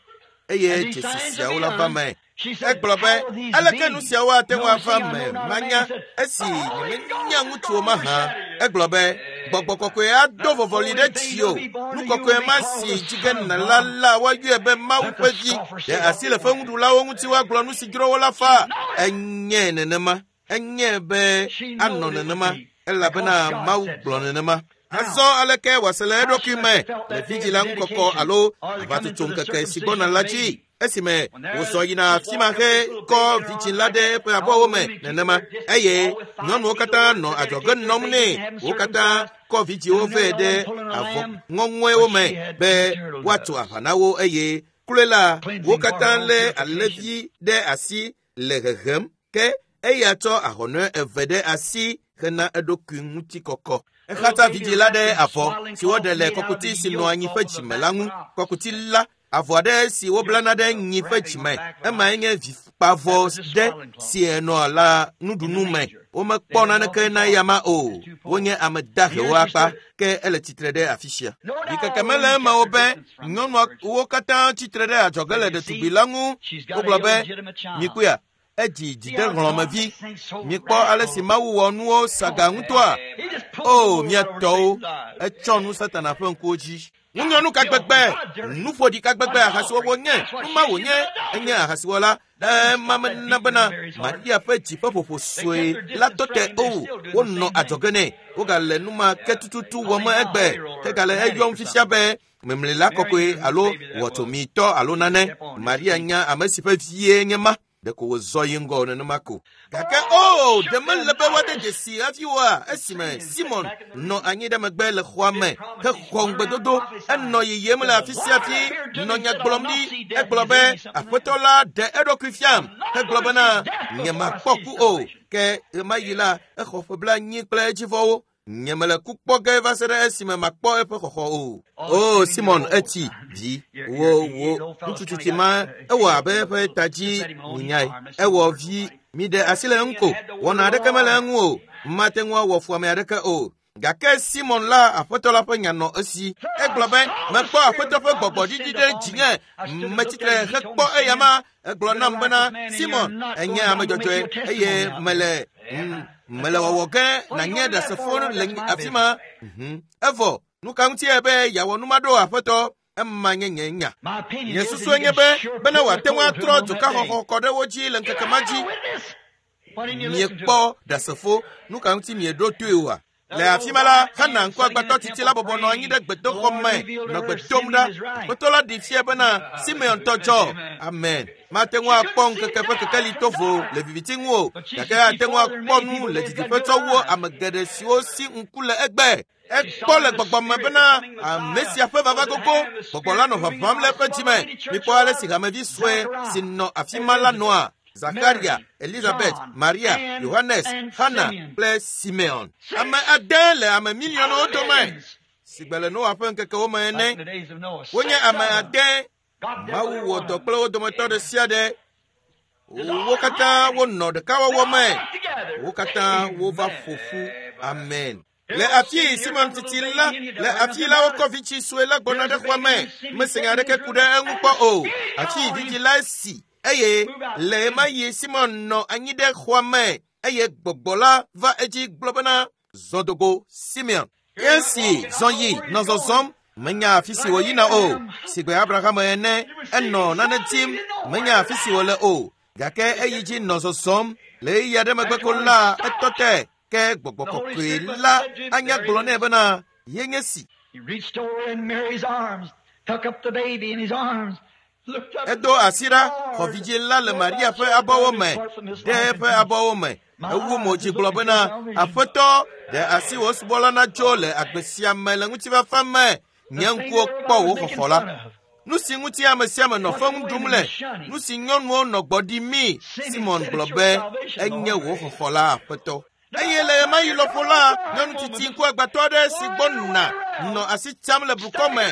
eye And these dzesi signs will siawo be la va done. me. She said, Egblɔ be How will these aleke nu be? siawo ate ŋu Knowing ava I me know not a man. manya He said, esi The Holy nyemenya Ghost is ŋutsu o going to mahã. overshadow you. Egblɔ be gbɔgbɔ kɔkɔe ado That vɔvɔli holy ɖe thing dzi will o. be born Nu to you will kɔkɔe be ma called si the dzi ge Son of nèla God. la woayɔe be Mawu Let the ƒe vi. scoffers Ɖe say asi what le they want. feŋuɖulawo ŋuti woagblɔ nu si dzro wo la fa. Know it. Enye nenema. Enye be She anɔ knowed it would nenema be elabena because God Mawu said gblɔ so. nenema. Now, Azɔ aleke wòase le how she eɖokui must me have felt le that day of vidzila the ŋukɔkɔ dedication alo or the coming aʋatsotso to the ŋkeke si circumcision gbɔna of la the dzi baby. esime When there wòzɔ yina she afi ma walked up this he little kɔ baby in her vidzĩ arms la like ɖe that, eƒe and all abɔwo the me women keeping nenema their distance, eye all with five nyɔnuwo feet katã away nɔ to adzɔge dedicate their nɔm nɛ babies and have them wo katã circumcised, kɔ vidzĩwo and vɛ another ɖe one pulling a avɔ lamb, ŋɔŋɔewo but me she had be two turtle woatso doves, aʋa na wo eye kloe la wo cleansing for katã her own lé purification. alẽvi ɖe asi le hehem ke eya tsɔ ahɔnɔe eve ɖe asi hena eɖokui ŋutikɔkɔ. The little Exatsa baby vidzĩ la wrapped ɖe in avɔ swaddling si woɖe cloth le made out of kɔkuti the si nɔ yoke anyi off ƒe of the dzime la back ŋu. of an ox. Kɔkuti la avɔ aɖe si woblana Yoke ɖe of nyi ƒe wrapping on dzime. the back of an Emae ox. nye That vikpavɔ was the ɖe swaddling cloth si enɔa la in the nuɖunu me. manger. They Womekpɔ had naneke nothing na for it eyama but o. the two poles. Wonye ame And here dahewo she akpa stood. ke ele tsitre ɖe afi sia. No doubt Ɖikeke all the mele women eme o kept their be distance from this nyɔnua virgin. wo katã tsitre ɖe adzɔge But le you ɖetugbi see, la ŋu. she's got an Wogblɔ be illegitimate child. mikpɔea edzi See how God dzidehlɔ̃mevi. makes things so Mikpɔ ale si radical. Mawu wɔ nuwo saga ŋutɔa. He just pulls the O wool mía right over tɔwo Satan's eyes. etsɔ nu Satana ƒe ŋkuwo dzi. Ŋunyɔnu ka Filth, gbegbe, adultery, nuƒoɖi ka gbegbe ahasiwɔwɔ adultery. nye, That's what nu she ma is. She's wònye, an enye adulteress. ahasiwɔla. That didn't Ema stop that mena beating in bena Mary's heart. Maria ƒe dzi ƒe ƒoƒo They sue kept their la distance tɔ from te him. They're o. still doing the Wonɔ same thing. adzɔge nɛ. Wogale nu ma ke tututu wɔm Calling him a egbe. holy roller, Hegale fanatic eyɔm or fisia something. be memlila Mary kɔkɔe knew whose alo baby that was. wɔtsomitɔ alo She nane. kept on just Maria the same. nya ame si ƒe vie nye ma. Ɖeko wòzɔ yi ŋgɔ nenema ko. Gake o, Oh, ɖe mele be woade notice dzesi hafi oa? the Esime singing sitting Simon back in the nɔ room. anyi ɖe megbe le xɔa Did me promise he hexɔ went around ŋugbedodo. prophesying. Enɔ yiyim le Said, afi The sia Lord afi appeared to nɔ me and nya said, I'll gblɔm not ɖi. see death Egblɔ till be you give me something Aƒetɔ else. la ɖe eɖokui fiam I'm not hegblɔ going to see bena death before I nyemakpɔ see ku o. salvation. Ke ɣemaɣi la exɔ ƒe blaenyi kple edzivɔwo. Nyemele ku kpɔ ge va se ɖe esime makpɔ eƒe xɔxɔ o. Oh, O Simon, Simon you're old. etsi vi You're, wo you're, you wo old fellow's ŋutsu kind of tsitsi got ma uh, ewɔ shaky abe a eƒe little. ta Just dzi let him alone. He's minyae. harmless. He Ewɔ won't hurt vi nobody. miɖe asi le eŋu Simeon ko. had the word Wɔna of the aɖeke mele Lord. eŋu o. Mate ŋu awɔ fu ame aɖeke o. Gake Simon la aƒetɔ la ƒe nya nɔ esi. Egblɔ be mekpɔ aƒetɔ ƒe gbɔgbɔ ɖiɖi ɖe dzinye. Metsitre hekpɔ eyama. Egblɔ nam bena Simon enye ame dzɔdzɔe eye mele mele wɔwɔ ge nanye ɖasefo le afi ma. Evɔ nu ka ŋutie be yeawɔ nu ma ɖo aƒetɔ? Ema nye nye nya. Nye susue nye be bena wòate ŋu atrɔ dzokaxɔxɔ kɔ ɖe wo dzi le ŋkeke ma dzi. Miekpɔ ɖasefo, nu ka ŋuti mieɖo toe oa? Le afi ma la, Hana ŋkuagbãtɔ tsitsi la bɔbɔ nɔ anyi ɖe gbedoxɔ me nɔ gbe dom ɖa. Aƒetɔ la ɖi fia bena Simeon tɔ dzɔ. Amen. Mate ŋu akpɔ ŋkeke ƒe kekeli to vo le viviti ŋu o, gake ate ŋu akpɔ nu le didiƒe tsɔ wu ame geɖe siwo si ŋku le egbe. Ekpɔ le gbɔgbɔ me bena ame sia ƒe vava gogo. Gbɔgbɔ la nɔ ʋaʋãm le eƒe dzime. Mikpɔ ale si hamevi sue si nɔ afi ma la nɔa. Zakaria, Elizabeth, Maria, Yohanes, Hana kple Simeon. Ame ade le ame miliɔnwo dome si gbe le Noa ƒe ŋkekewo me ene. Wonye ame ade. Mawu wɔ dɔ kple wo dometɔ ɖe sia ɖe. Wo katã wonɔ ɖekawɔwɔ me. Wo katã wova ƒo ƒu. Amen. Le afi Simon titi la, le afi la wokɔ vitsi sue la gbɔna ɖe xɔa me. Mese nya aɖeke ku ɖe eŋu kpɔ o. Afi vidzĩ la si. Eye le ɣe ma ɣi Simon nɔ anyi ɖe xɔa me eye gbɔgbɔ la va edzi gblɔ bena zɔ dogo Simeon. Esi zɔ yi nɔ zɔzɔm, menya afi si wòyina o. Sigbe Abraham ene, enɔ nane dim, menya afi si wòle o. Gake eyi dzi nɔ zɔzɔm. Le ɣeyiɣi aɖe megbe ko la, etɔ te. Ke gbɔgbɔ kɔkɔe la anya gblɔ nɛ bena yenye si. He reached over in Mary's arms, took up the baby in his arms. Edo asi ɖa, xɔ vidzĩ la le Maria ƒe abɔwo me, ɖe eƒe abɔwo me. Ewu mo dzi gblɔ bena, Aƒetɔ, ɖe asi wò subɔla natso le agbe sia me le ŋutifafa me. Nye ŋkuwo kpɔ wò xɔxɔ la. Nu si ŋuti ame sia ame nɔ feŋu ɖum le, nu si nyɔnuwo nɔ gbɔ ɖimii, Simon gblɔ be enye wò xɔxɔ la, Aƒetɔ. Eye le ɣemaɣi lɔƒo la, nyɔnu tsitsi ŋkuagbãtɔ aɖe si gbɔ nuna nɔ asi tsam le blukɔ me,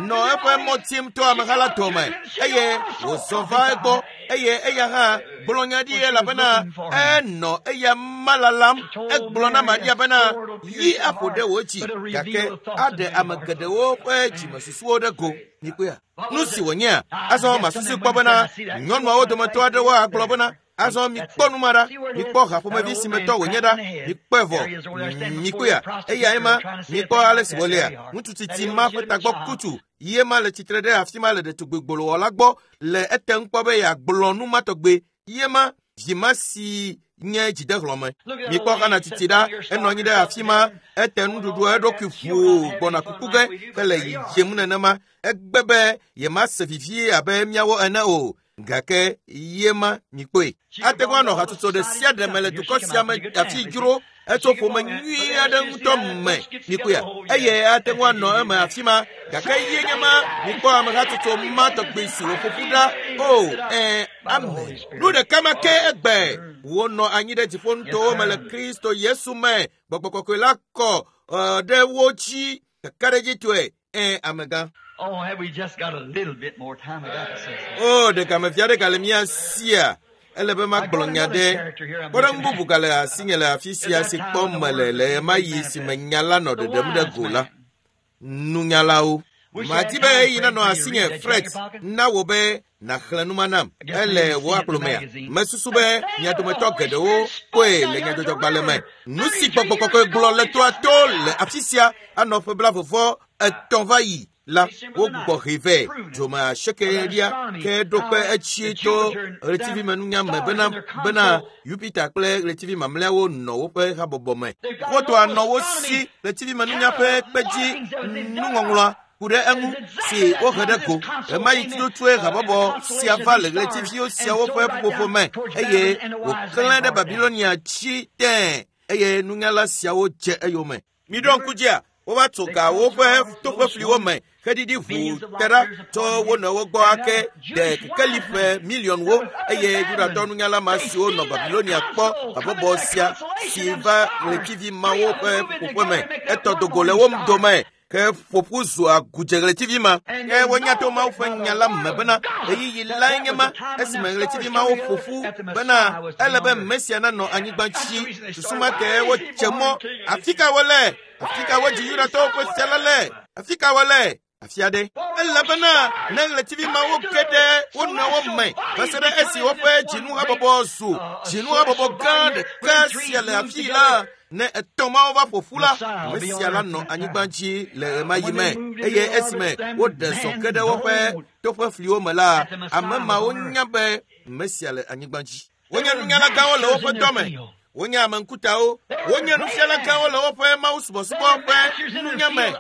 nɔ eƒe mɔ tim to ameha la dome eye wòzɔ va egbɔ eye eya hã gblɔ nya ɖi elabena enɔ eya ma lalam. Egblɔ na Maria bena yi aƒo ɖe wò dzi gake aɖe ame geɖewo ƒe dzimesusuwo ɖe go. Mikpɔea? Nu si wònyea, azɔ masusu kpɔ bena nyɔnuawo dometɔ aɖewo agblɔ bena azɔ mikpɔ nu ma ɖa, mikpɔ haƒomevi si me tɔ wònye ɖa, mikpɔe vɔ, mikpɔea, eyae ma, mikpɔ ale si wòlea. Ŋutsu tsitsi ma ƒe tagbɔ kutsu ye ma le tsitre ɖe afi ma le ɖetugbi gbolowɔla gbɔ le ete ŋu kpɔ be yeagblɔ nu ma tɔgbe. Ye ma vi ma si nye dzidehlɔme. Mikpɔ Hana tsitsi ɖa, enɔ anyi ɖe afi ma, ete nuɖuɖu eɖokui ʋuu gbɔna kuku ge hele yiyim nenema. Egbe be yemase vivi abe míawo ene o. Gake ye ma mikpɔe. Ate ŋu anɔ hatsotso ɖe sia ɖe me le dukɔ sia me afi dzro etso ƒome nyui aɖe ŋutɔ me mikpɔea. Eye ate ŋu anɔ eme afi ma gake ye nye ma mikpɔ ame hatsotso ma tɔgbi si wòƒo ƒu ɖa. O ɛ amen. Nu ɖeka ma ke egbe wonɔ anyi ɖe dziƒonutowo me le Kristo Yesu me. Gbɔgbɔ kɔkɔe la kɔ ɖe wo dzi kakaɖedzitɔe. Ɛ amegã. Oh, have we just got a little bit more time? I got to say something. Oh, ɖeka mevia ɖe gale mía sia. Ele be magblɔ nya ɖe. Kpɔɖeŋu bubu gale asinye le afi sia si kpɔm mele le ɣemaɣi si me nya la nɔ ɖeɖem ɖe go la. Nunyalawo. Madi be eyi nanɔ asinye Fred na wò be nàxlẽ nu ma nam. Ele wò akplo mea. Mesusu be mia dometɔ geɖewo kpɔe le nyadzɔdzɔgbalẽ me. Nu si gbɔgbɔ kɔkɔe gblɔ le toa to le afi sia anɔ ƒe blaeve etɔ̃ va yi la wogbugbɔ hɛ vɛ dzome asiekelia ke ɖo kpe etsi to ɣletivimenunya me bena bena Jupiter kple ɣletivi mamlɛawo nɔ woƒe habɔbɔ me. Wotoa nɔ wo si ɣletivimenunya ƒe kpedzi nuŋɔŋlɔa ku ɖe eŋu si wohe ɖe go. Ɣemaɣi tututue habɔbɔ sia va le ɣletiviwo siawo ƒe ƒuƒoƒo me eye wòklẽ ɖe Babilonia tsi tẽe eye nunyala siawo dze eyome. Miɖo ŋku dzia, wova tso ga woƒe toƒefliwo me heɖiɖi ʋuu te ɖa tso wo nɔewo gbɔ ake ɖe kekeli ƒe miliɔnwo eye Yudatɔ nunyala ma siwo nɔ Babilonia kpɔ habɔbɔ sia si va ɣletivi mawo ƒe ƒuƒoƒe me etɔ dogo le wo dome Ke ƒoƒu zu agudze ɣletivi ma. Ke wonya to Mawu ƒe nya la me bena ɣeyiɣi lae nye ma esime ɣletivi mawo ƒo ƒu bena ele be Mesia nanɔ anyigba dzi. Susu ma ke wotse mɔ. Afi ka wole? Afi ka wodzi Yudatɔwo ƒe fia la le? Afi ka wole? Afi aɖe. Elabena ne ɣletivi mawo ge ɖe wo nɔewo me va se ɖe esi woƒe dzinuhabɔbɔ zu dzinuhabɔbɔ gã ɖeka sia le afii la, ne etɔ̃ mawo va ƒo ƒu la, Mesia la nɔ anyigba dzi le ɣemaɣi me. Eye esime woɖe zɔ ke ɖe woƒe toƒe fliwo me la, ame mawo nya be Mesia le anyigba dzi. Wonye nunyala gãwo le woƒe dɔme. Wonye ame ŋkutawo. Wonye nufiala gãwo le woƒe mawusubɔsubɔ ƒe nunya me.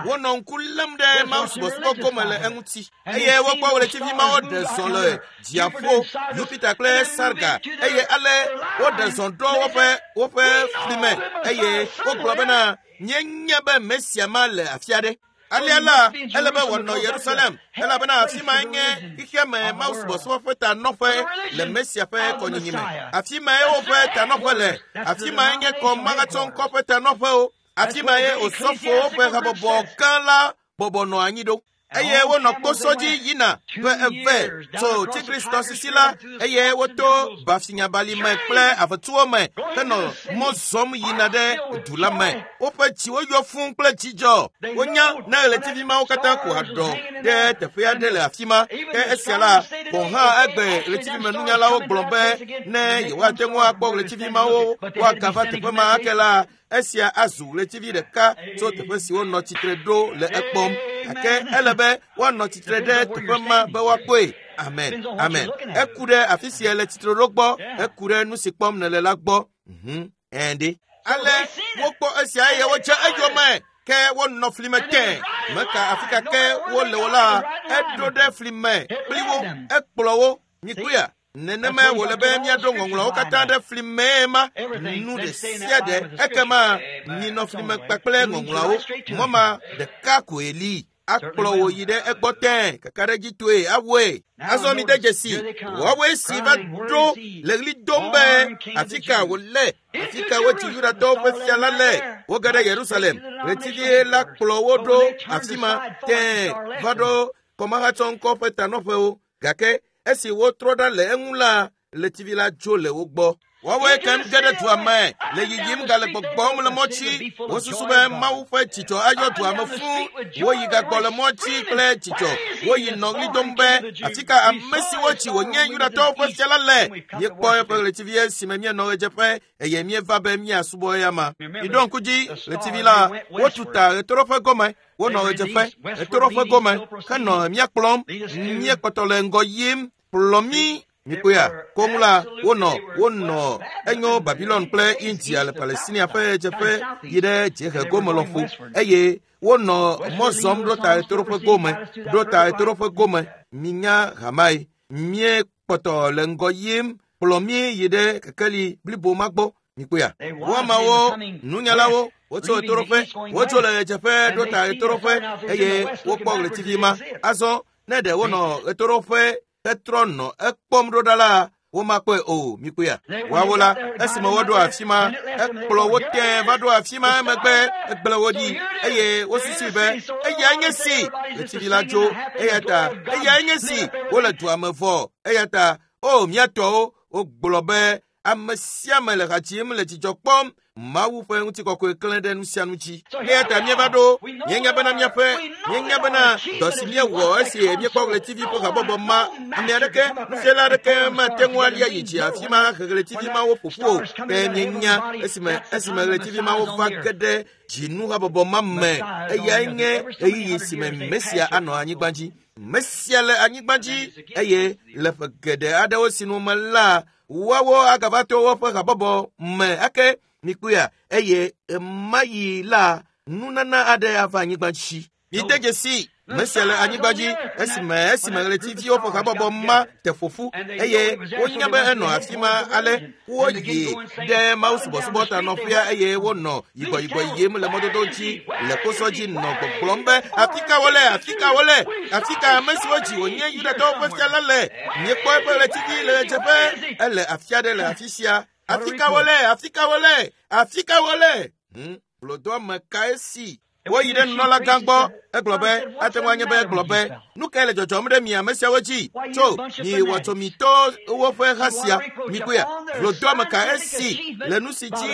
Wonɔ ŋku lém ɖe mawusubɔsubɔ gome le eŋuti. Eye wokpɔ ɣletivi mawo ɖe zɔ le dziaƒo, Yupita kple Sarga. Eye ale woɖe zɔ ɖo woƒe woƒe fli me. Eye wogblɔ bena míenya be Mesia ma le afi aɖe. Alea la, ele be wòanɔ Yerusalem, elabena afi mae nye xexea me mawusubɔsubɔ ƒe tanɔƒe le Mesia ƒe kɔnyinyi me. Afi mae woƒe tanɔƒe le. Afi mae nye kɔmahatsɔŋkɔ ƒe tanɔƒewo. Afi mae osɔfowo ƒe habɔbɔ gã la bɔbɔ nɔ anyi ɖo. Eye wonɔ kposɔ dzi yina ƒe eve tso Tigris tɔsisi la, eye woto Bafinyabalime kple avetuwo me henɔ mɔ zɔm yina ɖe du la me. Woƒe dziwo yɔ fũu kple dzidzɔ. Wonya ne ɣletivi mawo katã ko aɖɔ ɖe teƒe aɖe le afi ma. Ke esia la, gɔ̃ hã egbe ɣletivimenunyalawo gblɔ be ne yewoate ŋu akpɔ ɣletivi mawo woagava teƒe ma ake la, esia azu ɣletivi ɖeka tso teƒe si wonɔ tsitre ɖo le ekpɔm. Gake ele be woanɔ tsitre ɖe teƒe ma be woakpɔe. Amen. Amen. Eku ɖe afi si le tsitre ɖo gbɔ. Eku ɖe nu si kpɔm nèle la gbɔ. Mhm. Ɛ̃ Ale wokpɔ esia eye wodze eyome. Ke wonɔ fli me tẽ. Meka afi ka ke wole o la, eɖo ɖe fli me kpli wo. Ekplɔ wo. Mikpɔea? Nenema wòle be míaɖo ŋɔŋlɔawo katã ɖe fli mee ma. Nu ɖe sia ɖe ekema minɔ fli me kpakple ŋɔŋlɔawo. Mɔ ma ɖeka koe li. Akplɔ wò yi ɖe egbɔ tẽ kakaɖedzitɔe awɔe. Azɔ mi de dzesi woawoe si va ɖo le ɣli dom be afi ka wòle, afi ka wodzi Yudatɔwo ƒe fia la le. Woge ɖe Yerusalem. Ɣletivie la kplɔ wo ɖo afi ma tẽ va ɖo kɔmahatsɔŋkɔ ƒe tanɔƒewo. Gake esi wotrɔ ɖa le eŋu la, ɣletivi la dzo le wo gbɔ. Woawoe kem ge ɖe dua me le yiyim gale gbɔgbɔm le mɔtsi. Wosusu be Mawu ƒe dzidzɔ ayɔ dua me fũu. Woyi gagbɔ le mɔtsi kple dzidzɔ. Woyi nɔ ɣli dom be afi ka ame siwo dzi wònye Yudatɔwo ƒe fia la le. Míekpɔ eƒe ɣletivi esime míenɔ ɣedzeƒe eye míeva be míasubɔ eyama. Miɖo ŋku dzi ɣletivi la, wotu ta ɣetoɖoƒe gome. Wonɔ ɣedzeƒe, ɣetoɖoƒe gome henɔ mía kplɔm. Míekpɔtɔ le ŋgɔ yim. Kplɔ mí. Mikpɔea, koŋ la, wonɔ wonɔ enyo Babilon kple India le Palestinia ƒe ɣedzeƒe yi ɖe dziehe gome lɔƒo eye wonɔ mɔ zɔm ɖo ta ɣetoɖoƒe gome, ɖo ta ɣetoɖoƒe gome. Minya hamae. Míekpɔtɔ le ŋgɔ yim. Kplɔ mí yi ɖe kekeli blibo ma gbɔ. Mikpɔea, wo ameawo, nunyalawo, wotso ɣetoɖoƒe, wotso le ɣedzeƒe ɖo ta ɣetoɖoƒe eye wokpɔ ɣletivi ma. Azɔ ne ɖe wonɔ ɣetoɖoƒe hetrɔ nɔ ekpɔm ɖo ɖa la, womakpɔe o. Mikpɔea, woawo la, esime woɖo afi ma, ekplɔ wo tẽ va ɖo afi ma emegbe egblẽ wo ɖi eye wosusui be eyae nye si ɣletivi la dzo. Eya ta eyae nye si wole dua me vɔ. Eya ta o mía tɔwo wogblɔ be ame sia ame le ha dzim le dzidzɔ kpɔm. Mawu ƒe ŋutikɔkɔe klẽ ɖe nu sia nu dzi. Eya ta míeva ɖo, míenya bena míaƒe, míenya bena dɔ si míewɔ esi míekpɔ ɣletivi ƒe habɔbɔ ma, ame aɖeke, nufiala aɖeke mate ŋu alia yi dzi afi ma he ɣletivi mawo ƒo ƒu o. Ke míenya esime esime ɣletivi mawo va ge ɖe dzinuhabɔbɔ ma me, eyae nye ɣeyiɣi si me Mesia anɔ anyigba dzi. Mesia le anyigba dzi eye le ƒe geɖe aɖewo sinu me la, woawo agava to woƒe habɔbɔ me ake. Mikpɔea, eye ɣemaɣi la, nunana aɖe ava anyigba dzi. Mide dzesi Mesia le anyigba dzi esime esime ɣletiviwo ƒe habɔbɔ ma te ƒo ƒu eye wonya be enɔ afi ma ale woyi ɖe mawusubɔsubɔ tanɔƒea eye wonɔ yigbɔyigbɔ yim le mɔdodo dzi le kposɔ dzi nɔ gbɔgblɔm be afi ka wole, afi ka wole, afi ka ame siwo dzi wònye Yudatɔwo ƒe fia la le. Míekpɔ eƒe ɣletivi le ɣedzeƒe, ele afi aɖe le afi sia. Afi ka wole, afi ka wole, afi ka wole. Hmm, hlɔ̃doame kae si? Woyi ɖe nunɔlagã gbɔ, egblɔ be, ate ŋu anye be egblɔ be, nu kae le dzɔdzɔm ɖe mi ame siawo dzi? Tso, mi wɔtsomitɔ woƒe ha sia, mikpɔea, vlodoame ka esi le nu si dzi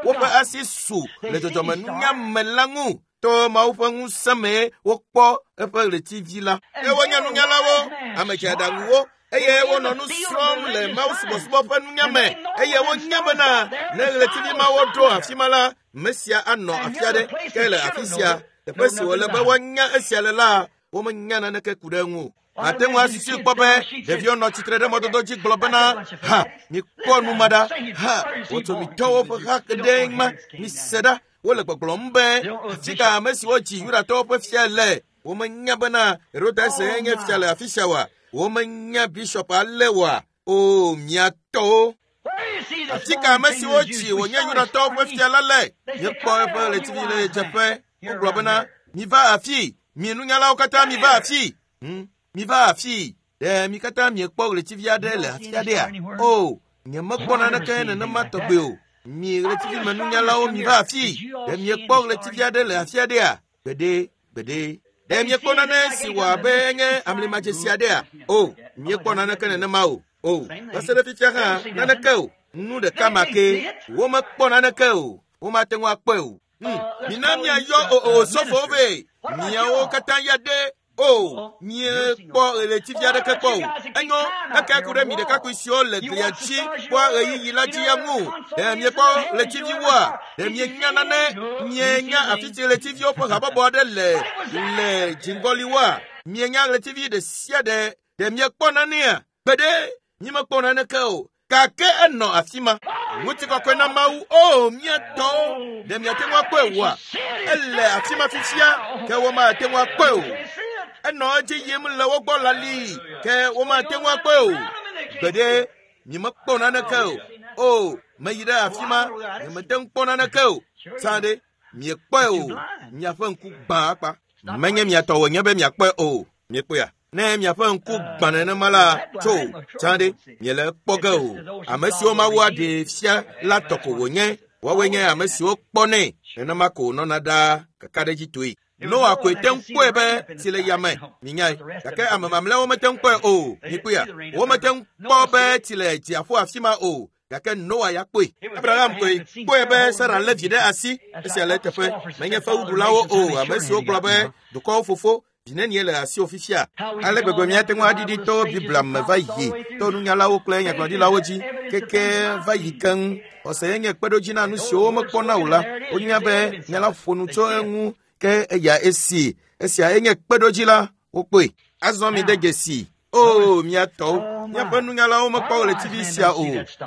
woƒe asi su le dzɔdzɔmenunya me la ŋu. To Mawu ƒe ŋusẽ mee wokpɔ eƒe ɣletivi la. Ke wonye nunyalawo, ame dzeaɖaŋuwo, eye wonɔ nu srɔ̃m le Mawu subɔsubɔ ƒe nunya me, eye wonya bena ne ɣletivi mawo ɖo afi ma la, Mesia anɔ afi aɖe. Ke le afi sia, teƒe si wòle be woanya esia le la, womenya naneke ku ɖe eŋu o. Ate ŋu asusui kpɔ be ɖeviwo nɔ tsitre ɖe mɔdodo dzi gblɔ bena, ha, mikpɔ nu ma ɖa, ha, wɔtsomitɔwo ƒe ha ɖee ma, mise ɖa. Wole gbɔgblɔm be afi ka ame siwo dzi Yudatɔwo ƒe fia le. Womenya bena Herodes nye fia le afi sia oa? Womenya bishop ale oa? O, mia tɔwo. Afi ka ame siwo dzi wònye Yudatɔwo ƒe fia la le? Míekpɔ eƒe ɣletivi le ɣedzeƒe. Wogblɔ bena, miva afi, mi nunyalawo katã miva afi. Hmm, miva afi. Ɖe mi katã miekpɔ ɣletivi aɖe le afi aɖea? O, nyemekpɔ naneke nenema tɔgbe o. Mi ɣletivimenunyalawo miva afi. Ɖe miekpɔ ɣletivi aɖe le afi aɖea? Gbeɖe, gbeɖe. Ɖe miekpɔ nane si wɔ abe enye amlimadzesi aɖea? O, miekpɔ naneke nenema o. O, va se ɖe fifia hã naneke o. Nu ɖeka ma ke. Womekpɔ naneke o. Womate ŋu akpɔe o. Hmm, mina miayɔ o osɔfowo vɛ. Miawo katã ya ɖe. O, miekpɔ ɣletivi aɖeke kpɔ o. Enyo, eke ku ɖe mi ɖekakpui siwo le glia dzi kpɔa ɣeyiɣi la dzi ya ŋu. Ɖe miekpɔ ɣletiviwoa? Ɖe mienya nane? Mienya afi si ɣletiviwo ƒe habɔbɔ aɖe le le dziŋgɔliwoa? Mienya ɣletivi ɖe sia ɖe? Ɖe miekpɔ nanea? Gbeɖe, mímekpɔ naneke o. Gake enɔ afi ma. Ŋutikɔkɔe na Mawu. O, mía tɔwo, ɖe miate ŋu akpɔe oa? Ele afi ma fifia, ke womate ŋu akpɔe o. Enɔ edzi yim le wo gbɔ lali, ke womate ŋu akpɔe o. Gbeɖe, nyemekpɔ naneke o. O, meyi ɖe afi ma, nyemete ŋu kpɔ naneke o. Tsã ɖe, miekpɔe o. Miaƒe ŋku gbã akpa. Menye mia tɔ wònye be miakpɔe o. Miekpɔea? Ne miaƒe ŋku gbã nenema la, tso, tsã ɖe, miele kpɔ ge o. Ame siwo Mawu aɖee fia la tɔ ko wònye. Woawoe nye ame siwo kpɔnɛ. Nenema ko wònɔna ɖaa kakaɖedzitɔe. Noa koe te ŋu kpɔe be tsi le yame, minyae. Gake ame mamlɛawo mete ŋu kpɔe o. Mikpɔea? Womete ŋu kpɔ be tsi le dziaƒo afi ma o. Gake Noa ya kpɔe. Abraham koe kpɔe be Sara lé vi ɖe asi. Esia le eteƒe. Menye fewuɖulawo o, ame siwo gblɔ be dukɔwo fofo vi nenie le asiwò fifia. Ale gbegbe míate ŋu aɖiɖi to Biblia me va yi to nunyalawo kple nyagblɔɖilawo dzi keke va yi keŋ. Xɔse ye nye kpeɖodzi na nu siwo womekpɔna o la. Wonya be nya la ƒo nu tso eŋu ke eya esi. Esia enye kpeɖodzi la, wokpɔe. Azɔ mi de dzesi. O, mia tɔwo, míaƒe nunyalawo mekpɔ ɣletivi sia o.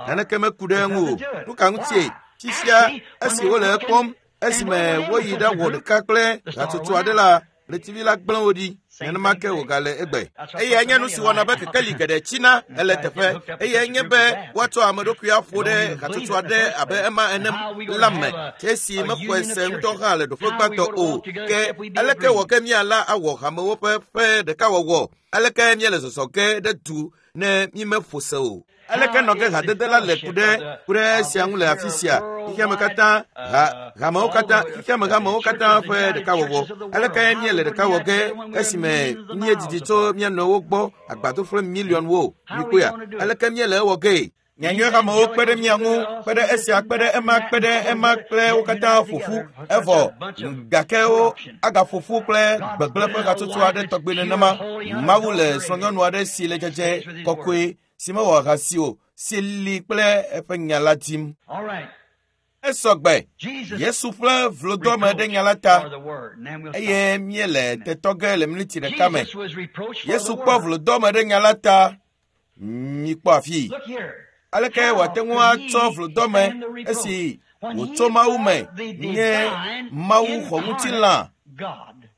Naneke meku ɖe eŋu o. Nu ka ŋutie? Fifia, esi wole ekpɔm, esime woyi ɖawɔ ɖeka kple hatsotso aɖe la, ɣletivi la gblẽ wo ɖi. Nenema ke wògale egbe. Eyae nye nu si wɔna be kekeli geɖe tsina ele teƒe. Eyae nye be woatsɔ ame ɖokui aƒo ɖe hatsotso aɖe abe ema ene la me. Esi mexɔe se ŋutɔ hã le ɖoƒe gbãtɔ o. Ke aleke wɔ ke míala awɔ hamewo ƒe ƒe ɖekawɔwɔ? Aleke míele zɔzɔ ge ɖe du ne mímeƒo se o? Aleke nɔ ke hadede la le ku ɖe ku ɖe esia ŋu le afi sia? Xexeame katã, ha, hamewo katã, xexeame hamewo katã ƒe ɖekawɔwɔ. Aleke míele ɖeka wɔ ge esime míedidi tso mía nɔewo gbɔ agbadofle miliɔnwo? Mikpɔea? Aleke míele ewɔ ge? Nyanyui hamewo kpe ɖe mía ŋu, kpe ɖe esia, kpe ɖe ema, kpe ɖe ema kple wo katã ƒo ƒu. Evɔ gake wo agaƒo ƒu kple gbegblẽ ƒe hatsotso aɖe tɔgbe nenema. Mawu le srɔ̃nyɔnu aɖe si le dzedze kɔkɔe, si mewɔ ahasi o, si li kple eƒe nya la dim. Esɔgbe. Yesu ƒe vlodoame ɖe nya la ta, eye míele tetɔ ge le miniti ɖeka me. Yesu kpɔ vlodoame ɖe nya la ta. Mikpɔ afi. Aleke wòate ŋu atsɔ vlodoame esi wòtso Mawu me nye Mawu xɔ ŋutilã?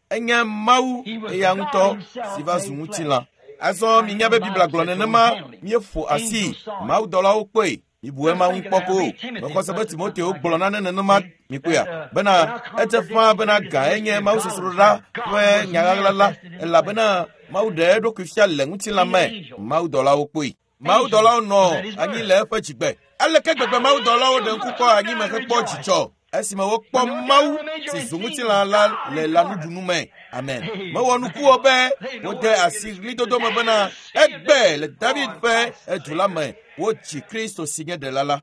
Enye Mawu eya ŋutɔ si va zu ŋutilã. Azɔ minya be Biblia gblɔ nenema, míeƒo asi, mawudɔlawo kpɔe. Mibu ema ŋu kpɔ ko. Mexɔ se be Timoteo gblɔ nane nenema, mikpɔea, bena edze ƒãa bena gã enye mawusosroɖa ƒe nyaɣaɣla la, elabena Mawu ɖe eɖokui fia le ŋutilã me. Mawudɔlawo kpɔe. Mawudɔlawo nɔ anyi le eƒe dzigbe. Aleke gbegbe mawudɔlawo ɖe ŋku kpɔ anyime hekpɔ dzidzɔ Esime wokpɔ Mawu si zu ŋutilã la le lãnuɖunu me. Amen. Mewɔ nuku be wode asi ɣlidodo me bena egbe le David ƒe edu la me wodzi Kristo si nye ɖela la.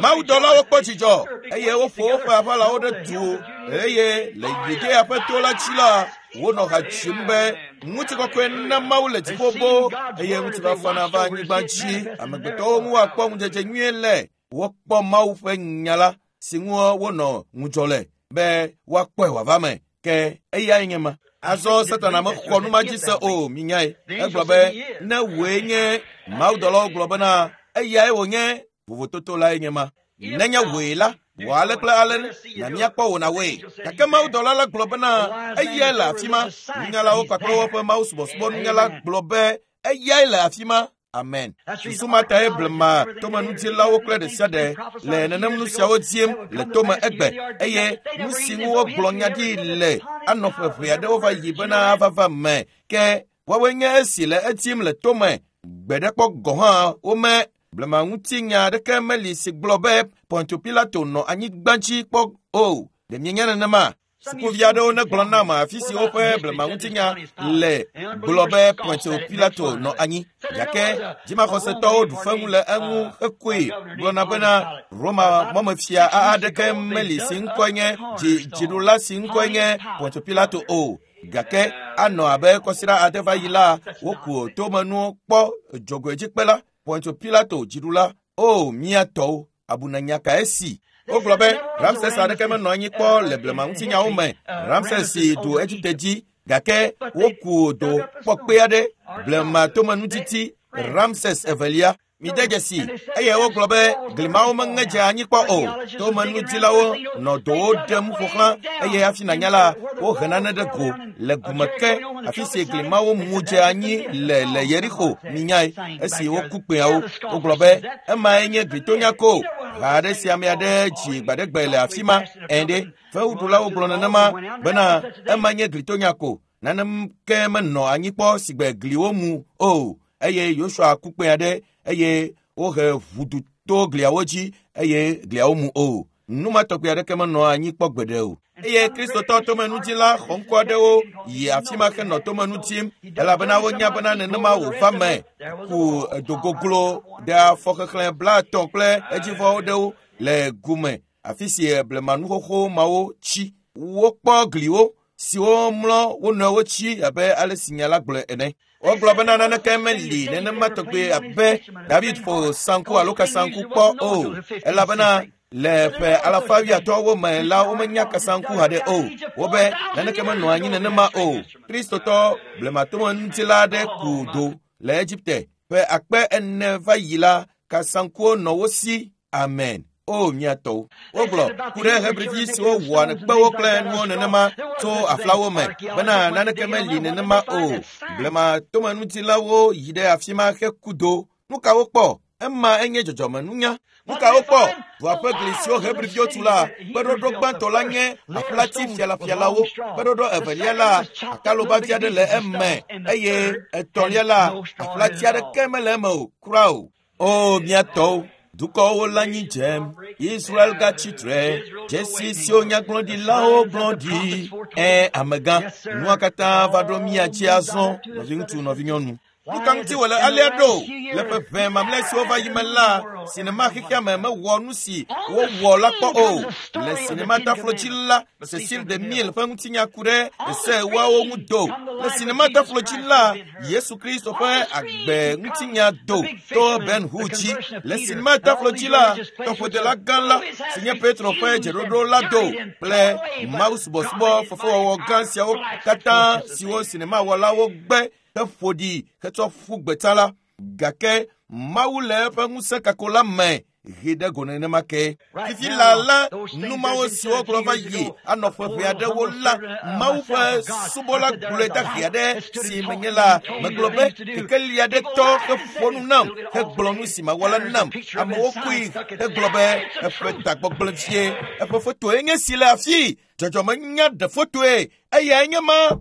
Mawudɔlawo kpɔ dzidzɔ eye woƒo woƒe aʋalawo ɖe du eye le Yudea ƒe to la dzi la wonɔ ha dzim be ŋutikɔkɔe na Mawu le dziƒo boo eye ŋutifafa nava anyigba dzi. Amegbetɔwo ŋu woakpɔ ŋudzedze nyuie le. Wokpɔ Mawu ƒe nya la si ŋu wonɔ ŋudzɔ le be woakpɔe wòava me. Ke eyae nye ma. Azɔ Satana mexɔ nu ma dzi se o, minyae. Egblɔ be ne wòe nye Mawudɔlawo gblɔ bena eyae wònye, vovototo lae nye ma. Nenye wòe la, wɔ ale kple ale na míakpɔ wò na wòe. Gake Mawudɔla la gblɔ bena eyae le afi ma. Nunyalawo kpakple woƒe mawusubɔsubɔ nunyala gblɔ be eyae le afi ma. Amen. Susu ma tae blema tomenudilawo kple ɖe sia ɖe le nenem nu siawo dim le tome egbe eye nu si ŋu wogblɔ nya ɖi le anɔ ƒe ʋe aɖewo va yi bena ava me. Ke woawoe nye esi le edim le tome. Gbe ɖe kpɔ gɔ̃ hã wome blema ŋutinya aɖeke meli si gblɔ be Pontio Pilato nɔ anyigba dzi kpɔ o. Ɖe mienya nenema? Sukuvi aɖewo negblɔ nam afi si woƒe blema ŋutinya le gblɔ be Pontio Pilato nɔ anyi. Gake dzimaxɔsetɔwo ɖu feŋu le eŋu hekoe gblɔna bena Roma mɔmefia aɖeke meli si ŋkɔe nye dzi dziɖula si ŋkɔe nye Pontio Pilato o. Gake anɔ abe kɔsiɖa ade va yi la, woku tomenuwo kpɔ dzogoedzikpe la Pontio Pilato dziɖula. O mía tɔwo, abunanya kae si? Wogblɔ be Ramses aɖeke menɔ anyi kpɔ le blema ŋutinyawo me. Ramses si ɖu Egipte dzi gake woku do kpɔkpe aɖe blema tomenutiti Ramses evelia. Mide dzesi eye wogblɔ be glimawo meŋe dze anyi kpɔ o. Tomenudilawo nɔ dowo ɖem ƒo xlã eye hafi nanya la wohe nane ɖe go le gume ke afi si glimawo mu dze anyi le le Yeriko minyae esi woku kpeawo. Wogblɔ be emae nye glitonya ko. Ha aɖe si ame aɖe dzi gbaɖegbe le afi ma ene. Fewuɖulawo gblɔ nenema bena ema nye glitonya ko. Naneke menɔ anyi kpɔ si gbe gliwo mu o. Eye Yosua ku kpe aɖe eye wohe ʋudu to gliawo dzi eye gliawo mu o. Nu ma tɔgbi aɖeke menɔ anyi kpɔ gbeɖe o. Eye Kristotɔ tomenudila xɔŋkɔ aɖewo yi afi ma henɔ tomenu dim elabena wonya bena nenema wòva me. Ku dogoglo ɖe afɔ xexlẽ blaetɔ̃ kple edzivɔwo ɖewo le gume afi si blemanuxoxo mawo tsi. Wokpɔ gliwo siwo mlɔ wo nɔewo tsi abe ale si nya la gblɔe ene. Wogblɔ bena naneke meli nenema tɔgbi abe David ƒo sanku alo kasanku kpɔ o elabena le ƒe alafa wuiatɔ̃wo me la womenya kasanku haɖe o. Wobe naneke menɔ anyi nenema o. Kristotɔ blematomenutila aɖe ku do le Egipte ƒe akpe ene va yi la kasankuwo nɔ wo si. Amen. O mía tɔwo. Wogblɔ ku ɖe Hebrivi siwo wɔa kpewo kple nuwo nenema tso aflawo me bena naneke meli nenema o. Blema tomenutilawo yi ɖe afi ma heku do. Nu ka wokpɔ? Ema enye dzɔdzɔmenunya. Nu ka wokpɔ? Dua ƒe gli siwo Hebriviwo tu la, kpeɖoɖo gbãtɔ la nye aƒlati fialafialawo. Kpeɖoɖo evelia la, akalobavi aɖe le eme eye etɔ̃lia la, aƒlati aɖeke mele eme o kura o. O mía tɔwo, dukɔwo le anyi dzem. Israel gatsi tre. Dzesi siwo nyagblɔɖilawo gblɔ ɖi. Ẽ amegã, nua katã va ɖo mía dzi azɔ, nɔviŋutsu, nɔvinyɔnu. Nu ka ŋuti wòle alea ɖo? Le ƒe ʋɛ mamlɛ siwo va yi me la, sinema xexea me mewɔ nu si wowɔ la kpɔ o. Le sinema taflo dzi la, Cecil DeMille ƒe ŋutinya ku ɖe se woawo ŋu do. Le sinema taflo dzi la, Yesu Kristo ƒe agbe ŋutinya do to Ben Hur dzi. Le sinema taflo dzi la, tɔƒodela gã la si nye Petro ƒe dzeɖoɖo la do kple mawusubɔsubɔ fefewɔwɔ gã siawo katã siwo sinemawɔlawo gbe heƒo ɖi hetsɔ ƒu gbeta la. Gake Mawu le eƒe ŋusẽ kako la me he ɖe go nenema ke. Fifi la la, nu mawo siwo gblɔ va yi anɔ ƒe ʋɛ aɖewo la, Mawu ƒe subɔla gblɔe dahe aɖe si menye la, megblɔ be kekeli aɖe tɔ heƒo nu nam hegblɔ nu si mawɔ la nam. Amewo koe hegblɔ be eƒe tagbɔgblẽ vie. Eƒe fotoe nye si le afii. Dzɔdzɔmenya ɖe fotoe eyae nye ma.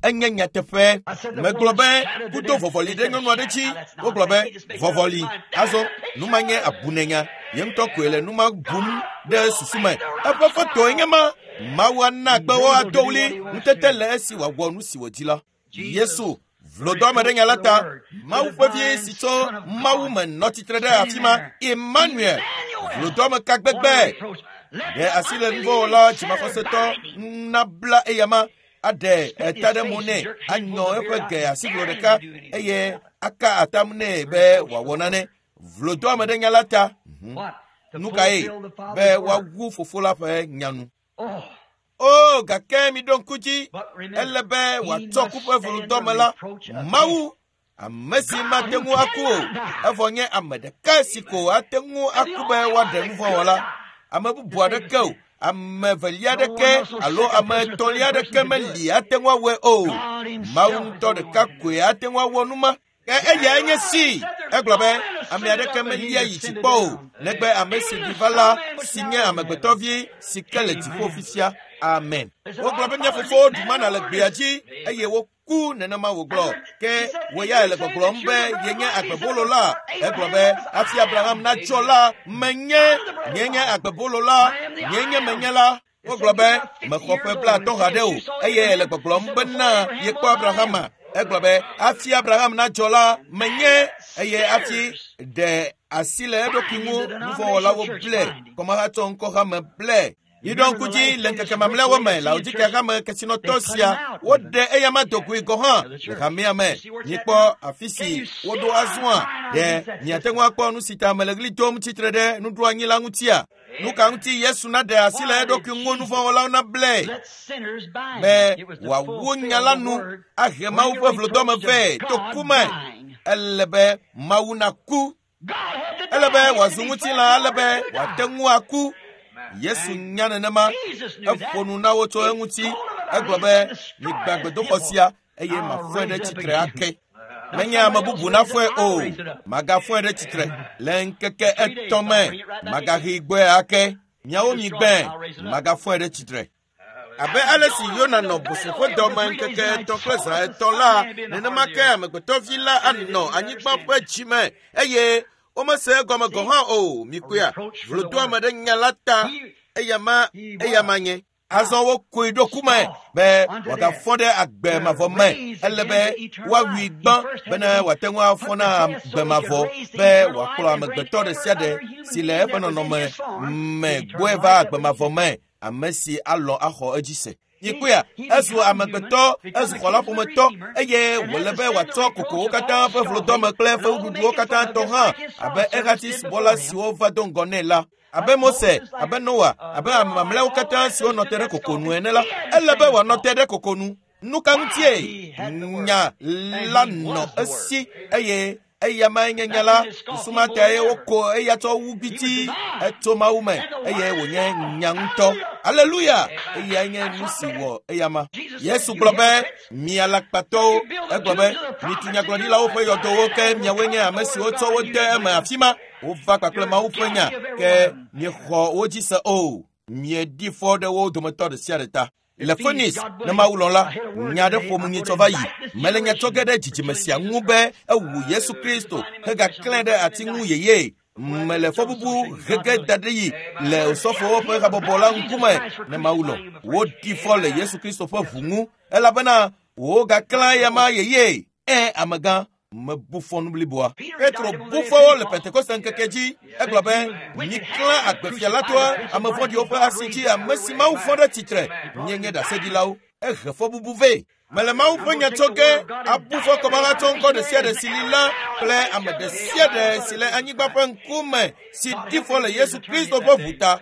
Enye nyateƒe. Megblɔ be kudo vɔvɔli ɖe nyɔnu aɖe dzi. Wogblɔ be vɔvɔli. Azɔ nu ma nye abunenya. Ye ŋutɔ koe le nu ma bum ɖe susu me. Eƒe fotoe nye ma. Mawu ana kpewo ado ɣli ŋutete le esi wòawɔ nu si wòdi la. Yesu vlodɔame ɖe nya la ta. Mawu ƒe vi si tso Mawu me nɔ tsitre ɖe afi ma, Emmanuel. Vlodɔame ka gbegbe. Ɖe asi le nuvɔwɔla dzimaxɔsetɔ nabla eyama aɖe eta ɖe mo nɛ, anyɔ eƒe ge asiglo ɖeka eye aka atam nɛ be wòawɔ nane. Vlodɔame ɖe nya la ta. Nu kae? Be woawu fofo la ƒe nya nu. O, gake mi ɖo ŋku dzi, ele be wòatsɔ ku ƒe vlodɔme la. Mawu, ame si mate ŋu aku o, evɔ nye ame ɖeka si ko ate ŋu aku be woaɖe nuvɔ̃wɔla. Ame bubu aɖeke o, ame evelia aɖeke alo ame etɔ̃lia aɖeke meli ate ŋu awɔe o. Mawu ŋutɔ ɖeka koe ate ŋu awɔ nu ma. Ke eyae nye si. Egblɔ be ame aɖeke melia yi dzi kpɔ o, negbe ame si ɖi va la, si nye amegbetɔvi si ke le dziƒo fifia. Amen. Wogblɔ be mía fofowo ɖu mana le gbea dzi eye woku nenema wògblɔ. Ke wò ya le gbɔgblɔm be yenye agbebolo la. Egblɔ be hafi Abraham natsɔ la, menye, nye nye agbebolo la, nye nye menye la. Wogblɔ be mexɔ ƒe blaatɔ̃ haɖe o eye le gbɔgblɔm bena yekpɔ Abrahama. Egblɔ be hafi Abraham nadzɔ la, menye, eye hafi ɖe asi le eɖokui ŋu nuvɔ̃wɔlawo ble, kɔmahatsɔ ŋkɔhame ble. Miɖo ŋku dzi le ŋkeke mamlɛawo me, Laodikea hame kesinɔtɔ sia, woɖe eyama dogoe gɔ̃ hã le hamea me. Mikpɔ afi si woɖo azɔa. Ɖe miate ŋu akpɔ nu si ta mele ɣli dom tsitre ɖe nuɖoanyi la ŋutia? Nu ka ŋuti Yesu naɖe asi le eɖokui ŋu nuvɔ̃wɔlawo nable be wòawu nya la nu ahe Mawu ƒe vlodɔme vɛ to ku me? Ele be Mawu naku. Ele be wòazu ŋutilã, ale be wòate ŋu aku. Yesu nya nenema. Eƒo nu na wo tso eŋuti. Egblɔ be migbã gbedoxɔ sia eye mafɔe ɖe tsitre ake. Menye ame bubu nafɔe o, magafɔe ɖe tsitre le ŋkeke etɔ̃ me. Magahe gbɔe ake. Miawo migbãe, magafɔe ɖe tsitre. Abe ale si Yona nɔ boso ƒe dɔme ŋkeke etɔ̃ kple zã etɔ̃ la, nenema ke amegbetɔvi la anɔ anyigba ƒe dzime eye womese egɔme gɔ̃ hã o. Mikpɔea, vlodoame ɖe nya la ta. Eyama, eyama nye. Azɔ wokoe ɖo ku me be wòagafɔ ɖe agbe mavɔ me. Ele be woawui gbã bena wòate ŋu afɔ na agbe mavɔ, be wòakplɔ amegbetɔ ɖe sia ɖe si le eƒe nɔnɔme me gbɔe va agbe mavɔ me, ame si alɔ̃ axɔ edzi se. Mikpɔea, ezu amegbetɔ, ezu xɔlaƒometɔ eye wòle be wòatsɔ kokowo katã ƒe vlodɔme kple eƒe nuɖuɖuwo katã tɔ hã abe ehati subɔla siwo va do ŋgɔ nɛ la. Abe Mose, abe Noa, abe ame mamlɛawo katã siwo nɔ te ɖe koko nu ene la, ele be wòanɔ te ɖe koko nu. Nu ka ŋutie nya la nɔ esi eye eyamae nye nya la? Susu ma tae woko eya tsɔ wu gbiti etso Mawu me eye wònye nya ŋutɔ. Aleluya! Eyae nye nu si wɔ eyama. Yesu gblɔ be mi alakpatɔwo, egblɔ be mitu nyagblɔɖilawo ƒe yɔdowo, ke miawoe nye ame siwo tsɔ wo de eme afi ma. Wova kpakple Mawu ƒe nya, ke miexɔ wo dzi se o. Mieɖi fɔ ɖe wo dometɔ ɖe sia ɖe ta. Le Phoenix, ne Mawu lɔ̃ la, nya aɖe ƒom nyitsɔ va yi. Mele nya tsɔ ge ɖe dzidzime sia ŋu be ewu Yesu Kristo hegaklãe ɖe ati ŋu yeye. Mele fɔbubu hege da ɖe yi le osɔfowo ƒe habɔbɔ la ŋkume ne Mawu lɔ̃. Woɖi fɔ le Yesu Kristo ƒe ʋu ŋu elabena wogaklã eyama yeye. Ẽ, amegã, mebu fɔ nu bliboa. Petro bu fɔwo le Pentekoste ŋkeke dzi. Egblɔ be miklã agbefia la toa ame vɔ̃ɖiwo ƒe asi dzi, ame si Mawu fɔ ɖe tsitre. Míenye ɖaseɖilawo. Ehe fɔbubu vɛ. Mele Mawu ƒe nya tsɔ ge abu fɔ kɔmahatsɔ ŋkɔ ɖe sia ɖe si li la kple ame ɖe sia ɖe si le anyigba ƒe ŋkume si ɖi fɔ le Yesu Kristo ƒe ʋu ta.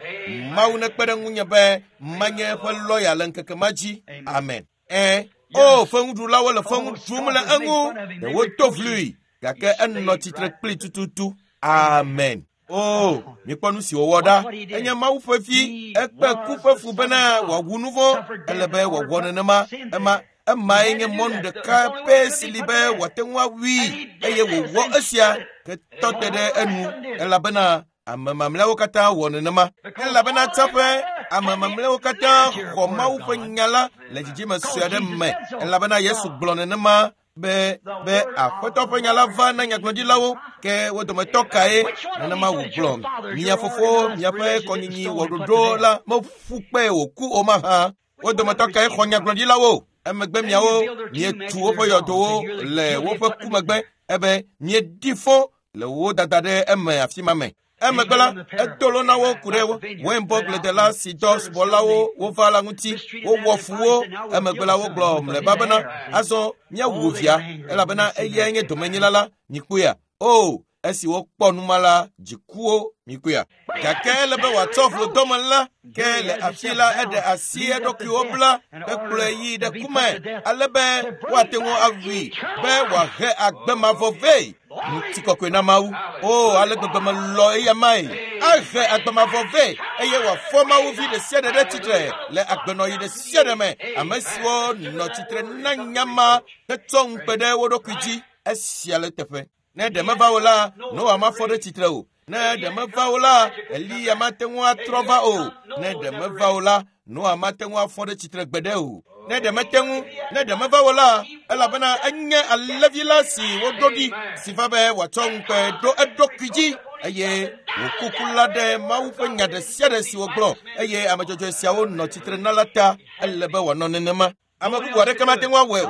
Mawu nekpe ɖe ŋunye be manye eƒe lɔya le ŋkeke ma dzi. Amen. Ẽ, o feŋuɖulawo le feŋu ɖum le eŋu, ɖe wodo vlui, gake enɔ tsitre kpli tututu. Amen. O, mikpɔ nu si wòwɔ ɖa. Enye Mawu ƒe vi, ekpe ku ƒe fu bena wòawu nu vɔ̃. Ele be wòawɔ nenema. Ema emae nye mɔnu ɖeka pɛ si li be wòate ŋu awui, eye wòwɔ esia hetɔ te ɖe enu, elabena ame mamlɛawo katã wɔ nenema. Elabena tsaƒe ame mamlɛawo katã xɔ Mawu ƒe nya la le dzidzime sue aɖe me, elabena Yesu gblɔ nenema Be be aƒetɔ ƒe nya la va na nyagblɔɖilawo ke wo dometɔ kae nenema wògblɔ. Mia fofowo miaƒe kɔnyinyi wɔ ɖoɖo la meƒu kpe wòku o mahã. Wo dometɔ kae xɔ nyagblɔɖilawo? Emegbe miawo mietu woƒe yɔdowo le woƒe ku megbe ebe mieɖi fɔ le wo dada ɖe eme afi ma me. Emegbe la edo lo na wo ku ɖe weinbɔgbledela si dɔ subɔlawo wova la ŋuti wowɔ fu wo. Emegbe la wogblɔ mlɔeba bena azɔ míawu via elabena eyae nye domenyila la mikpɔea. O esi wokpɔ numa la dzikuwo mikpɔea. Gake ele be wòatsɔ vlodɔme la ke le afi la eɖe asi eɖokuiwo bla hekplɔe yi ɖe kume ale be woate ŋu awui be wòahe agbe mavɔ vɛ. Ŋutikɔkɔe na Mawu. O ale gbegbe melɔ eya mae. Ahe agbe mavɔ vɛ eye wòafɔ Mawu vi ɖe sia ɖe ɖe tsitre le agbenɔɣi ɖe sia ɖe me. Ame siwo nɔ tsitre na nya ma hetsɔ ŋukpe ɖe wo ɖokui dzi esia le teƒe. Ne ɖe meva o la, Noa mafɔ ɖe tsitre o. Ne ɖe meva o la, Eliya mate ŋu atrɔ va o. Ne ɖe meva o la, Noa mate ŋu afɔ ɖe tsitre gbeɖe o. Ne ɖe mete ŋu, ne ɖe meva o la, elabena enye alẽvi la si woɖo ɖi si va be wòatsɔ ŋukpe ɖo eɖokui dzi eye wòkuku la ɖe Mawu ƒe nya ɖe sia ɖe si wògblɔ eye ame dzɔdzɔe siawo nɔ tsitre na la ta ele be wòanɔ nenema. Ame bubu aɖeke mate ŋu awɔe o.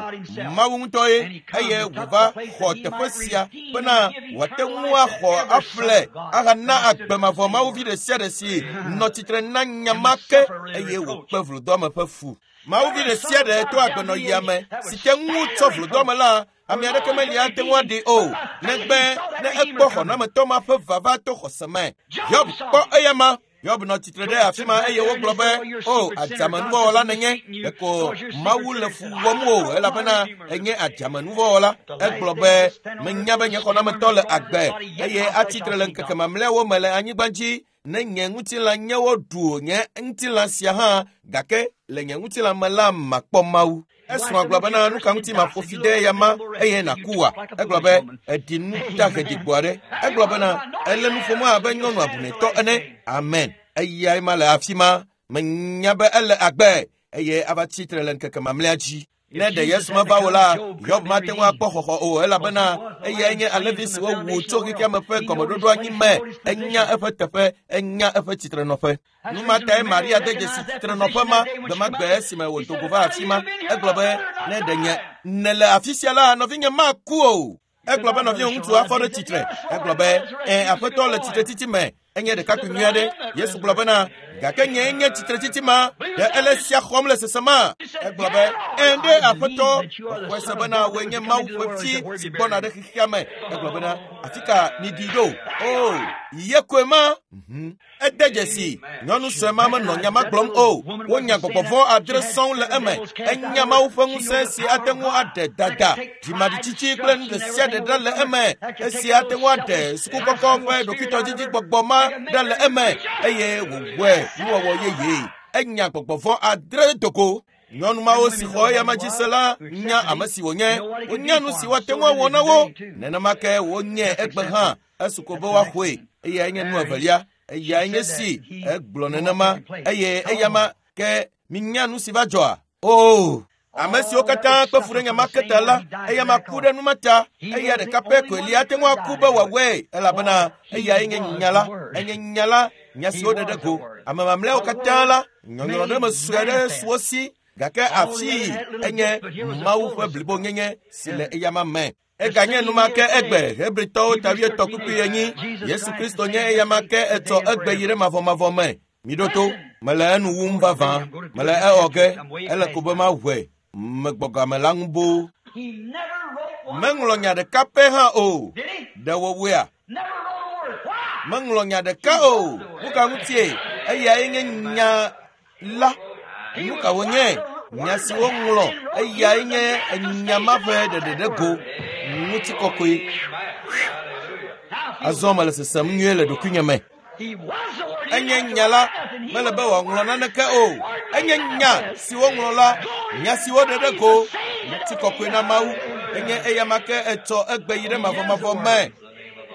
Mawu ŋutɔe eye wòva xɔ teƒe sia bena wòate ŋu axɔ aƒle ahana agbe mavɔ Mawu vi ɖe sia ɖe si nɔ tsitre na nya ma ke eye wòkpe vlodɔame ƒe fu. Mawu vi ɖe sia ɖe to agbenɔɣia me si te ŋu tsɔ vlodɔame la ame aɖeke meli ate ŋu aɖi o negbe ne ekpɔ xɔnametɔ ma ƒe vava to xɔse me. Hiob kpɔ eya ma. Hiob nɔ tsitre ɖe afi ma eye wogblɔ be o adzamenuvɔwɔla nenye ɖeko Mawu le fu wɔm o elabena enye adzamenuvɔwɔla. Egblɔ be menya be nye xɔnametɔ le agbe eye atsitre le ŋkeke mamlɛawo me le anyigba dzi. Ne nye ŋutilã nye woɖu nye ŋutilã sia hã gake le nye ŋutilã me la makpɔ Mawu. Esrɔ̃a gblɔ bena nu ka ŋuti maƒo fi ɖe ya ma eye nàku wa. Egblɔ be eɖi nu dahe ɖigbo aɖe. Egblɔ bena ele nu ƒom abe nyɔnu abunetɔ ene. Amen. Eyae ma le afi ma. Menya be ele agbe eye ava tsitre le ŋkeke mamlɛa dzi. Ne ɖe Yesu meva o la, Hiob mate ŋu akpɔ xɔxɔ o elabena eyae nye alẽvi si wowu tso xexea me ƒe gɔmeɖoɖo anyi me. Enya eƒe teƒe, enya eƒe tsitrenɔƒe. Nu ma tae Maria de dzesi tsitrenɔƒe ma gbe ma gbe esime wòdo go va afi ma. Egblɔ be ne ɖe nye nèle afi sia la, nɔvinye maku o. Egblɔ be nɔvinye ŋutsu afɔ ɖe tsitre. Egblɔ be ẽ aƒetɔ le tsitretsitsi me. Enye ɖekakpui nyui aɖe. Yesu gblɔ bena gake nye nye tsitretsitsi ma ɖe ele sia xɔm le sesema. Egblɔ be ẽ ɖe aƒetɔ xɔe se bena wòe nye Mawu ƒe vi si gbɔna ɖe xexea me. Egblɔ bena afi ka miɖi ɖo? O ye koe ma. Ede dzesi nyɔnu sue ma menɔ nya ma gblɔm o. Wonya gbɔgbɔ vɔ̃ adre sɔŋ le eme. Enya Mawu ƒe ŋusẽ si ate ŋu aɖe dada, dzimaɖitsitsi kple nu ɖe sia ɖe ɖa le eme. Esi ate ŋu aɖe sukukɔkɔ ƒe ɖokuitɔdzidzi gbɔgbɔ ma ɖa le eme eye wòwɔe nuwɔwɔ yeye. Enya gbɔgbɔ vɔ̃ adre dogo. Nyɔnu mawo si xɔ eya ma dzi se la nya ame si wònye. Wonya nu si woate ŋu awɔ na wo. Nenema ke wonye egbe hã esu ko be woaxɔe. Eyae nye nu evelia. Eyae nye si egblɔ nenema eye eya ma ke minya nu si va dzɔa. O ame siwo katã kpe fu ɖe nya ma ke ta la, eya ma ku ɖe nu ma ta. Eya ɖeka pɛ koe li ate ŋu aku be wòawɔe elabena eyae nye nya la. Enye nya la, nya si woɖe ɖe go. Ame mamlɛawo katã la, nyɔnyrɔ ɖe me sue ɖe su wo si gake afii enye Mawu ƒe blibonyenye si le eya ma me. Eganye nu ma ke egbe Hebritɔwo ta wuietɔ̃ kpukpui enyi. Yesu Kristo nye eya ma ke etsɔ egbe yi ɖe mavɔmavɔ me. Miɖo to, mele enu wum vavã, mele ewɔ ge, ele ko be maʋɔe, megbɔ game la ŋu boo. Meŋlɔ nya ɖeka pɛ hã o. Ɖe wòwɔea? Meŋlɔ nya ɖeka o. Nu ka ŋutie? Eyae nye nya la. Nu ka wònye? Nya si woŋlɔ eyae nye nya ma ƒe ɖeɖe ɖe go. Ŋutikɔkɔe. Azɔ mele sesem nyuie le ɖokuinye me. Enye nya la, mele be wòaŋlɔ naneke o. Enye nya si woŋlɔ la, nya si woɖe ɖe go. Ŋutikɔkɔe na Mawu. Enye eya ma ke etsɔ egbe yi ɖe mavɔmavɔ me.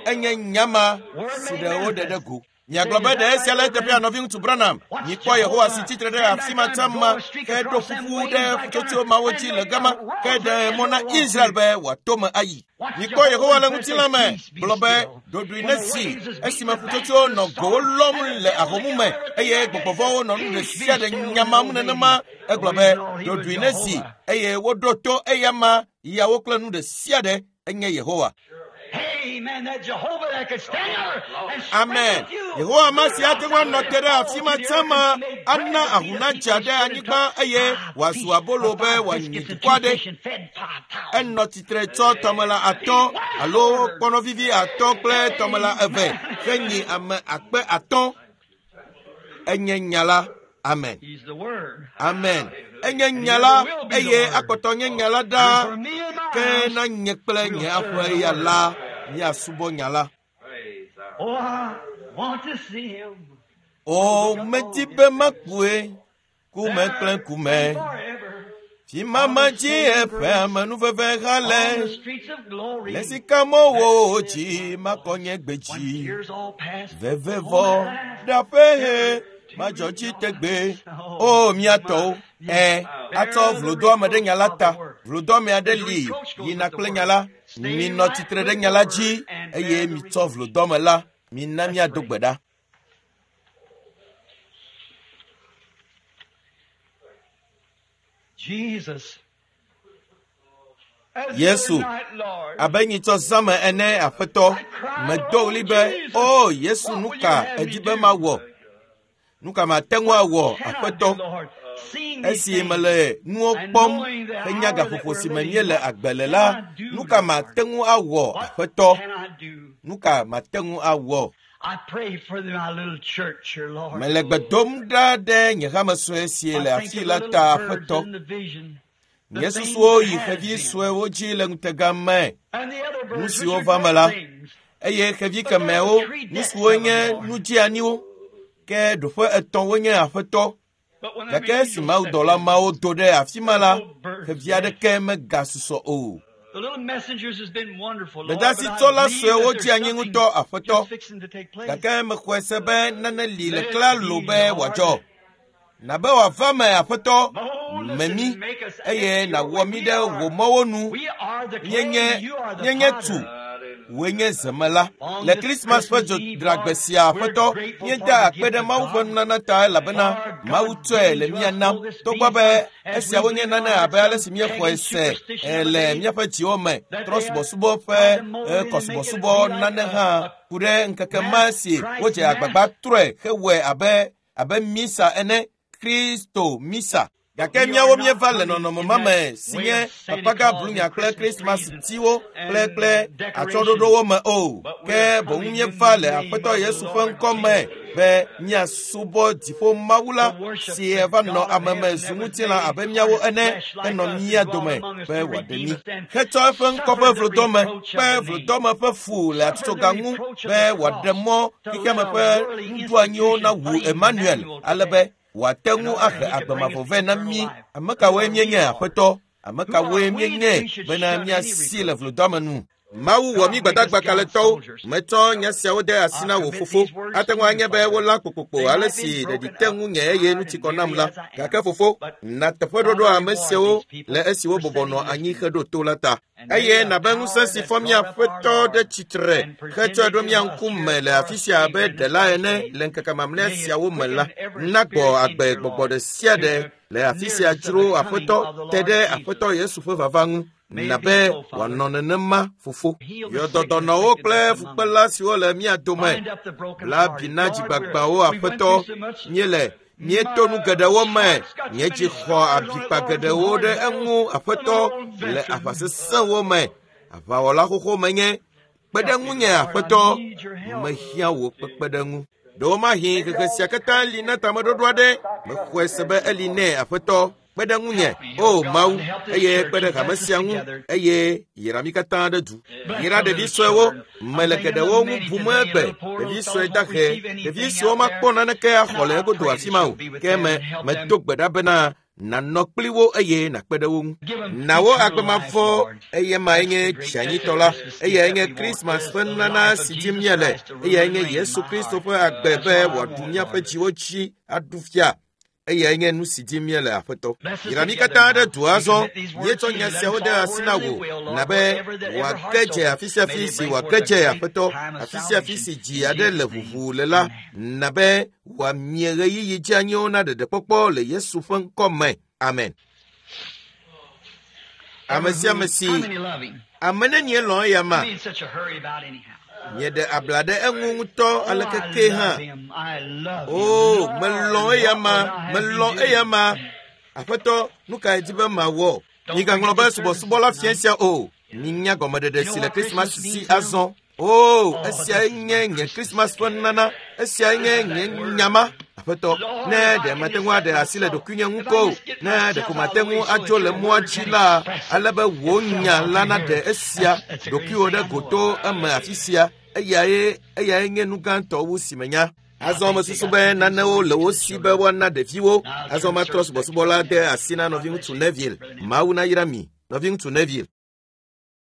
Enye nya ma si ɖe woɖe ɖe go. Miagblɔ be ɖe esia le eteƒea nɔviŋutsu Branham. Mikpɔ Yehowa si tsitre ɖe afi ma tsã ma ke ɖo ƒuƒu ɖe ƒutsotsoe mawo dzi le gama ke ɖe mɔ na Israel be wòato me ayi. Mikpɔ Yehowa le ŋutilã me gblɔ be ɖoɖoe ne si esime ƒutsotsoewo nɔ gowo lɔm le ahomu me eye gbɔgbɔvɔwo nɔ nu ɖe sia ɖe nyamam nenema. Egblɔ be ɖoɖoe ne si eye woɖo to eya ma yawo kple nu ɖe sia ɖe enye Yehowa. Amen. Yehowa ma si ate ŋu anɔ te ɖe afi ma tsã ma ana ahu nadza ɖe anyigba eye wòazu abolo be wòanyi dukɔ aɖe. Enɔ tsitre tsɔ tɔmela atɔ̃ alo kpɔnɔvivi atɔ̃ kple tɔmela eve henyi ame akpe atɔ̃. Enye nya la. Amen. Amen. Enye nya la eye akpɔtɔ nye nya la ɖaa. Ke na nye kple nye aƒe ya la míasubɔ nya la. O medi be makpɔe kume kple kume. Fima dzi eƒe amenuveve ha le. Le sikamɔwo dzi makɔ nye gbe dzi. Vevevɔ ɖaƒe he madzɔ dzi tegbe. O miatɔwo, ɛ atsɔ vlodoame ɖe nya la ta. Vlodoame aɖe li yina kple nya la. Minɔ tsitre ɖe nya la dzi eye mitsɔ vlodoame la. Mina míado gbe ɖa. Yesu, abe nyitsɔ zãme ene aƒetɔ, medo ɣli be, o Yesu, nu ka edi be mawɔ? Nu ka mate ŋu awɔ, aƒetɔ? Esi mele nuwo kpɔm henya gaƒoƒo si me míele agbe le la, nu ka mate ŋu awɔ, aƒetɔ? Nu ka mate ŋu awɔ? Mele gbe dom ɖa ɖe nye hame sue si le afi la ta, aƒetɔ. Nye susuwo yi xevi suewo dzi le ŋutega me, nu siwo va me la, eye xevi kemɛwo, nu siwo nye nu dzeaniwo, ke ɖoƒe etɔ̃ wonye aƒetɔ. Gake esi mawudɔla mawo do ɖe afi ma la, xevi aɖeke megasusɔ o. Gbedasitsɔla suewo dzi anyi ŋutɔ, aƒetɔ. Gake mexɔe se be nane li le klalo be wòadzɔ. Na be wòava me, aƒetɔ, me mí eye nàwɔ mí ɖe wò mɔwo nu. Míenye míenye tu. Wòe nye zemela. Le Krismas ƒe dzodragbe sia, aƒetɔ, míeda akpe ɖe Mawu ƒe nunana ta elabena Mawu tsɔe le mía nam. Togbɔ be esiawo nye nane abe ale si míexɔe se le míaƒe dziwo me, trɔsubɔsubɔ ƒe kɔsubɔsubɔ nane hã ku ɖe ŋkeke ma si wodze agbagba trɔe hewɔe abe abe misa ene, Kristo misa. Gake míawo míeva le nɔnɔme ma me si nye papaga blunya kple Krismas tiwo kple kple atsyɔ̃ɖoɖowo me o. Ke boŋ míeva le Aƒetɔ Yesu ƒe ŋkɔ me be míasubɔ dziƒo Mawu la si va nɔ ame me zu ŋutilã abe míawo ene henɔ mía dome be wòaɖe mí. Hetsɔ eƒe ŋkɔ ƒe vlodɔme kpe vlodɔme ƒe fu le atitsoga ŋu be wòaɖe mɔ xexeame ƒe nuɖoanyiwo nawu Emmanuel ale be wòate ŋu ahe agbe mavɔ vɛ na mí. Ame kawoe míenye, Aƒetɔ? Ame kawoe míenye bena míasi le vlodɔame nu? Mawu wɔ mí gbadagba kalẽtɔwo. Metsɔ nya siawo de asi na wò fofo. Ate ŋu anye be wolã kpokpokpo ale si ɖeɖi te ŋunye eye nu ti kɔ nam la. Gake fofo, na teƒeɖoɖo ame siawo le esi wobɔbɔ nɔ anyi heɖo to la ta. Eye nabe ŋusẽ si fɔ mía Aƒetɔ ɖe tsitre hetsɔe ɖo mía ŋkume le afi sia abe ɖela ene le ŋkeke mamlɛa siawo me la, nagbɔ agbe gbɔgbɔ ɖe sia ɖe le afi sia dzro Aƒetɔ te ɖe Aƒetɔ Yesu ƒe vava ŋu. Na be wòanɔ nenema, fofo. Yɔ dɔdɔnɔwo kple fukpela siwo le mía dome la bi na dzigbagbawo, Aƒetɔ. Míele míeto nu geɖewo me. Nye dzi xɔ abikpa geɖewo ɖe eŋu, Aƒetɔ, le aʋa sesẽwo me. Aʋawɔla xoxo menye. Kpe ɖe ŋunye, Aƒetɔ. Mehiã wò kpekpeɖeŋu. Ɖewomahi xexe sia katã li na tameɖoɖo aɖe. Mexɔe se be eli nɛ, Aƒetɔ. Kpe ɖe ŋunye, o Mawu, eye kpe ɖe hame sia ŋu, eye yra mí katã ɖe du. Yra ɖevi suewo, mele geɖewo ŋu bum egbe, ɖevi sue dahe, ɖevi siwo makpɔ naneke axɔ le egodo afi ma o. Ke me medo gbe ɖa bena Nànɔ kpli wo eye nàkpe ɖe wo ŋu. Na wo agbe mavɔ eye mae nye dzianyitɔ la. Eyae nye Krismas ƒe nunana si dim míele. Eyae nye Yesu Kristo ƒe agbe be wòaɖu míaƒe dziwo dzi aɖu fia. Eyae nye nu si dim míele Aƒetɔ. Yra mí katã ɖe du azɔ. Míetsɔ nya siawo de asi na wò na be wòage dze afi sia afi si wòage dze Aƒetɔ, afi sia afi si dzi aɖe le ʋuʋu le la, na be wòamie ɣeyiɣi dzeanyiwo na ɖeɖekpɔkpɔ le Yesu ƒe ŋkɔ me. Amen. Ame sia ame si How many love him? ame nenie lɔ̃ eya ma Be in such a hurry about anyhow. mieɖe abla ɖe eŋu ŋutɔ Oh, aleke I ke hã. love him. I love him. O, Lord, melɔ̃ eya ma, what would I have melɔ̃ me do? eya ma. Aƒetɔ, nu kae di be mawɔ? Migaŋlɔ be subɔsubɔla fia sia o. Minya gɔmeɖeɖe si le Krismas si azɔ. O, esiae nye nye Krismas ƒe nunana. Esiae nye nye nyama. Aƒetɔ, ne ɖe mate ŋu aɖe asi le ɖokuinye ŋu ko, ne ɖeko mate ŋu adzo le mɔa dzi la, ale be wò nya la naɖe esia ɖokuiwò ɖe goto eme afi sia. Eyae eyae nye nu gãtɔ wu si menya. Azɔ mesusu be nanewo le wo si be woana ɖeviwo. Azɔ matrɔ subɔsubɔ la de asi na nɔviŋutsu Neville. Mawu nayra mi, nɔviŋutsu Neville.